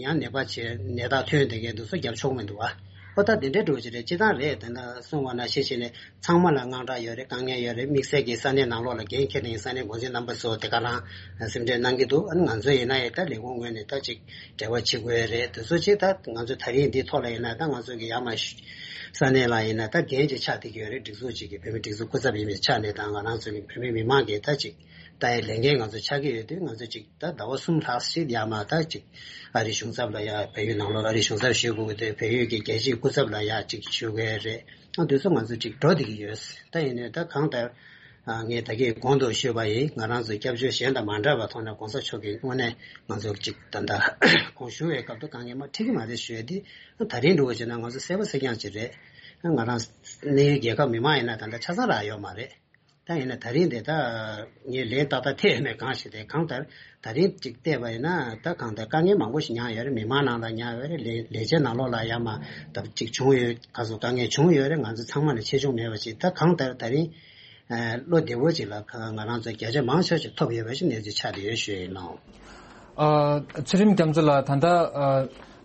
ཡང་ནད་པ་བྱས་ནད་རྟགས་ཐོན་བསྡད་མཁན་འདུག་སོ་བརྒྱབ་ཆོག་མི་འདུག་བ། ཨོ་ད་དེ་འདྲའི་འགྲོ་གི་རེད། སྤྱི་བཏང་རེད། དེ་འདྲ་གསུང་བ་ན་ཤེས་བྱས་ནས་ཚང་མ་ལ་དངངས་སྐྲག་ཡོད་རེད། དཀའ་ངལ་ཡོད་རེད། དམིགས་བསལ་གྱི་ས་གནས་ནང་ལོགས་ལ་འགན་འཁྱེར་ནས་ས་གནས་འགོ་འཛིན་རྣམ་པ་ཚོ་དེ་ག་རང་སེམས་ཁྲལ་གནང་གི་འདུག་ཨ་ནི་ང་ཚོ་ཡིན་ན་ཡང་ད་ལས་ཁུངས་ངོས་ནས་ད་ཅིག་འབྲེལ་བ་བྱེད་དགོས་རེད། དེ་ཚོ་ཅིག་ད་ང་ཚོ་ད་རིང་འདི་ཐོག་ལ་ཡིན་ན་ད་ང་ཚོ་གི་ཡར་མར་ས་གནས་ལ་ཡིན་ན་ད་འགན་ཅིག་ཆགས་བསྡད་ཀྱི་ཡོད་རེད། སྒྲིག་འཛུགས་ཅིག་གི་བོད་མི་སྒྲིག་འཛུགས་སྐུ་ཚབ་ཡིན་པའི་ཆ་ནས་ད་ང་རང་ཚོ་གི་བོད་མི་མི་མང་གི་ད་ཅིག་ད་ཡི་ལས་འགན་ང་ཚོ་ཆགས་ཀྱི་ཡོད་དུས་ང་ཚོ་ཅིག་ད་ཟླ་བ་གསུམ་ལྷག་ཞིག་ཡར་མར་ད་ཅིག་ཨ་རིའི་གཞུང་ཚབ་ལ་ཡ་བལ་ཡུལ་ནང་ལོགས་ཨ་རིའི་གཞུང་ཚབ་ཞུ་དགོས་ཀྱི་འདུག་བལ་ཡུལ་གྱི་རྒྱལ་སྤྱིའི་སྐུ་ཚབ་ལ་ཡ་ཅིག་ཞུ་དགོས་རེད། ཨ་དུས་ཚོད་ང་ཚོ་ཅིག་འགྲོ་བསྡད་ཀྱི་ཡོད། ད་ཡིན་ནའི་ད་གང་ལྟར་ཨ་ངས་ད་གིན་གོང་དུ་ཞུས་པ་ཡིན། ང་རང་ཚོ་སྐྱབས་བཅོལ་གཞན་དང་མ་འདྲ་བའི་ཐོག་ནས་གོང་ས་མཆོག་གིས་དངོས་གནས་ང་ཚོ་ཅིག་ད་ལྟ་གོང་ཞུ་བའི་སྐབས་དུ་དཀའ་ངལ་མ་འཕྲད་ཀྱི་མ་རེད་ཞུ་ཡ་དེ་ད་རིང་འགྲོ་བ་བྱས་ན་ང་ཚོ་གསལ་པོ་གསལ་རྐྱང་ཅིག་རེད། ང་རང་གནས་ཡུལ་རྒྱལ་ཁབ་མི་མང་ཡིན་ན་ད་ལྟ་ཆ་ཚང་རག་ཡོད་མ་རེད། ད་ཡིན་ན་ད་རིང་དེ་ད་ངས་ལན་ཏག་ཏག་ཐེབས་མེད་གང་ཞིག་དེ་གང་ལྟར་ད་རིང་ཅིག་བལྟས་པ་ཡིན་ན་ད་གང་ལྟར་དཀའ་ངལ་མང་པོ་ཞིག་མྱངས་ཡོད་རེད། མི་མང་ནང་ལ་མྱངས་ཡོད་རེད། ལས་ལས་བྱེད་ནང་ལོགས་ལ་ཡ་མ་ད་ཅིག་བྱུང་ཡོད། ག་ཚོད་དཀའ་ངལ་བྱུང་ཡོད་རེད། ང་ཚོ་ཚང་མ་ལ་ཆེ་ཆུང་མེད་པ་ཅིག་ད་གང་ལྟར་ད་རིང་བློ་བདེ་བོ་ཅིག་ལ་ང་རང་ཚོ་བརྒྱ་ཆ་མང་ཆེ་ཞིག་ཐོབ་ཡོད་པ་ཞིག་གནས་ཚུལ་ཆགས་བསྡད་ཡོད་ཞུ་ཡིན་ནོ། ཨ་ཚུལ་ཁྲིམས་རྒྱ་མཚོ་ལགས། ད་ལྟ་ཨ་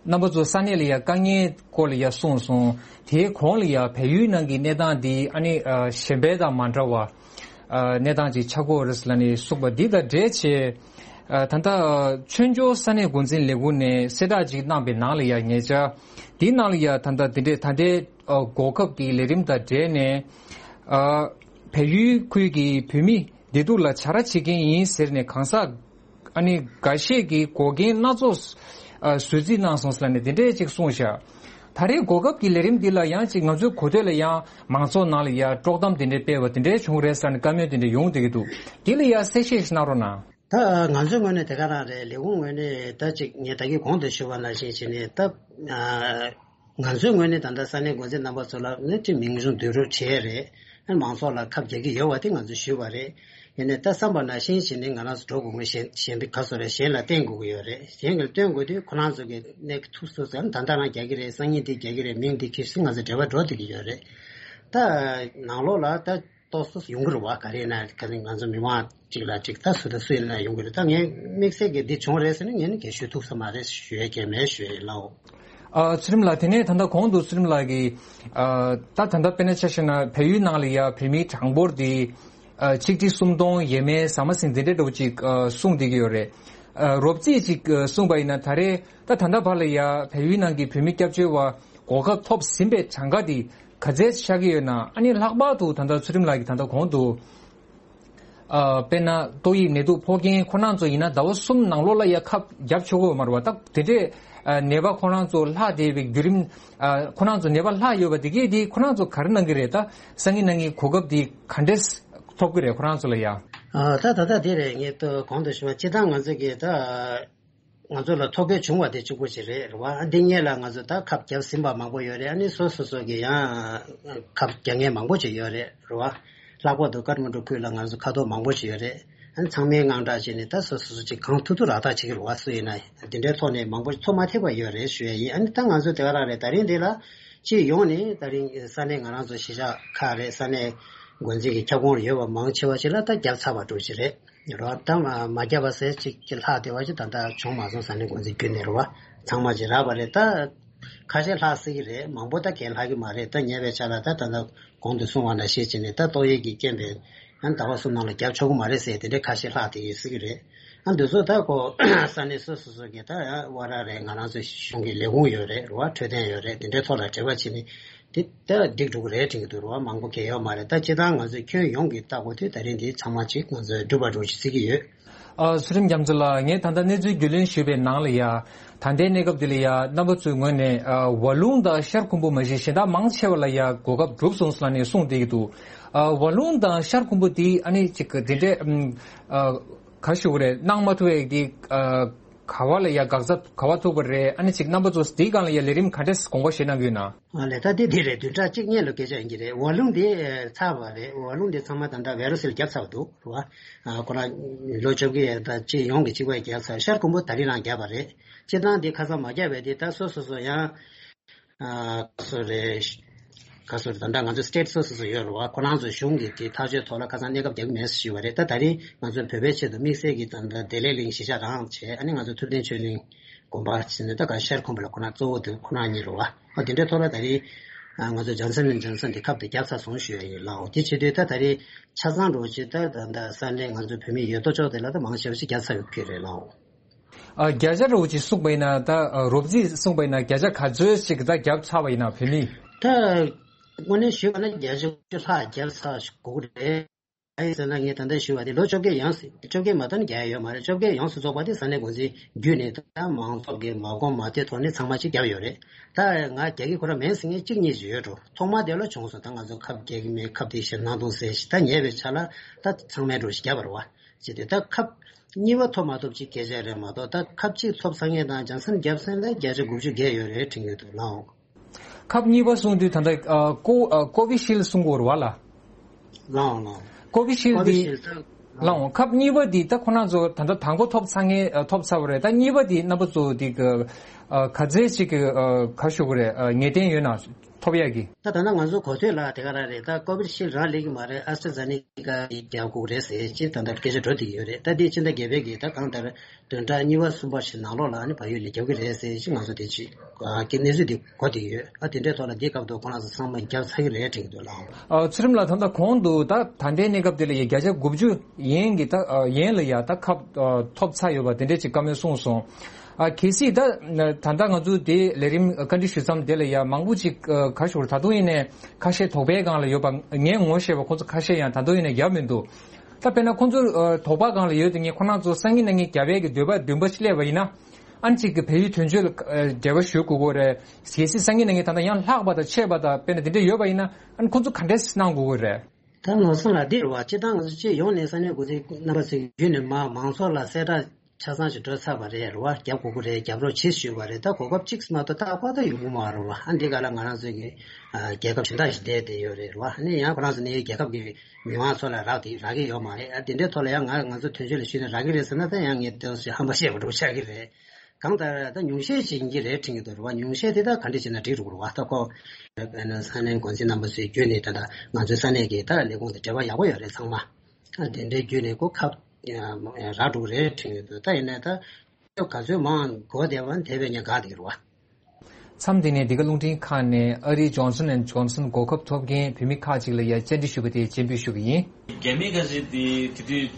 རྣམ་པ་ཚོ་ས་གནས་ལ་ཡ་དཀའ་ངལ་སྐོར་ལ་ཡ་གསུངས་སོང་། དེའི་གོང་ལ་ཡ་བལ་ཡུལ་ནང་གི་གནས་སྟངས་འདི་ཨ་ནི་ཨ་གཞན་པའི་དང་མ་འདྲ་བ་ཨ་གནས་སྟངས་ཅིག་ཆགས་ཀྱི་ཡོད་རེད་ལབ་ནས་གསུངས་པ་འདི་དང་འབྲེལ་བྱས། ཨ་ད་ལྟ་ཨ་བཙན་བྱོལ་ས་གནས་འགོ་འཛིན་ལས་ཁུངས་ནས་གསལ་བསྒྲགས་ཅིག་གནང་པའི་ནང་ལ་ཡ་ཉེ་ཆར་འདིའི་ནང་ལ་ཡ་ད་ལྟ་འདི་འདྲའི་ད་ལྟའི་ཨ་གོ་སྐབས་ཀྱི་ལས་རིམ་དང་འབྲེལ་ནས་ཨ་བལ་ཡུལ་ཁུལ་གྱི་བོད་མི་བདེ་སྡུག་ལ་བྱ་ར་བྱེད་མཁན་ཡིན་ཟེར་ནས་གང་ཟག་ཨ་ནི་འགའ་ཤས་ཀྱིས་འགོག་རྐྱེན་སྣ་ཚོགས་ཨ་བཟོས་རྩིས་གནང་སོང་ཟེར་ནས་དེ་འདྲས་ཅིག་གསུངས་ཤག་ད་རེས་གོ་སྐབས་ཀྱི་ལས་རིམ་འདི་ལ་ཡང་ཅིག་ང་ཚོའི་གོ་ཐོས་ལ་ཡང་མང་ཚོགས་ནང་ལ་ཡང་དཀྲོག་གཏམ་དེ་འདྲས་སྤེལ་བ་དེ་འདྲས་བྱུང་རེད་ཟེར་ནས་བཀའ་མོལ་དེ་འདྲས་ཡོང་བསྡད་ཀྱི་འདུག་དེ་ལ་ཡང་གསལ་བཤད་ཞིག་གནང་རོགས་གནང་། ད་ང་ཚོའི་ངོས་ནས་དེ་ག་རང་རེད། ལས་ཁུངས་ངོས་ནས་ད་ཅིག་ངས་ད་གིན་གོང་དུ་ཞུས་པ་ནང་བཞིན་བྱས་ནས་ད། ང་ཚོའི་ངོས་ནས་ད་ལྟ་ས་གནས་འགོ་འཛིན་རྣམ་པ་ཚོ་ལ་ནི་ཅིག་མིང་གཞུང་བསྡུ་རུབ་བྱས་རེད། མང་ཚོགས་ལ་ཁབ་རྒྱག་གི་ཡོད་པ་དེ་ང་ཚོས་ཞུས་པ་རེད། ཡིན་ནའི་ད་བསམ་པ་ནང་བཞིན་བྱས་ནས་ང་རང་ཚོ་འགྲོ་དགོས་ངེས་གཞན་གཞན་པའི་ག་ཚོད་རེད། གཞན་ལ་བརྟེན་དགོས་ཀྱི་ཡོད་རེད། གཞན་གྱིས་བརྟེན་དགོས་དུས་ཁོ་རང་ཚོ་གི་གནས་ཀྱི་ཐུགས་སུ་ཟེར་ན་ད་ལྟ་རང་རྒྱག་གི་རེད། སང་ཉིན་དེ་རྒྱག་གི་རེད། མིང་དེ་ཁྱེར་སོང་། ང་ཚོ་འབྲེལ་བ་འགྲོ་བསྡད་ཀྱི་ཡོད་རེད། ད་ནང་ལོགས་ལ་ད། ཏོག་ཙམ་ཡོང་གི་རེད་བ། ག་རེ་ན་ག་རེ་ང་ཚོ་མི་མང་གཅིག་ལ་གཅིག་ད་སུ་དང་སུ་ཡིན་ན་ཡོང་གི་རེད། ད་ངས་དམིགས་བསལ་གྱི་འདི་བྱུང་རེད་ཟེར་ནས་ངས་ནི་གས་ཞུ་ཐུབ་ས་མ་རེད་ཞུ་ཡས་གས་མེད་ཞུ་ཡས་ལའོ། ཨ་ཚུལ་ཁྲིམས་ལགས། དེ་ནས་ད་ལྟ་གོང་དུ་ཚུལ་ཁྲིམས་ལགས་ཀྱིས་ཨ་ད་ད་ལྟ་དཔེར་ན་ཆ་བཞག་ན་བལ་ཡུལ་ནང་ལ་ཡ་བོད་མིའི་གྲངས་འབོར་འདི་ཨ་ཆིག་ཁྲི་སུམ་སྟོང་ཡས་མས་ཟ་མ་ཟིན་དེ་འདྲ་འདྲ་བོ་ཅིག་ཨ་གསུངས་བསྡད་ཀྱི་ཡོད་རེད། ཨ་རོབ་རྩིས་ཅིག་ཨ་གསུངས་པ་ཡིན་ན་ད་རེས་ད་ད་ལྟ་བར་ལ་ཡ་བལ་ཡུལ་ནང་གི་བོད་མི་སྐྱབས་བཅོལ་བ་གོ་སྐབས་ཐོབ་ཟིན་པའི་གྲངས་ཀ་འདི་ག་ཚད་ཆགས་ཀྱི་ཡོད་ན། ཨ་ནི་ལྷག་པར་དུ་ད་ལྟ་ཚུལ་ཁྲིམས་ལགས་ཀྱིས་ད་ལྟ་གོང་དུ་ཨ་དཔེར་ན་ཏོག་དབྱིབས་ནད་དུག་ཕོག་མཁན་ཁོ་རང་ཚོ་ཡིན་ན་ཟླ་བ་གསུམ་ནང་ལོགས་ལ་ཡ་ཁབ་བརྒྱབ་ཆོག་གི་ཡོད་མ་རེད་བ། ད་དེ་འདྲས་ཨ་ནད་པ་ཁོ་རང་ཚོ་ལྷག་བསྡད་པའི་བརྒྱུད་རིམ། ཨ་ཁོ་རང་ཚོ་ནད་པ་ལྷག་ཡོད་པ་དེ་གས་དེ་ཁོ་རང་ཚོ་ག་རེ་གནང་གི་རེད། ད་སང་ཉིན་གནངས་ཉིན་གོ་སྐབས་དེ་ག་འདྲས་ཐོབ་ཀྱི་རེད་ཁོ་རང་ཚོ་ལ་ཡ། ཨ་ད་ད་ལྟ་དེ་རེད། ངས་ཏོ་གོང་དུ་ཞུས་པ་སྤྱིར་བཏང་ང་ཚོ་གིས་ད། ང་ཚོ་ལ་ཐོ་འགོད་བྱུང་བ་དེ་གཅིག་པོ་ཅིག་རེད་རེད་བ། འདི་སྔོན་ལ་ང་ཚོ་ད་ཁབ་བརྒྱབ་ཟིན་པ་མང་པོ་ཡོད་རེད། ཨ་ནི་སོ་སོ་སོ་གི་ཡང་ཁབ་རྒྱག་མཁན་མང་པོ་ཅིག་ཡོད་རེད་རེད་བ། ལྷག་པར་དུ་ཀ་ཐ་མན་ཌུ་ཁུལ་ལ་ང་ཚོ་ཁ་ཐོར་མང་པོ་ཅིག་ཡོད་རེད། ཨ་ནི་ཚང་མས་དངངས་སྐྲག་བྱས་ནས་ད་སོ་སོ་སོ་ཅིག་གང་ཐུབ་ཐུབ་རག་ཐག་བྱེད་ཀྱི་རེད་བ། སུ་ཡིན་ན་འདི་འདྲའི་ཐོག་ནས་མང་པོ་ཐོབ་མ་ཐུབ་པ་ཡོད་རེད་ཞུ་ཡ་ཡིན། ཨ་ནི་ད་ང་ཚོ་དེ་ག་རང་རེད། ད་རིང་འདི་ལ་སྤྱི་ཡོངས་ནས་ད་རིང་ས་གནས་ང་རང་ཚོ་གཞིས་ཆགས་ཁག་རེད། ས་གནས་འགོ་འཛིན་གྱི་ཁྱབ་ཁོངས་ཡོད་པ་མང་ཆེ་བ་ཅིག་ལ་ད་བརྒྱབ་ཚར་བ་འདྲ་ཅིག་རེད། རོ་ད་མ་མ་བརྒྱབ་པ་ཟེར་ཅིག་ཅིག་ལྷག་བསྡད་པ་ཅིག་ད་ལྟ་བྱུང་མ་སོང་། ས་གནས་འགོ་འཛིན་བརྒྱུད་ནས་རོ་བ་ཚང་མ་ཅིག་རག་པ་རེད། ད་ཁ་ཤས་ལྷག་སྲིད་ཀྱི་རེད། མང་པོ་ད་གས་ལྷག་གི་མ་རེད། ད་ཉེ་བའི་ཆར་ལ་ད་ད་ལྟ་གོང་དུ་གསུངས་པ་ནང་བཞིན་བྱས་ནས་ད་ཏོག་དབྱིབས་ཀྱི་རྐྱེན་པས་ཨ་ཟླ་བ་གསུམ་ནང་ལ་བརྒྱབ་ཆོག་གི་མ་རེད་ཟེར་དེ་འདྲའི་ཁ་ཤས་ལྷག་བསྡད་ཀྱི་སྲིད་ཀྱི་རེད། ཨ་འདི་ཚོ་ད་ཁོ་ས་གནས་སོ་སོ་སོ་གི་ད་ཨ་བ་ར་རེད། ང་རང་ཚོ་གཞུང་གི་ལས་ཁུངས་ཡོད་རེད་རོ་བ། འཕྲོད་བསྟེན་ཡོད་རེད། དེ་འདྲའི་ཐོག་ལ་འབྲེལ་བ་བྱས་ནས། དེ་ལྟ་འགྲིག་འགྲོ་གི་རེད་དྲན་གྱི་འདུག་རོ། མང་པོ་གལ་ཡོད་མ་རེད། ད་སྤྱིར་བཏང་ང་ཚོས་ཁྱོན་ཡོངས་ཀྱི་ལྟ་དགོས་དུས་ད་རིང་འདི་ཚང་མ་ཅིག་ང་ཚོས་འགྲུབ་པ་འགྲོ་ཞིག་བརྩི་གི་ཡོད། ཨ་ཚུལ་ཁྲིམས་རྒྱ་མཚོ་ལགས། ངས་ད་ལྟ་གནས་ཚུལ་རྒྱུས་ལོན་ཞུས་པའི་ནང་ལ་ཡ། ད་ ད་ལྟའི་གནས་སྐབས་འདི་ལ་ཡ་རྣམ་པ་ཚོའི་ངོས་ནས་ཨ་ཝ་ལུང་དང་ཤར་ཁུམ་བུ་མ་གཞི་གཞན་དག་མང་ཆེ་བ་ལ་ཡ་གོ་སྐབས་གྲུབ་སོང་ཟེར་ནས་གསུངས་བསྡད་ཀྱི་འདུག་ཨ་ཝ་ལུང་དང་ཤར་ཁུམ་བུ་དེ་ཨ་ནི་ཅིག་དེ་འདྲའི་ཨ་ག་ཞུ་དགོས་རེད། གནང་མ་ཐུབ་པའི་དེ་ཨ་ག་བ་ལ་ཡ་འགག་རྩ་ག་བ་ཐུག་པ་རེད། ཨ་ནི་ཅིག་རྣམ་པ་ཚོ་དེའི་སྒང་ལ་ཡ་ལས་རིམ་ག་འདྲས་དགོངས་པ་བཞེས་གནང་གི་ཡོད་ན། ཨ་ལས་ད་དེ་དེ་རེད། བདུན་ཕྲག་གཅིག་སྔོན་ལ་སྐད་ཆ་ཡིན་གྱི་རེད། ཝ་ལུང་དེ་ཚར་བ་རེད། ཝ་ལུང་དེ་ཚང་མ་ད་ལྟ་ཝེ་རུ་སིལ་བརྒྱབ་ཚར་བ་འདུག་རེད་བ། ཨ་ཁོ་རང་ལོ་བཅོ་བརྒྱད་ད་སྤྱི་ཡོངས་ཀྱི་གཅིག་པ་བརྒྱབ་ཚར། ཤར་ཁུམ་བུ་ད་རིང་རང་བརྒྱབ་པ་རེད། སྤྱིར་བཏང་འདི་ཁ་སང་མ་བརྒྱབ་པའི་འདི་ད་སོ་སོ་སོ་ཡང་ཨ་སོ་རེད། ག་སོ་རེད། ད་ལྟ་ང་ཚོ་སི་ཊེ་ཊི་སོ་སོ་སོ་ཡོད་རེད་བ། ཁོ་རང་ཚོའི་གཞུང་གི་དེ་ཐག་གཅོད་ཐོག་ལ་ཁ་སང་གནས་སྐབས་རྒྱག་གི་མེད་ཞུས་པ་རེད། ད་ད་རིང་ང་ཚོ་བོད་པའི་ཆེད་དུ་དམིགས་བསལ་གྱི་ད་ལྟ་བདེ་ལེགས་གླིང་གཞིས་ཆགས་རང་བྱས། ཨ་ནི་ང་ཚོ་ཐུབ་བསྟན་ཆོས་གླིང་དགོན་པ་ཕྱིན་ནས་ད་ག་ཤར་ཁུམ་བུ་ལ་ཁོ་རང་གཙོ་བོ་དེ་ཁོ་རང་གཉིས་རེད་བ། ཨ་དེ་འདྲའི་ཐོག་ལ་ད་རིང་ང་ཚོ་ཇོན་སན་ལེན་ཇོན་སན་དེ་ཁབ་དེ་བརྒྱབ་ཚར་སོང་ཞུ་ཡ་ཡིན་ལགས། དེ་བྱེད་དུས་ད་ད་རིང་ཆ་ཚང་འགྲོ་ཆེད་ད་ད་ད་ས་གནས་ང་ཚོ་བོད་མི་ཡོད་དོ་ཅོག་དེ་ལ་ད་མང་ཆེ་བ་ཞིག་བརྒྱབ་ཚར་ཡོད་ཀྱི་རེད་ལགས། ཨ་བརྒྱ་ཆ་རེ་བ་ཅིག་གསུངས་པ་ཡིན་ན་ད་རོབ་རྩིས་གསུངས་པ་ཡིན་ན་བརྒྱ་ཆ་ག་ཚོད་ཅིག་ད་བརྒྱབ་ཚར་བ་ཡིན་ན་བོད་མི། ད་དངོས་གནས་ཞུས་པ་ན་བརྒྱ་ཆ་དགུ་བཅུ་ལྷག་བརྒྱབ་ཚར་དགོས་ཀྱི་རེད། ཨ་ཡིན་ཟེར་ན་ངས་ད་ལྟ་ཞུས་པ་དེ་ལོ་བཅོ་བརྒྱད་ཡང་སྲིད། བཅོ་བརྒྱད་མ་གཏོགས་ནི་བརྒྱབ་ཡོད་མ་རེད། བཅོ་བརྒྱད་ཡོངས་སུ་རྫོགས་པ་དེ་ས་གནས་འགོ་འཛིན་བརྒྱུད་ནས་ད་མང་ཚོགས་ཀྱི་མ་དགོངས་མ་ཐོས་ཐོག་ནས་ཚང་མ་ཅིག་བརྒྱབ་ཡོད་རེད། ད་ང་རྒྱག་གི་ཁོ་རང་མིན་ཟེར་མཁན་གཅིག་གཉིས་ཅིག་ཡོད་འགྲོ། ཐོག་མ་དེ་ལ་བྱུང་སོང་། ད་ང་ཚོ་ཁབ་རྒྱག་གི་མེད། ཁབ་དེ་བཞིན་གནང་འདུག་ཟེར་ཞིག་ད་ཉེ་བའི་ཆ་ལ་ད་ཚང་མས་འགྲོ་ཞིག་བརྒྱབ་པ་རེད་བ། ཅེས་དེ་ད་ཁབ་གཉིས་པ་ཐོབ་མ་ཐོབ་ཅིག་སྐད་ཆ་རེད་མ་གཏོགས། ད་ཁབ་གཅིག་ཐོབ་ཚར་མཁན་དང་ཇོན་སན་བརྒྱབ་མཁན་ལ་བརྒྱ་ཆ་དགུ་བཅུ་བརྒལ་ཡོད་རེད་དྲན་གྱི་འདུག་ལགས། ཁབ་གཉིས་པ་གསུངས་དུས་ད་ལྟ་ཨ་ཀོ་ཨ་ཀོ་བི་ཤིལ་གསུང་གི་ཡོད་རེད་བ་ལགས། ལགས་འོང་ལགས་འོང་། ཀོ་བི་ཤིལ་ཀོ་བི་འདི་ཤིལ་ད་ལགས་འོང་། ཁབ་གཉིས་པ་འདི་ད་ཁོ་རང་ཚོ་ད་ལྟ་དང་པོ་ཐོབ་ཚར་མཁན་ཨ་ཐོབ་ཚར་བ་རེད། ད་གཉིས་པ་འདི་རྣམ་པ་ཚོ་འདི་ག་ཨ་ག་ཚད་ཅིག་གི་ཨ་ག་ཞུ་དགོས་རེད། ཨ་ངེས་གཏན་ཡོད་ན་ཐོབ་ཡག་གི། ད་ད་ལྟ་ང་ཚོ་གོ་ཐོས་ལ་དེ་ག་རང་རེད། ད་ཀོ་བི་ཤིལ་རང་ལེགས་ཀྱི་མ་རེད། ཨ་སི་ཊྲ་ཛེ་ནེ་ཀ་ཡིས་རྒྱག་དགོས་རེད་ཟེར་ཅིག་ད་ལྟ་སྐད་ཆ་འགྲོ་བསྡད་ཀྱི་ཡོད་རེད། ད་འདི་ཕྱི་ཟླ་བརྒྱད་པའི་གི་ད་གང་ལྟར་བདུན་ཕྲག་གཉིས་པ་གསུམ་པ་ཞིག་ནང་ལོགས་ལ་ཨ་ནི་བལ་ཡུལ་ལ་རྒྱབ་ཀྱི་རེད་ཟེར་ཞིག་ང་ཚོ་དེ་ཅིག་ཨ་ཀྱི་གནས་ཚུལ་དེ་གོ་བསྡད་ཡོད། ཨ་དེ་འདྲའི་ཐོག་ལ་འདི་སྐབས་དུ་ཁོ་རང་ཚོ་ཚང་མ་རྒྱབ་ཚར་གྱི་རེད་དྲན་གྱི་འདུག་ལགས། ཨ་ཚུལ་ཁྲིམས་ལགས། ད་ལྟ་གོང་དུ་ད་ད་ལྟའི་གནས་སྐབས་དེ་ལ་ཡ་བརྒྱ་ཆ་དགུ་བཅུ་ཡན་གྱི་ད་ཨ་ཡན་ལ་ཡ་ད་ཁབ་ཨ་ཐོབ་ཚར་ཡོད་པ་དེ་འདྲས་ཅིག་བཀའ་མོལ་གསུངས་སོང་། ཨ་གལ་སྲིད་ད་ད་ལྟ་ང་ཚོ་དེ་ལས་རིམ་བཀའ་འདྲི་ཞུ་མཚམས་དེ་ལ་ཡ་མང་པོ་ཅིག་ཨ་ག་ཞུ་ད་དུང་ཡིན་ནའི་ཁ་ཤས་དོགས་པའི་སྒང་ལ་ཡོད་པ་ངས་ངོ་ཤེས་པ་ཁོང་ཚོ་ཁ་ཤས་ཡང་ད་དུང་ཡིན་ནའི་རྒྱབ་མི་འདུག་ད་དཔེར་ན་ཁོང་ཚོ་ཨ་དོགས་པ་སྒང་ལ་ཡོད་དེ་ངས་ཁོ་རང་ཚོ་སང་ཉིན་གནངས་ཉིན་རྒྱབ་ཡས་ཀྱི་འདོད་པ་འདུན་པ་ཞིག་སླེབས་པ་ཡིན་ན། ཨ་ནི་གཅིག་གི་བལ་ཡུལ་དོན་གཅོད་ལ་ཨ་འབྲེལ་བ་ཞུ་དགོས་ཀྱི་རེད། གལ་སྲིད་སང་ཉིན་གནངས་ཉིན་ད་ལྟ་ཡང་ལྷག་པ་དང་ཆད་པ་དང་དཔེར་ན་དེ་འདྲ་ཡོད་པ་ཡིན་ན་ཨ་ནི་ཁོང་ཚོ་ག་འདྲས་གནང་དགོས་ཀྱི་རེད། ད་ལོ་གསུམ་ལ་འདི་རེད་བ། སྤྱིར་བཏང་ང་ཚོ་སྤྱི་ཡོངས་ནས་ས་གནས་འགོ་འཛིན་རྣམ་པ་ཚོས་བརྒྱུད་ནས་མ་མང་ཚོགས་ལ་གསལ་བསྒྲགས་ཆ་ཚང་ཞིག་འགྲོ་ཚར་བ་རེད་རེད་བ། རྒྱབ་དགོས་ཀྱི་རེད། རྒྱབ་རོགས་བྱེད་ཞུས་པ་རེད། ད་གོ་སྐབས་གཅིག་མ་གཏོགས་ད་ལྟ་ད་ཡོང་གི་མ་རེད་བ། ཨ་འདི་ག་ལ་ང་རང་ཚོས་ཀྱི་ཨ་རྒྱལ་ཁབ་གཞན་དག་ཞིག་བསྡད་བསྡད་ཡོད་རེད་རེད་བ། ཨ་ནི་ཡང་ཁོ་རང་ཚོ་ནས་རྒྱལ་ཁབ་ཀྱི་མི་མང་ཚོ་ལ་རག་དེ་རག་གི་ཡོད་མ་རེད། ཨ་དེ་འདྲའི་ཐོག་ལ་ཡང་ང་ང་ཚོ་དོན་གཅོད་ལ་ཞུས་ནས་རག་གི་རེད་ཟེར་ན་ད་ཡང་ངས་དེ་ཧམ་པ་བཤད་པ་འདྲ་པོ་ཆགས་ཀྱི་རེད། གང་ལྟར་ད་ཉུང་ཤས་ཤིག་ཡིན་གྱི་རེད་དྲན་གྱི་འདུག་རེད་བ། ཉུང་ཤས་དེ་ད་ག་འདྲ་བྱས་ན་འགྲིག་འགྲོ་གི་རེད་བ། ད་ཁོ་ས་གནས་འགོ་འཛིན་རྣམ་པ་ཚོའི་བརྒྱུད་ནས་ད་ལྟ་ང་ཚོའི་ས་གནས་ཀྱི་ད་ལས་ཁུངས་དང་འབྲེལ་བ་ཡག་པོ་ཡོད་རེད་ཚང་མ། ཨ་དེ་འདྲའི་བརྒྱུད་ནས་ཁོ་ཁ་རག་འགྲོ་གི་རེད་དྲན་གྱི་འདུག་ད་ཡིན་ནའི་ད་ག་ཚོད་མང་འགོ་བསྡད་པ་དེ་བས་ཉེན་ཁ་དེ་རེད་བ། མཚམས་འདི་ནས་འདི་ག་རླུང་འཕྲིན་ཁང་ནས་ཨ་རིའི་Johnson and Johnson་གོ་སྐབས་ཐོབ་མཁན་བོད་མི་ཁག་ཅིག་ལ་ཡང་བཅར་འདྲི་ཞུས་པ་དེ་སྤྱན་འབུལ་ཞུ་གི་ཡིན། རྒྱ་མི་ཁ་ཅིག་དེ་དེ་དུས་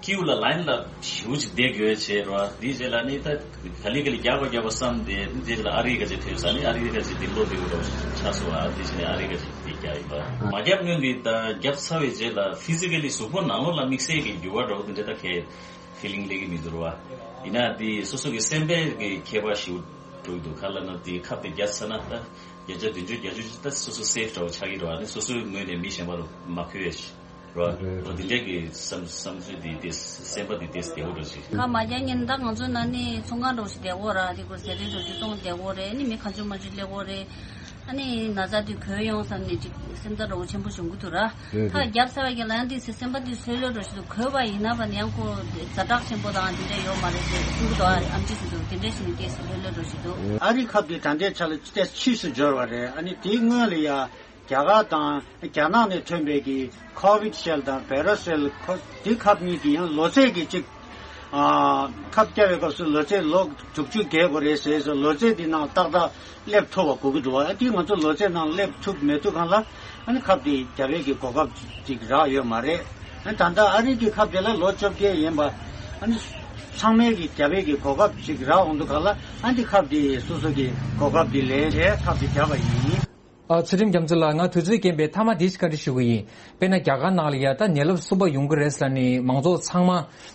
ཀིའུ་ལ་ལའིན་ལ་ཞེ་པོ་ཅིག་བསྡད་དགོས་བྱས་རོ། དེའི་རྗེས་ལ་ནི་ད་ག་ལེ་ག་ལེ་རྒྱག་པ་རྒྱག་པ་བསམ་སྟེ། དེའི་རྗེས་ལ་ཨ་རི་ཁ་ཅིག་ཐེབས་ས་ནི་ཨ་རི་ཁ་ཅིག་དེ་བློ་བདེ་པོ་འདྲ་པོ་ཆགས་སོང་བ། དེ་བཞིན་ཨ་རི་ཁ་ཅིག་དེ་རྒྱག་ཡིན་པ། མ་བརྒྱབ་སྔོན་དེ་ད་བརྒྱབ་ཚར་བའི་རྗེས་ལ་ཕི་ཛི་ཀ་ལི་གཟུགས་པོ་ནང་ལོགས་ལ་དམིགས་བསལ་གྱི་འགྱུར་བ་འདྲ་པོ་དེ་འདྲ་ད་གས། ཕི་ལིང་སླེབས་ཀྱི་མི་འདུག་ར་བ། ཡིན་ན་དེ་སོ་སོ་གི་སེམས་པའི་གི་ཁྱད་པར་ཞིག་འགྲོ་གི་འདུག་ག་ལ་ན་དེ་ཁབ་དེ་བརྒྱབ་ཚར་ན་ད་བརྒྱ་ཆ་བདུན་ཅུ་བརྒྱད་ཅུ་ད་སོ་སོ་སེབ་འདྲ་བོ་ཆགས་ཀྱི་རེད་བ། ཨ་ནི་སོ་སོའི་ངོས་ནས་མི་གཞན་པ་ལ་མ་འཁོལ་བའི་ཞིག་རེད་བ། རེད་རེད། འོ་དེ་འདྲས་ཀྱི་བསམ་བསམ་ཚུལ་དེ་དེ་སེམས་པ་དེ་དེ་བདེ་བོ་འདྲ་ཞིག་ཁ་མ་རྒྱག་ཉིན་ད་ང་ཚོ་ན་ནི་ཚོང་ཁང་འདྲ་བོ་ཞིག་བསྡད་གོ་ར། དེ་ཁོ་ཟས་རིགས་འདྲ་བོ་ཞིག་བཙོང་བསྡད་གོ་རེད། ཨ་ནི་མི་གང་བྱུང་མང་བྱུང་སླེབས་གོ་རེད། ཨ་ནི་ན་ཚ་དེ་འགོས་ཡོང་བསམ་ནས་ཅིག་སེམས་ཚ་འདྲ་བོ་ཆེན་པོ་བྱུང་གི་འདུག་ར། རེད་ཁ་རེད། རྒྱབ་ཚར་བ་གི་ལན་དེ་སེམས་པ་དེ་སོས་ལོས་འགྲོ་ཞིག་འདུག་འགོས་པ་ཡིན་ན་བ་ནི་ཡང་ཁོ་ཛ་དྲག་ཆེན་པོ་དང་དེ་འདྲ་ཡོད་མ་རེད་ཅེས་གསུང་གི་འདུག་ཨ་ཨམ་ཆི་སི་འདུག་དེ་འདྲ་ཞིག་ནས་དེ་སོས་ལོས་འགྲོ་ཞིག་འདུག་ཨ་རི་ཁབ་དེ་ད་ལྟའི་ཆ་ལ་ཏོག་ཙམ་ཕྱིས་སུ་འབྱོར་བ་རེད། ཨ་ནི་དེའི་སྔོན་ལ་ཡ་རྒྱ་གར་དང་རྒྱ་ནག་ནས་ཐོན་པའི་གི་ཁོ་བིད་ཤེལ་དང་བེ་ར་སེལ་ཁོ་དེ་ཁབ་གཉིས་དེ་ཡང་ལོ་ཚད་ཀྱི་གཅིག་ཨ་ཁབ་བརྒྱབ་པའི་སྐབས་སུ་ལོ་ཚད་ལོ་དྲུག་ཅུ་བརྒལ་དགོས་རེད་ཟེར་སོང་། ལོ་ཚད་འདི་ནང་ཏག་ཏག་སླེབས་ཐུབ་པ་དགོས་ཀྱི་འདུག་ཨ་དེ་ང་ཚོ་ལོ་ཚད་ནང་སླེབས་ཐུབ་མི་ཐུབ་སྒང་ལ་ཨ་ནི་ཁབ་དེ་རྒྱབ་ཡས་ཀྱི་གོ་སྐབས་ཅིག་རག་ཡོད་མ་རེད། ཨ་ད་ལྟ་ཨ་རི་གི་ཁབ་དེ་ལ་ལོ་བཅོ་བརྒྱད་ཡིན་པ་ཨ་ནི་ཚང་མས་ཀྱི་རྒྱབ་ཡས་ཀྱི་གོ་སྐབས་ཅིག་རག་འོང་དུས་སྒང་ལ་ཨ་འདི་ཁབ་དེ་སོ་སོ་གི་གོ་སྐབས་དེ་ལེན་བྱས་ཁབ་དེ་བརྒྱབ་པ་ཡིན། ཨ། ཚུལ་ཁྲིམས་རྒྱ་མཚོ་ལགས། ང་དུས་ཚོད་རྐྱེན་པས་མཐའ་མ་འདི་ཞིག་བཀའ་འདྲི་ཞུ་གི་ཡིན། དཔེར་ན་རྒྱ་གར་ནང་ལ་ཡ་ད་ནད་རླབས་གསུམ་པ་ཡོང་གི་རེད་ཟེར་ནས་མང་ཚོགས་ཚང་མ་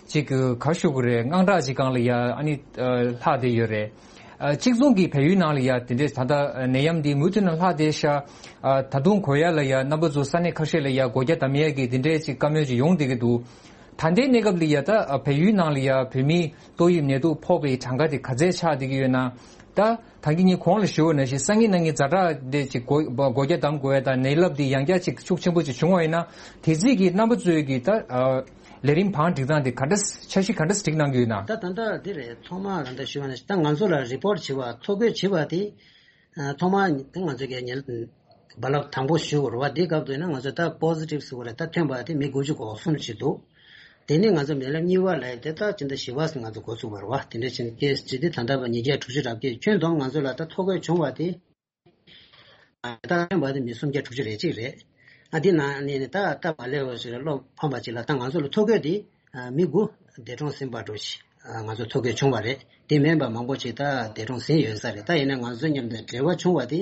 ཅིག་ག་ཞུ་གི་རེད། དངངས་སྐྲག་ཅིག་སྒང་ལ་ཡ་ཨ་ནི་ལྷག་བསྡད་ཡོད་རེད། ཨ། གཅིག་མཚུངས་ཀྱི་བལ་ཡུལ་ནང་ལ་ཡ་དེ་འདྲས་ད་ལྟ་ནད་ཡམས་འདི་མུ་མཐུད་ནས་ལྷག་བསྡད་ཤག་ཨ། ད་དུང་གོ་ཡ་ལ་ཡ་རྣམ་པ་ཚོ་ས་གནས་ཁ་ཤས་ལ་ཡ་སྒོ་རྒྱ་བསྡམ་ཡ་གི་དེ་འདྲས་ཅིག་བཀའ་མོལ་ཅིག་ཡོང་བསྡད་ཀྱི་འདུག་ད་ལྟའི་གནས་སྐབས་ལ་ཡ་ད་བལ་ཡུལ་ནང་ལ་ཡ་བོད་མིའི་ཏོག་དབྱིབས་ནད་དུག་ཕོག་པའི་གྲངས་ཀ་དེ་ག་ཚད་ཆགས་བསྡད་ཀྱི་ཡོད་ན། ད་ད་གིན་ངས་གོང་ལ་ཞུས་པ་ནང་བཞིན་སང་ཉིན་གནངས་ཉིན་ཛ་དྲག་དེ་ཅིག་སྒོ་སྒོ་རྒྱ་བསྡམ་དགོས་ཡ་དང་ནད་རླབས་དེ་ཡང་བསྐྱར་ཅིག་ཤུགས་ཆེན་པོ་ཅིག་བྱུང་བ་ཡིན་ན། དེ་རྗེས་ཀྱི་རྣམ་པ་ཚོའི་གི་ད་ཨ། ལས་རིམ་བང་སྒྲིག་སྟངས་དེ་ག་འདྲ་འཆར་གཞི་ག་འདྲ་སྒྲིག་གནང་གི་ཡོད་ན། ད་ད་ལྟ་འདི་རེད། ཐོག་མར་ད་ལྟ་ཞུས་པ་ནང་བཞིན་ད་ང་ཚོ་ལ་རི་པོར་ཊི་བྱེད་པ་ཐོ་འགོད་བྱེད་པ་དེ། ཨ། ཐོག་མར་ང་ཚོ་གི་ཉིན་རྦ་རླབས་དང་པོ་ཞུ་དགོས་རེད་བ། འདི་སྐབས་དུས་ན་ང་ཚོ་ད་པོ་སི་ཊིབ་ཟེར་བ་རེད། ད་ཐོན་པ་དེ་མི་དགུ་བཅུ་གོ་གསུམ་ཞིག་འདུག་དེ་ནས་ང་ཚོ་ནད་རླབས་གཉིས་པ་ལ་དེ་ད་ཕྱི་ཟླ་བཞི་པ་ང་ཚོ་འགོ་ཚུགས་པ་རེད་བ། དེ་འདྲ་བྱས་ནས་ཀེ་སི་ཇི་དེ་ད་ལྟ་བར་ཉིས་བརྒྱ་དྲུག་ཅུ་རེ་བརྒྱད། ཁྱོན་བསྡོམས་ང་ཚོ་ལ་ད་ཐོ་འགོད་བྱུང་བ་དེ། ད་ཐོན་པ་དེ་མི་སུམ་བརྒྱ་དྲུག་ཅུ་རེ་གཅིག་རེད། ཨ། དེ་ནང་ནས་ནི་ད་ད་མ་ལས་བ་ཞིག་ལ་བློ་ཕམ་པ་ཅིག་ལ་ད་ང་ཚོ་ལ་ཐོ་འགོད་དེ། ཨ། མི་དགུ་འདས་གྲོངས་ཟིན་པ་འདྲ་ཞིག་ཨ། ང་ཚོ་ཐོ་འགོད་བྱུང་བ་རེད། དེ་མིན་པ་མང་པོ་ཅིག་ད་འདས་གྲོངས་ཟིན་ཡོད་ས་རེད། ད་ཡིན་ན་ང་ཚོ་མཉམ་དུ་འབྲེལ་བ་བྱུང་བ་དེ་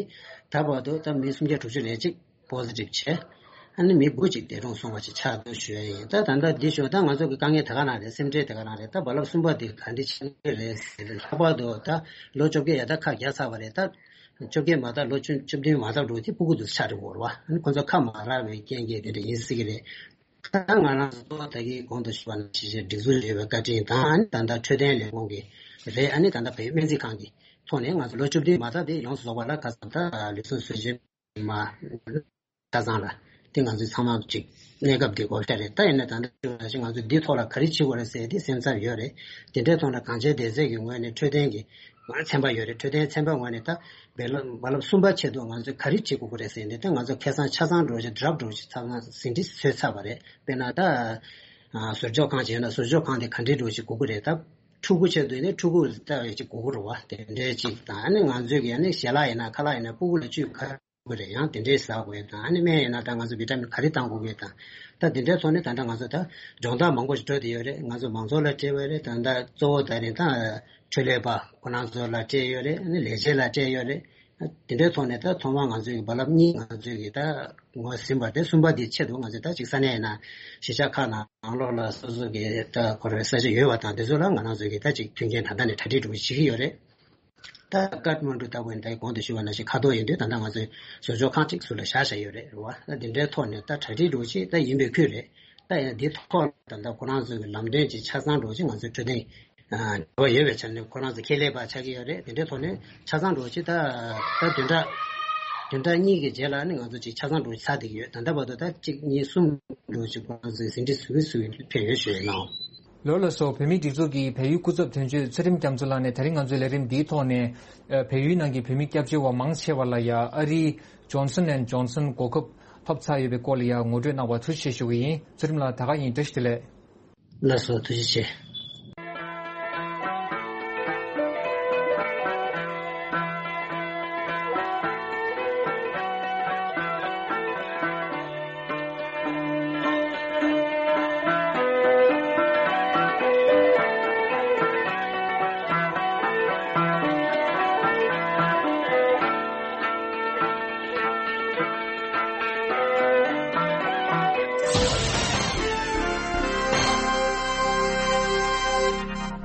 ད་བར་དུ་ད་མི་སུམ་བརྒྱ་དྲུག་ཅུ་རེ་གཅིག་པོ་སི་ཊིབ་བྱས། ཨ་ནི་མི་དགུ་ཅིག་འདས་གྲོངས་སོང་བ་ཅིག་ཆགས་འདུག་ཞུ་ཡ་ཡིན། ད་ད་ལྟ་འདི་ཞུ་ད་ང་ཚོ་གི་དཀའ་ངལ་དེ་ག་ན་རེད། སེམས་ཁྲལ་དེ་ག་ན་རེད། ད་རྦ་རླབས་གསུམ་པ་དེ་ག་འདྲ་ཆགས་ཀྱི་རེད་ཟེར། ལྷག་པར་དུ་ད་ལོ་བཅོ་བརྒྱད་ཡ་ད་ཁ་བརྒྱབ་ཚར་བ་རེད། ད་བཅོ་བརྒྱད་མ་ད་ལོ་བཅུ་བཅུ་བདུན་མ་ད་འགྲོ་དེ་སྤུ་གུ་དེ་ཚོ་ཆགས་འགྲོ་གི་རེད་བ། ཨ་ནི་ཁོ་ཚོ་ཁ་མ་རག་པའི་རྐྱེན་གྱིས་དེ་འདྲ་ཡིན་སྲིད་ཀྱི་རེད། ད་ང་རང་ཚོ་ད་གིན་གོང་དུ་ཞུས་པ་ནང་བཞིན་སྒྲིག་འཛུགས་ཡོད་པའི་བཀའ་དྲིན་དང་། ཨ་ནི་ད་ལྟ་འཕྲོད་བསྟེན་ལས་ཁུངས་ཀྱི་རེད། ཨ་ནི་ད་ལྟ་བོད་སྨན་རྩིས་ཁང་གི་ཐོག་ནས་ང་ཚོ་ལོ་བཅུ་བདུན་མ་ད་དེ་ཡོངས་སུ་རྫོགས་པ་ལ་ཁ་སང་ད་ལུས་ཟུངས་གསོ་བཅོས་མ་ཆ་ཚང་ལ་དེ་ང་ཚོས་ཚང་མ་ཅིག་གནས་སྐབས་དེ་གོ་ཤ་རེད། ད་ཡིན་ན་ད་ལྟ་ཞུ་བ་ཞིག་ང་ཚོས་འདིའི་ཐོག་ལ་ག་རེ་བྱེད་དགོས་རེད་ཟེར་དེ་སེམས་འཚབ་ཡོད་རེད། དེ་འདྲའི་ཐོག་ལ་གངས་ཅན་བདེ་རྩས་ཀྱི་ངོས་ནས་འཕྲོད་བསྟེན་གྱི་ཚན་པ་ཡོད་རེད། འཕྲོད་བསྟེན་ཚན་པ་ངོས་ནས་ད་རྦ་རླབས་རྦ་རླབས་གསུམ་པ་ཆེད་དུ་ང་ཚོས་ག་རེ་བྱེད་དགོས་ཀྱི་རེད་ཟེར་ནས་ད་ང་ཚོ་ཁ་སང་ཆ་ཚང་འདྲ་བོ་ཞིག་ཌ་རབ་འདྲ་བོ་ཞིག་ཚང་མ་ཟིན་བྲིས་བཟོས་ཚར་བ་རེད། དཔེར་ན་ད་ཟུར་འཇོག་ཁང་བྱས་ན་ཟུར་འཇོག་ཁང་དེ་ག་འདྲའི་འདྲ་བོ་ཞིག་དགོས་ཀྱི་རེད། ད་ཕྲུ་གུ་ཆེད་དུ་ནི་ཕྲུ་གུ་ལྟ་བའི་ཅིག་དགོས་ཀྱི་རེད་བ། དེ་འདྲའི་ཅིག་དང་ཨ་ནི་ང་ཚོས་ཀྱི་ཨ་ནི་ཞལ་ལག་ཡིན་ན་ཁ་ལག་ཡིན་ན་ཕྲུ་གུ་ལ་བཅུད་ག་དགོས་རེད། ཡང་དེ་འདྲའི་ཟ་དགོས་དང་། ཨ་ནི་སྨན་ཡིན་ན་ད་ང་ཚོ་བི་ཏ་མིན་ག་རེ་བཏང་དགོས་རེད་དང་། ད་དེ་འདྲའི་ཐོག་ནས་ད་ལྟ་ང་ཚོ་ད་སྦྱོང་བརྡར་མང་པོ་ཞིག་འགྲོ་བསྡད་ཡོད་རེད། ང་ཚོ་མང་ཚོགས་ལ་སྤྲད་པ་རེད། ད་ལྟ་གཙོ་བོ་ད་རེད་ད་འཕྲོད་ལས་པ་ཁོ་རང་ཚོ་ལ་སྤྲད་ཡོད་རེད། ཨ་ནི་ལས་བྱེད་ལ་སྤྲད་ཡོད་རེད། དེ་འདྲའི་ཐོག་ནས་ད་ཐོག་མར་ང་ཚོའི་རྦ་རླབས་གཉིས་ང་ཚོའི་གི་ད་ངོས་ཟིན་པ་དེ་གསུམ་པ་དེའི་ཆེད་དུ་ང་ཚོས་ད་ཅིག་ས་གནས་ཡིན་ན་གཞིས་ཆགས་ཁག་ནང་ནང་ལོགས་ལ་སོ་སོ་གི་ད་ཁོ་རའི་ས་ཆ་ཡོད་པ་དང་དེ་ཚོ་ལ་ང་རང་ཚོའི་གི་ད་ཅིག་མཐུན་རྐྱེན་ད་ལྟ་ནས་གྲ་སྒྲིག་འགྲོ་གི་བྱེད་ཀྱི་ཡོད་རེད། ད་ཀཏ་མན་ཌུ་ལྟ་བུ་ཡིན་ད་གོང་དུ་ཞུས་པ་ནང་བཞིན་ཁ་ཐོར་ཡིན་དུས་ད་ལྟ་ང་ཚོས་ཟུར་འཇོག་ཁང་གཅིག་ཟུར་ལ་བཞག་བཞག་ཡོད་རེད། རེད་བ། ད་དེ་འདྲའི་ཐོག་ནས་ད་གྲ་སྒྲིག་འགྲོ་གི་ད་ཡིན་པའི་ཁུལ་རེད། ད་ཡིན་ན་འདི་ཐོག་ད་ལྟ་ཁོ་རང་ཚོའི་གི་ལམ་སྟོན་ཅིག་ཆ་ཚང་འགྲོ་གི་ང་ཚོའི་འཕྲོད་བསྟེན་འབྲེལ་བ་ཡོད་པའི་ཆ་ནས་ཁོ་རང་ཚོ་ཁྱད་ལས་པ་ཆགས་ཀྱི་ཡོད་རེད། དེ་འདྲའི་ཐོག་ནས་ཆ་ཚང་འགྲོ་ཅི་ད་ད་བདུན་ཕྲག་བདུན་ཕྲག་གཉིས་ཀྱི་རྗེས་ལ་ནི་ང་ཚོ་ཅིག་ཆ་ཚང་འགྲོ་ཚར་བསྡད་ཀྱི་ཡོད། ད་ལྟ་བར་དུ་ད་གཅིག་གཉིས་གསུམ་འགྲོ་ཅིག་ཁོ་རང་ཚོས་ཟིན་བྲིས་ཟུར་ཟུར་ཕེབས་ཡོད་ཞུ་ཡོད་གནང་། ལགས་ལགས་སོ། བོད་མིའི་སྒྲིག་འཛུགས་ཀྱི་བལ་ཡུལ་སྐུ་ཚབ་དོན་གཅོད་ཚུལ་ཁྲིམས་རྒྱ་མཚོ་ལགས་ནས་ད་རིང་ང་ཚོའི་ལས་རིམ་འདིའི་ཐོག་ནས་བལ་ཡུལ་ནང་གི་བོད་མི་སྐྱབས་བཅོལ་བ་མང་ཆེ་བ་ལ་ཡ་ཨ་རིའི་Johnson and Johnson་གོ་སྐབས་ཐོབ་ཚར་ཡོད་པའི་སྐོར་ལ་ཡ་ངོ་སྤྲོད་གནང་བར་ཐུགས་རྗེ་ཆེ་ཞུ་གི་ཡིན། ཚུལ་ཁྲིམས་ལགས་ད་ག་ཡིན། བཀྲ་ཤིས་བདེ་ལེགས། ལགས་སོ། ཐུགས་རྗེ་ཆེ།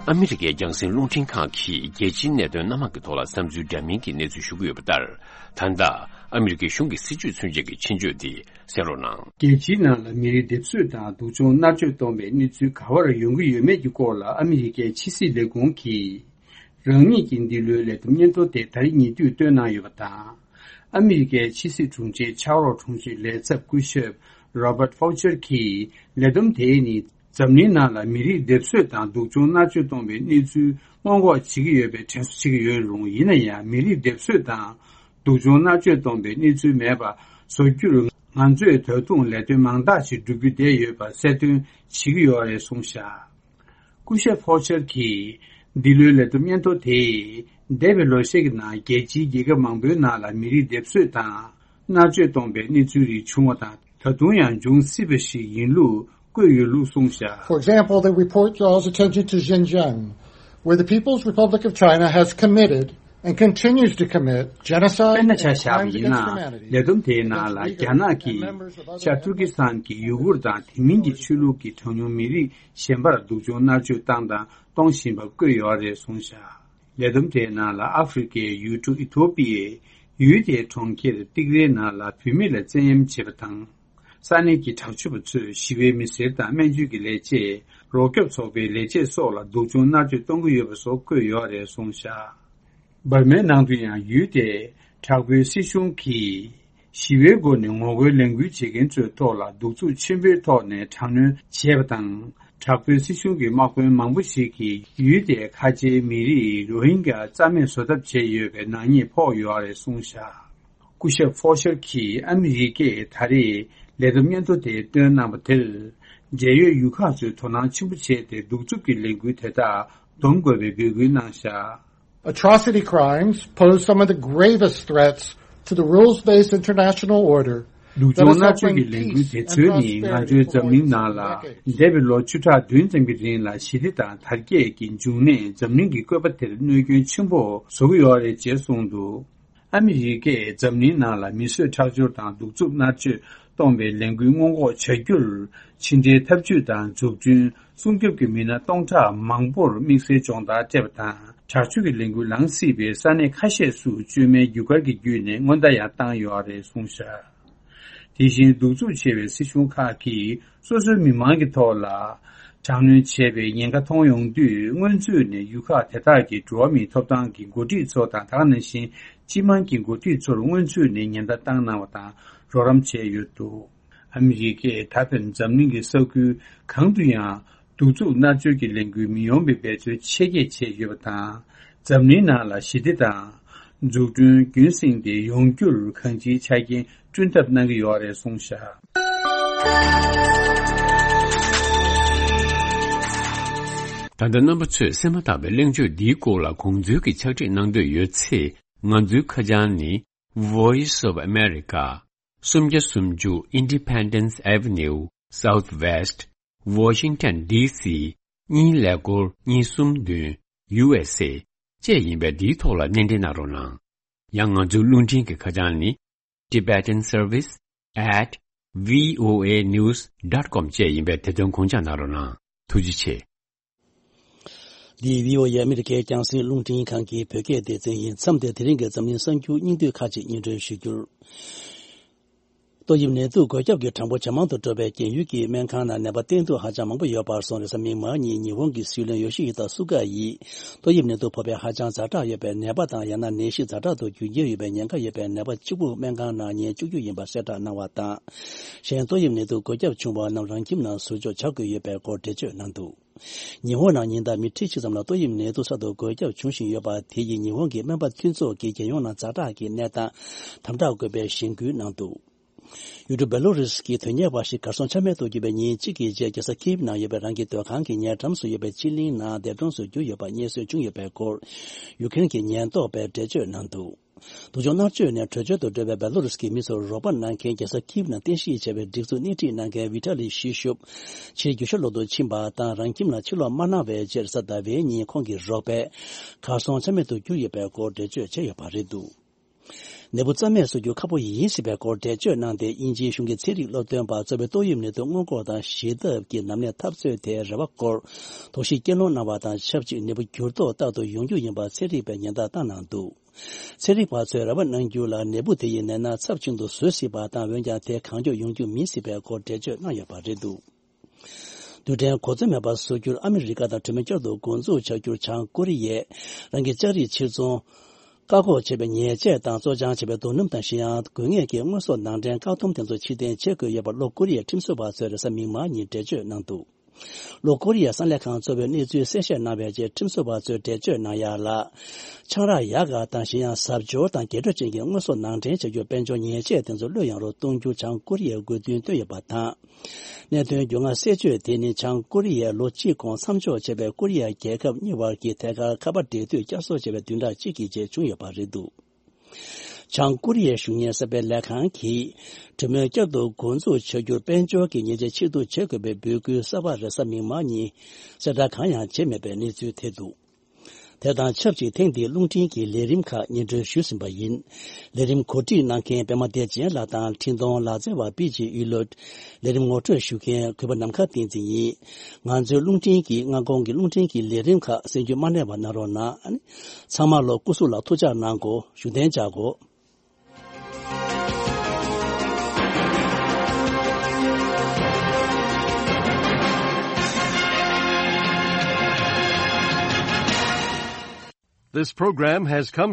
ཨ་མི་རི་ཀའི་རྒྱང་སྲིང་རླུང་འཕྲིན་ཁང་གིས་རྒྱལ་སྤྱིའི་གནད་དོན་སྣ་མང་གི་ཐོག་ལ་བསམ་ཚུལ་འདྲ་མིན་གྱི་གནས་ཚུལ་ཞུ་གི་ཡོད་པ་ལྟར། ད་ལྟ་ཨ་མི་རི་ཀའི་གཞུང་གི་སྲིད་བྱུས་མཚོན་ཆེད་ཀྱི་ཆེད་བརྗོད་དེ་གསན་རོགས་གནང་། རྒྱལ་སྤྱིའི་ནང་ལ་མི་རིགས་སྡེབ་གསོད་དང་སྡུག་སྦྱོང་མནར་གཅོད་གཏོང་བའི་གནས་ཚུལ་ག་པར་ཡོང་གི་ཡོད་མེད་ཀྱི་སྐོར་ལ་ཨ་མི་རི་ཀའི་ཕྱི་སྲིད་ལས་ཁུངས་ཀྱིས། རང་ཉིད་ཀྱི་འདི་ལོའི་ལས་བསྡོམས་སྙན་ཐོ་དེ་ད་རེས་ཉེ་དུས་བཏོན་གནང་ཡོད་པ་དང་། ཨ་མི་རི་ཀའི་ཕྱི་སྲིད་དྲུང་ཆེ་ཕྱག་རོགས་དྲུང་ཆེ་ལས་ཚབ་སྐུ་ཞབས་Robert Faucher་གྱིས་ལས་བསྡོམས་དེ་ནི་འཛམ་གླིང་ནང་ལ་མི་རིགས་སྡེབ་གསོད་དང་སྡུག་སྦྱོང་མནར་གཅོད་གཏོང་བའི་གནས་ཚུལ་སྔོན་འགོག་བྱེད་ཀྱི་ཡོད་པའི་དྲན་གསོ་བྱེད་ཀྱི་ཡོད་རུང་། ཡིན་ན་ཡང་མི་རིགས་སྡེབ་གསོད་དང་སྡུག་སྦྱོང་མནར་གཅོད་གཏོང་བའི་གནས་ཚུལ་མེད་པ་བཟོ་རྒྱུར་ང་ཚོས་ད་དུང་ལས་དོན་མང་དག་ཅིག་བསྒྲུབ་རྒྱུ་བསྡད་ཡོད་པ་གསལ་སྟོན་བྱེད་ཀྱི་ཡོད་རེད་གསུངས་བཞག་སྐུ་ཞབས་ཕོ་ཆར་གྱིས་འདི་ལོའི་ལས་བསྡོམས་སྙན་ཐོ་དེས་འདས་པའི་ལོ་ཤས་ཀྱི་ནང་རྒྱལ་སྤྱིའི་རྒྱལ་ཁབ་མང་པོའི་ནང་ལ་མི་རིགས་སྡེབ་གསོད་དང་མནར་གཅོད་གཏོང་པའི་གནས་ཚུལ་རིགས་བྱུང་བ་དང་ད་དུང་ཡང་འབྱུང་སྲིད་པ་ཞིག་ཡིན་ལུགས་བཀོད་ཡོད་ལུགས་གསུངས་བཞག For example, the report draws attention to Xinjiang, where the People's Republic of China has committed and continues to commit genocide དཔེར་ན་ཆ་བཞག་པ་ཡིན་ན། ལས་བསྡོམས་དེའི་ནང་ལ་རྒྱ་ནག་གིས་ཤར་ཏུར་ཀི་སི་ཐན་གྱི་ཡུ་གུར་དང་དེ་མིན་གྱི་ཆོས་ལུགས་ཀྱི་གྲངས་ཉུང་མི་རིགས་གཞན་པར་སྡུག་སྦྱོང་མནར་གཅོད་བཏང་དང་གཏོང་བཞིན་པ་བཀོད་ཡོད་རེད་གསུངས་བཞག་ལས་བསྡོམས་དེའི་ནང་ལ་ཨ་ཧྥེ་རི་ཁའི་ཡུལ་གྲུ་ཨི་ཐོ་པི་ཡའི་ཡུལ་དེའི་གྲོང་ཁྱེར་ཏིག་རའི་ནང་ལ་བུད་མེད་ལ་བཙན་གཡེམ་བྱེད་པ་དང་། ས་གནས་ཀྱི་དྲག་སྤྱོད་པ་ཚོས་ཞི་བའི་མི་སེར་དང་སྨན་བཅོས་ཀྱི་ལས་བྱེད། རོགས་སྐྱོབ་ཚོགས་པའི་ལས་བྱེད་སོགས་ལ་སྡུག་སྦྱོང་མནར་གཅོད་གཏོང་གི་ཡོད་པ་སོགས་བཀོད་ཡོད་རེད་གསུངས་བཞག་འབར་མའི་ནང་དུ་ཡང་ཡུལ་དེའི་དྲག་པོའི་སྲིད་གཞུང་གིས་ཞི་བའི་སྒོ་ནས་ངོ་རྒོལ་ལས་འགུལ་བྱེད་མཁན་ཚོའི་ཐོག་ལ་གདུག་རྩུབ་ཆེན་པོའི་ཐོག་ནས་དྲག་གནོན་བྱས་པ་དང་། དྲག་པོའི་སྲིད་གཞུང་གི་དམག་དཔོན་མང་པོ་ཞིག་གིས་ཡུལ་དེའི་ཁ་ཆེའི་མི་རིགས་རོ་ཧིན་གྱ་རྩ་མེད་བཟོ་ཐབས་བྱས་ཡོད་པའི་ནག་ཉེས་ཕོག་ཡོད་རེད་གསུངས་བཞག་སྐུ་ཞབས་ཧྥོ་ཤར་གྱིས་ཨ་མི་རི་ཀས་ད་རེས་ལས་བསྡོམས་སྙན་ཐོ་དེ་བཏོན་གནང་བ་དེར། འབྲེལ་ཡོད་ཡུལ་ཁག་ཚོས་དོ་སྣང་ཆེན་པོ་བྱས་ཏེ་གདུག་རྩུབ་ཀྱི་ལས་འགུལ་དེ་དག་སྡོམ་དགོས་པའི་འབོད་སྐུལ་གནང་བཞག Atrocity crimes pose some of the gravest threats to the rules-based international order. སྡུག་སྦྱོང་མནར་གཅོད་ཀྱི་ལས་འགུལ་དེ་ཚོས་ནི་ང་ཚོའི་འཛམ་གླིང་ནང་ལ་འདས་པའི་ལོ་བཅུ་ཕྲག་བདུན་ཙམ་གྱི་རིང་ལ་ཞི་བདེ་དང་དར་རྒྱས་ཀྱི་འབྱུང་གནས་འཛམ་གླིང་གི་བཀོད་པ་དེར་གནོད་སྐྱོན་ཆེན་པོ་བཟོ་གི་ཡོད་རེད་ཅེས་གསུངས་འདུག་ཨ་མི་རི་ཀས་འཛམ་གླིང་ནང་ལ་མི་གསོད་ཁྲག་སྦྱོར་དང་གདུག་རྩུབ་མནར་གཅོད་གཏོང་བའི་ལས་འགུལ་སྔོན་འགོག་བྱ་རྒྱུར། ཕྱི་འབྲེལ་འཐབ་ཇུས་དང་འཛུགས་སྐྲུན་སྲུང་སྐྱོབ་ཀྱི་མི་སྣ་སྟོང་ཕྲག་མང་པོར་དམིགས་བསལ་སྦྱོང་བརྡར་སྤྲད་པ་དང་། དྲག་སྤྱོད་ཀྱི་ལས་འགུལ་ལངས་སྲིད་པའི་ས་གནས་ཁ་ཤས་སུ་བཅོས་མའི་རྒྱུ་སྐར་གྱི་བརྒྱུད་ནས་སྔོན་བརྡ་ཡང་བཏང་ཡོད་རེད་གསུངས་བཞག་དེ་བཞིན་གདུག་རྩུབ་ཆེ་བའི་སྲིད་གཞུང་ཁག་གིས་སོ་སོའི་མི་མང་གི་ཐོག་ལ་དྲག་གནོན་བྱས་པའི་ཉེན་ཁ་མཐོང་ཡོང་དུས། སྔོན་ཚུད་ནས་ཡུལ་ཁག་དེ་དག་གི་འགྲོ་བ་མིའི་ཐོབ་ཐང་གི་འགོ་ཁྲིད་ཚོ་དང་། དེ་ནང་བཞིན་སྤྱི་དམངས་ཀྱི་འགོ་ཁྲིད་ཚོར་སྔོན་ཚུད་ནས་ཉེན་བརྡ་བཏང་གནང་བ་དང་། རོགས་རམ་བྱས་ཡོད་འདུག་ཨ་མི་རི་ཀས་ད་ཕན་འཛམ་གླིང་གི་ས་ཁུལ་གང་དུ་ཡང་གདུག་རྩུབ་མནར་གཅོད་ཀྱི་ལས་འགུལ་མི་ཡོང་བའི་འབད་རྩོལ་ཆེ་བསྐྱེད་བྱས་ཡོད་པ་དང་། འཛམ་གླིང་ནང་ལ་ཞི་བདེ་དང་འཛུགས་སྐྲུན་རྒྱུན་བསྲིངས་ཏེ་ཡོང་རྒྱུར་གང་ཅིའི་ཆ་རྐྱེན་བསྐྲུན་ཐབས་གནང་གི་ཡོད་རེད་གསུངས་བཞག་ད་ལྟ་རྣམ་པ་ཚོས་གསན་མ་ཐག་པའི་གླེང་བརྗོད་འདིའི་སྐོར་ལ་དགོངས་ཚུལ་གྱི་ཕྱག་བྲིས་གནང་འདོད་ཡོད་ཚེ། ང་ཚོའི་ཁ་བྱང་ནི། Voice of America། སུམ་བརྒྱ་སུམ་ཅུ་Independence Avenue Southwest Washington D C གཉིས་ཀླད་ཀོར་གཉིས་གསུམ་བདུན། U S A བཅས་ཡིན་པས། འདིའི་ཐོག་ལ་སྣེ་འདྲེན་གནང་རོགས་གནང་། ཡང་ང་ཚོའི་རླུང་འཕྲིན་གྱི་ཁ་བྱང་ནི། Tibetan Service at V O A News dot com བཅས་ཡིན་པས། དེ་དོན་དགོངས་འཇགས་གནང་རོགས་གནང་། ཐུགས་རྗེ་ཆེ། འདི་V O A ཨ་མི་རི་ཀའི་རྒྱང་སྲིང་རླུང་འཕྲིན་ཁང་གི་བོད་སྐད་སྡེ་ཚན་ཡིན། མཚམས་འདིར་དེ་རིང་གི་འཛམ་གླིང་གསར་འགྱུར་སྙིང་བསྡུས་ཁག་ཅིག་སྙན་སྒྲོན་ཞུ་རྒྱུར། ཏོག་དབྱིབས་ནད་དུག་འགོས་ཁྱབ་ཀྱི་གྲངས་འབོར་ཇེ་མང་དུ་འགྲོ་བའི་རྐྱེན། ཡུལ་གྱི་སྨན་ཁང་ནང་ནད་པ་བསྟེན་གཏུག་ཧ་ཅང་མང་པོ་ཡོད་པར་སོང་། རེས་གཟའ་མིག་དམར་ཉིན་ཉི་ཧོང་གི་སྲིད་བློན་ཡོ་ཤི་ཧི་ད་སུ་ག་ཡིས་ཏོག་དབྱིབས་ནད་དུག་ཕོག་པའི་ཧ་ཅང་ཛ་དྲག་ཡོད་པའི་ནད་པ་དང་། ཡང་ན་ནད་གཞི་ཛ་དྲག་ཏུ་འགྱུར་འགྱུར་ཡོད་པའི་ཉེན་ཁ་ཡོད་པའི་ནད་པ་གཅིག་པུ་སྨན་ཁང་ནང་ཉལ་བཅུག་རྒྱུ་ཡིན་པ་གསལ་བསྒྲགས་གནང་བ་དང་། གཞན་ཏོག་དབྱིབས་ནད་དུག་འགོས་ཁྱབ་བྱུང་བ་རྣམས་རང་ཁྱིམ་ནང་ཟུར་འཇོག་བྱ་དགོས་ཡོད་པའི་སྐོར་འགྲེལ་བརྗོད་གནང་འདུག་ཉི་ཧོང་ནང་ཉིན་ལྟར་མི་ཁྲི་གཅིག་ཙམ་ལ་ཏོག་དབྱིབས་ནད་དུག་གསར་དུ་འགོས་ཁྱབ་འབྱུང་བཞིན་ཡོད་པ་དེ་ཡིས་ཉི་ཧོང་གི་སྨན་པ་མཐུན་ཚོགས་ཀྱིས་རྒྱལ་ཡོངས་ནང་ཛ་དྲག་གི་གནས་སྟངས་དམ་དྲག་དགོས་པའི་གཞེན་སྐུལ་གནང་འདུག་ཡུལ་གྲུ་བེ་ལོ་རུས་ཀྱི་དོན་གཉེར་བ་ཞིག་གར་སོང་ཆ་མེད་དུ་གྱུར་བའི་ཉིན་གཅིག་གི་རྗེས་རྒྱལ་ས་ཁིབ་ནང་ཡོད་པའི་རང་གི་སྡོད་ཁང་གི་ཉེ་འགྲམ་སུ་ཡོད་པའི་སྤྱི་གླིང་ནང་འདས་གྲོངས་སུ་གྱུར་ཡོད་པ་རྙེད་སོན་བྱུང་ཡོད་པའི་སྐོར། ཡུ་ཁེ་རེན་གྱི་ཉེན་རྟོག་པས་འགྲེལ་བརྗོད་གནང་འདུག་སྡུག་སྦྱོང་མནར་གཅོད་ནས་བྲོས་བྱོལ་དུ་འགྲོ་བའི་བེ་ལོ་རུས་ཀྱི་མི་ཚོར་རོགས་པ་གནང་མཁན་རྒྱལ་ས་ཁིབ་ནང་རྟེན་གཞི་བྱས་པའི་སྒྲིག་འཛུགས་སྣེ་ཁྲིད་གནང་མཁན་ཝི་ཊ་ལི་ཤི་ཤུབ་ཕྱིར་རྒྱུ་ཤར་ལོག་ཏུ་ཕྱིན་པ་དང་། རང་ཁྱིམ་ལ་ཕྱིར་ལོག་མ་གནང་བའི་རྗེས་གཟའ་ཟླ་བའི་ཉིན་ཁོང་གི་རོགས་པས་གར་སོང་ཆ་མེད་དུ་གྱུར་ཡོད་པའི་སྐོར་འགྲེལ་བརྗོད་བྱས་ཡོད་པ་རེད་འདུག་ནད་འབུ་རྩ་མེད་བཟོ་རྒྱུ་ཁག་པོ་ཡིན་སྲིད་པའི་སྐོར་འགྲེལ་བརྗོད་གནང་སྟེ། དབྱིན་ཇིའི་གཞུང་གི་ཚན་རིག་སློབ་སྟོན་པ་གཙོས་པའི་ཏོག་དབྱིབས་ནད་དུག་སྔོན་འགོག་དང་ཞི་ཐབས་ཀྱི་ནམ་ནས་འཐབ་རྩོད་དེའི་རེ་བ་སྐོར་དོགས་གཞི་སྐྱེ་སློང་གནང་བ་དང་ཆབས་ཅིག་ནད་འབུ་འགྱུར་ལྡོག་རྟག་ཏུ་ཡོང་རྒྱུ་ཡིན་པ་ཚན་རིག་པས་ཉེན་བརྡ་བཏང་གནང་འདུག་ཚན་རིག་པ་ཚོས་རེ་བ་གནང་རྒྱུ་ལ། ནད་འབུ་དེ་ཡིས་ནད་མནར་ཚབས་ཆེན་དུ་བཟོ་སྲིད་པ་དང་། འོན་ཀྱང་དེ་གང་མགྱོགས་ཡོང་རྒྱུ་མིན་སྲིད་པའི་སྐོར་འགྲེལ་བརྗོད་གནང་ཡོད་པ་རེད་འདུག་རྡུལ་ཕྲན་གོ་འཛོལ་མེད་པར་བཟོ་རྒྱུར་ཨ་མི་རི་ཀ་དང་གྲོས་མོལ་བསྐྱར་དུ་འགོ་འཛུགས་བྱ་རྒྱུར་བྱང་ཀོ་རི་ཡས་རང་གི་ལྕགས་རིགས་ཕྱིར་ཚོང་བཀག་འགོག་བྱས་པའི་ཉེས་ཆད་དང་། བཙོ་སྦྱང་བྱས་པའི་རྡོ་སྣུམ་དང་། གཞན་ཡང་དགོས་ངེས་ཀྱི་དངོས་ཟོག་ནང་འདྲེན་བཀག་སྡོམ་དེ་ཚོ་ཕྱིར་འཐེན་བྱེད་དགོས་ཡོད་པར་ལྷོ་ཀོ་རི་ཡའི་ཁྲིམས་བཟོ་བ་ཚོས་རེས་གཟའ་མིག་དམར་ཉིན་འགྲེལ་བརྗོད་གནང་འདུག་ལྷོ་ཀོ་རི་ཡའི་གསང་ལས་ཁང་གཙོ་བོས་གནས་ཚུལ་གསལ་བཤད་གནང་བའི་རྗེས། ཁྲིམས་བཟོ་བ་ཚོས་འགྲེལ་བརྗོད་གནང་ཡ་ལ། ཆང་རག་ཡག་ག་དང་། གཞན་ཡང་ཟབ་འབྱོར་དང་རྒྱས་སྤྲོས་ཅན་གྱི་དངོས་ཟོག་ནང་འདྲེན་བྱ་རྒྱུར་དཔལ་འབྱོར་ཉེས་ཆད་དེ་ཚོ་བློས་ཡངས་རུ་གཏོང་རྒྱུར་བྱང་ཀོ་རི་ཡས་དགོས་འདུན་བཏོན་ཡོད་པ་དང་། གནད་དོན་རྒྱུས་མངའ་གསལ་བརྗོད་དེ་ནི་བྱང་ཀོ་རི་ཡས་ལོ་གཅིག་གོང་མཚམས་འཇོག་བྱས་པའི་ཀོ་རི་ཡ་རྒྱལ་ཁབ་གཉིས་བར་གྱི་ཐད་ཀར་ཁ་པར་འབྲེལ་མཐུད་བསྐྱར་གསོ་བྱས་པའི་བདུན་ཕྲག་གཅིག་གི་རྗེས་བྱུང་ཡོད་པ་རེད་འདུག་བྱང་ཀོ་རི་ཡའི་གཞུང་གཉེར་གསར་སྤེལ་ལས་ཁང་གིས་གྲོས་མོལ་བསྐྱར་དུ་འགོ་འཛུགས་བྱ་རྒྱུར་དཔལ་འབྱོར་གྱི་ཉེས་ཆད་ཕྱིར་བསྡུ་བྱེད་དགོས་པའི་འབོད་སྐུལ་གསར་པ་རེས་གཟའ་མིག་དམར་ཉིན་གསལ་བསྒྲགས་གང་ཡང་བྱས་མེད་པའི་གནས་ཚུལ་ཐེབས་འདུག་དེ་དང་ཆབས་ཅིག་ཐེངས་འདིའི་རླུང་འཕྲིན་གྱི་ལས་རིམ་ཁག་སྙན་སྒྲོན་ཞུས་ཟིན་པ་ཡིན། ལས་རིམ་གོ་སྒྲིག་གནང་མཁན་པད་མ་བདེ་ཆེན་ལགས་དང་འཕྲིན་གཏོང་ལག་རྩལ་བ་པི་ཇི་གཡུ་ལོད། ལས་རིམ་ངོ་སྤྲོད་ཞུ་མཁན་གུས་པ་ནམ་མཁའ་བསྟན་འཛིན་ཡིན། ང་ཚོའི་རླུང་འཕྲིན་གྱི་སྔ་དགོང་གི་རླུང་འཕྲིན་གྱི་ལས་རིམ་ཁག་གསན་རྒྱུ་མ་བསྙེལ་བ་གནང་རོགས་གནང་། ཚང་མ་ལ་སྐུ་གཟུགས་ལ་ཐུགས་ཅག་གནང་དགོས། བཞུགས་གདན་འཇགས་དགོས། This program has come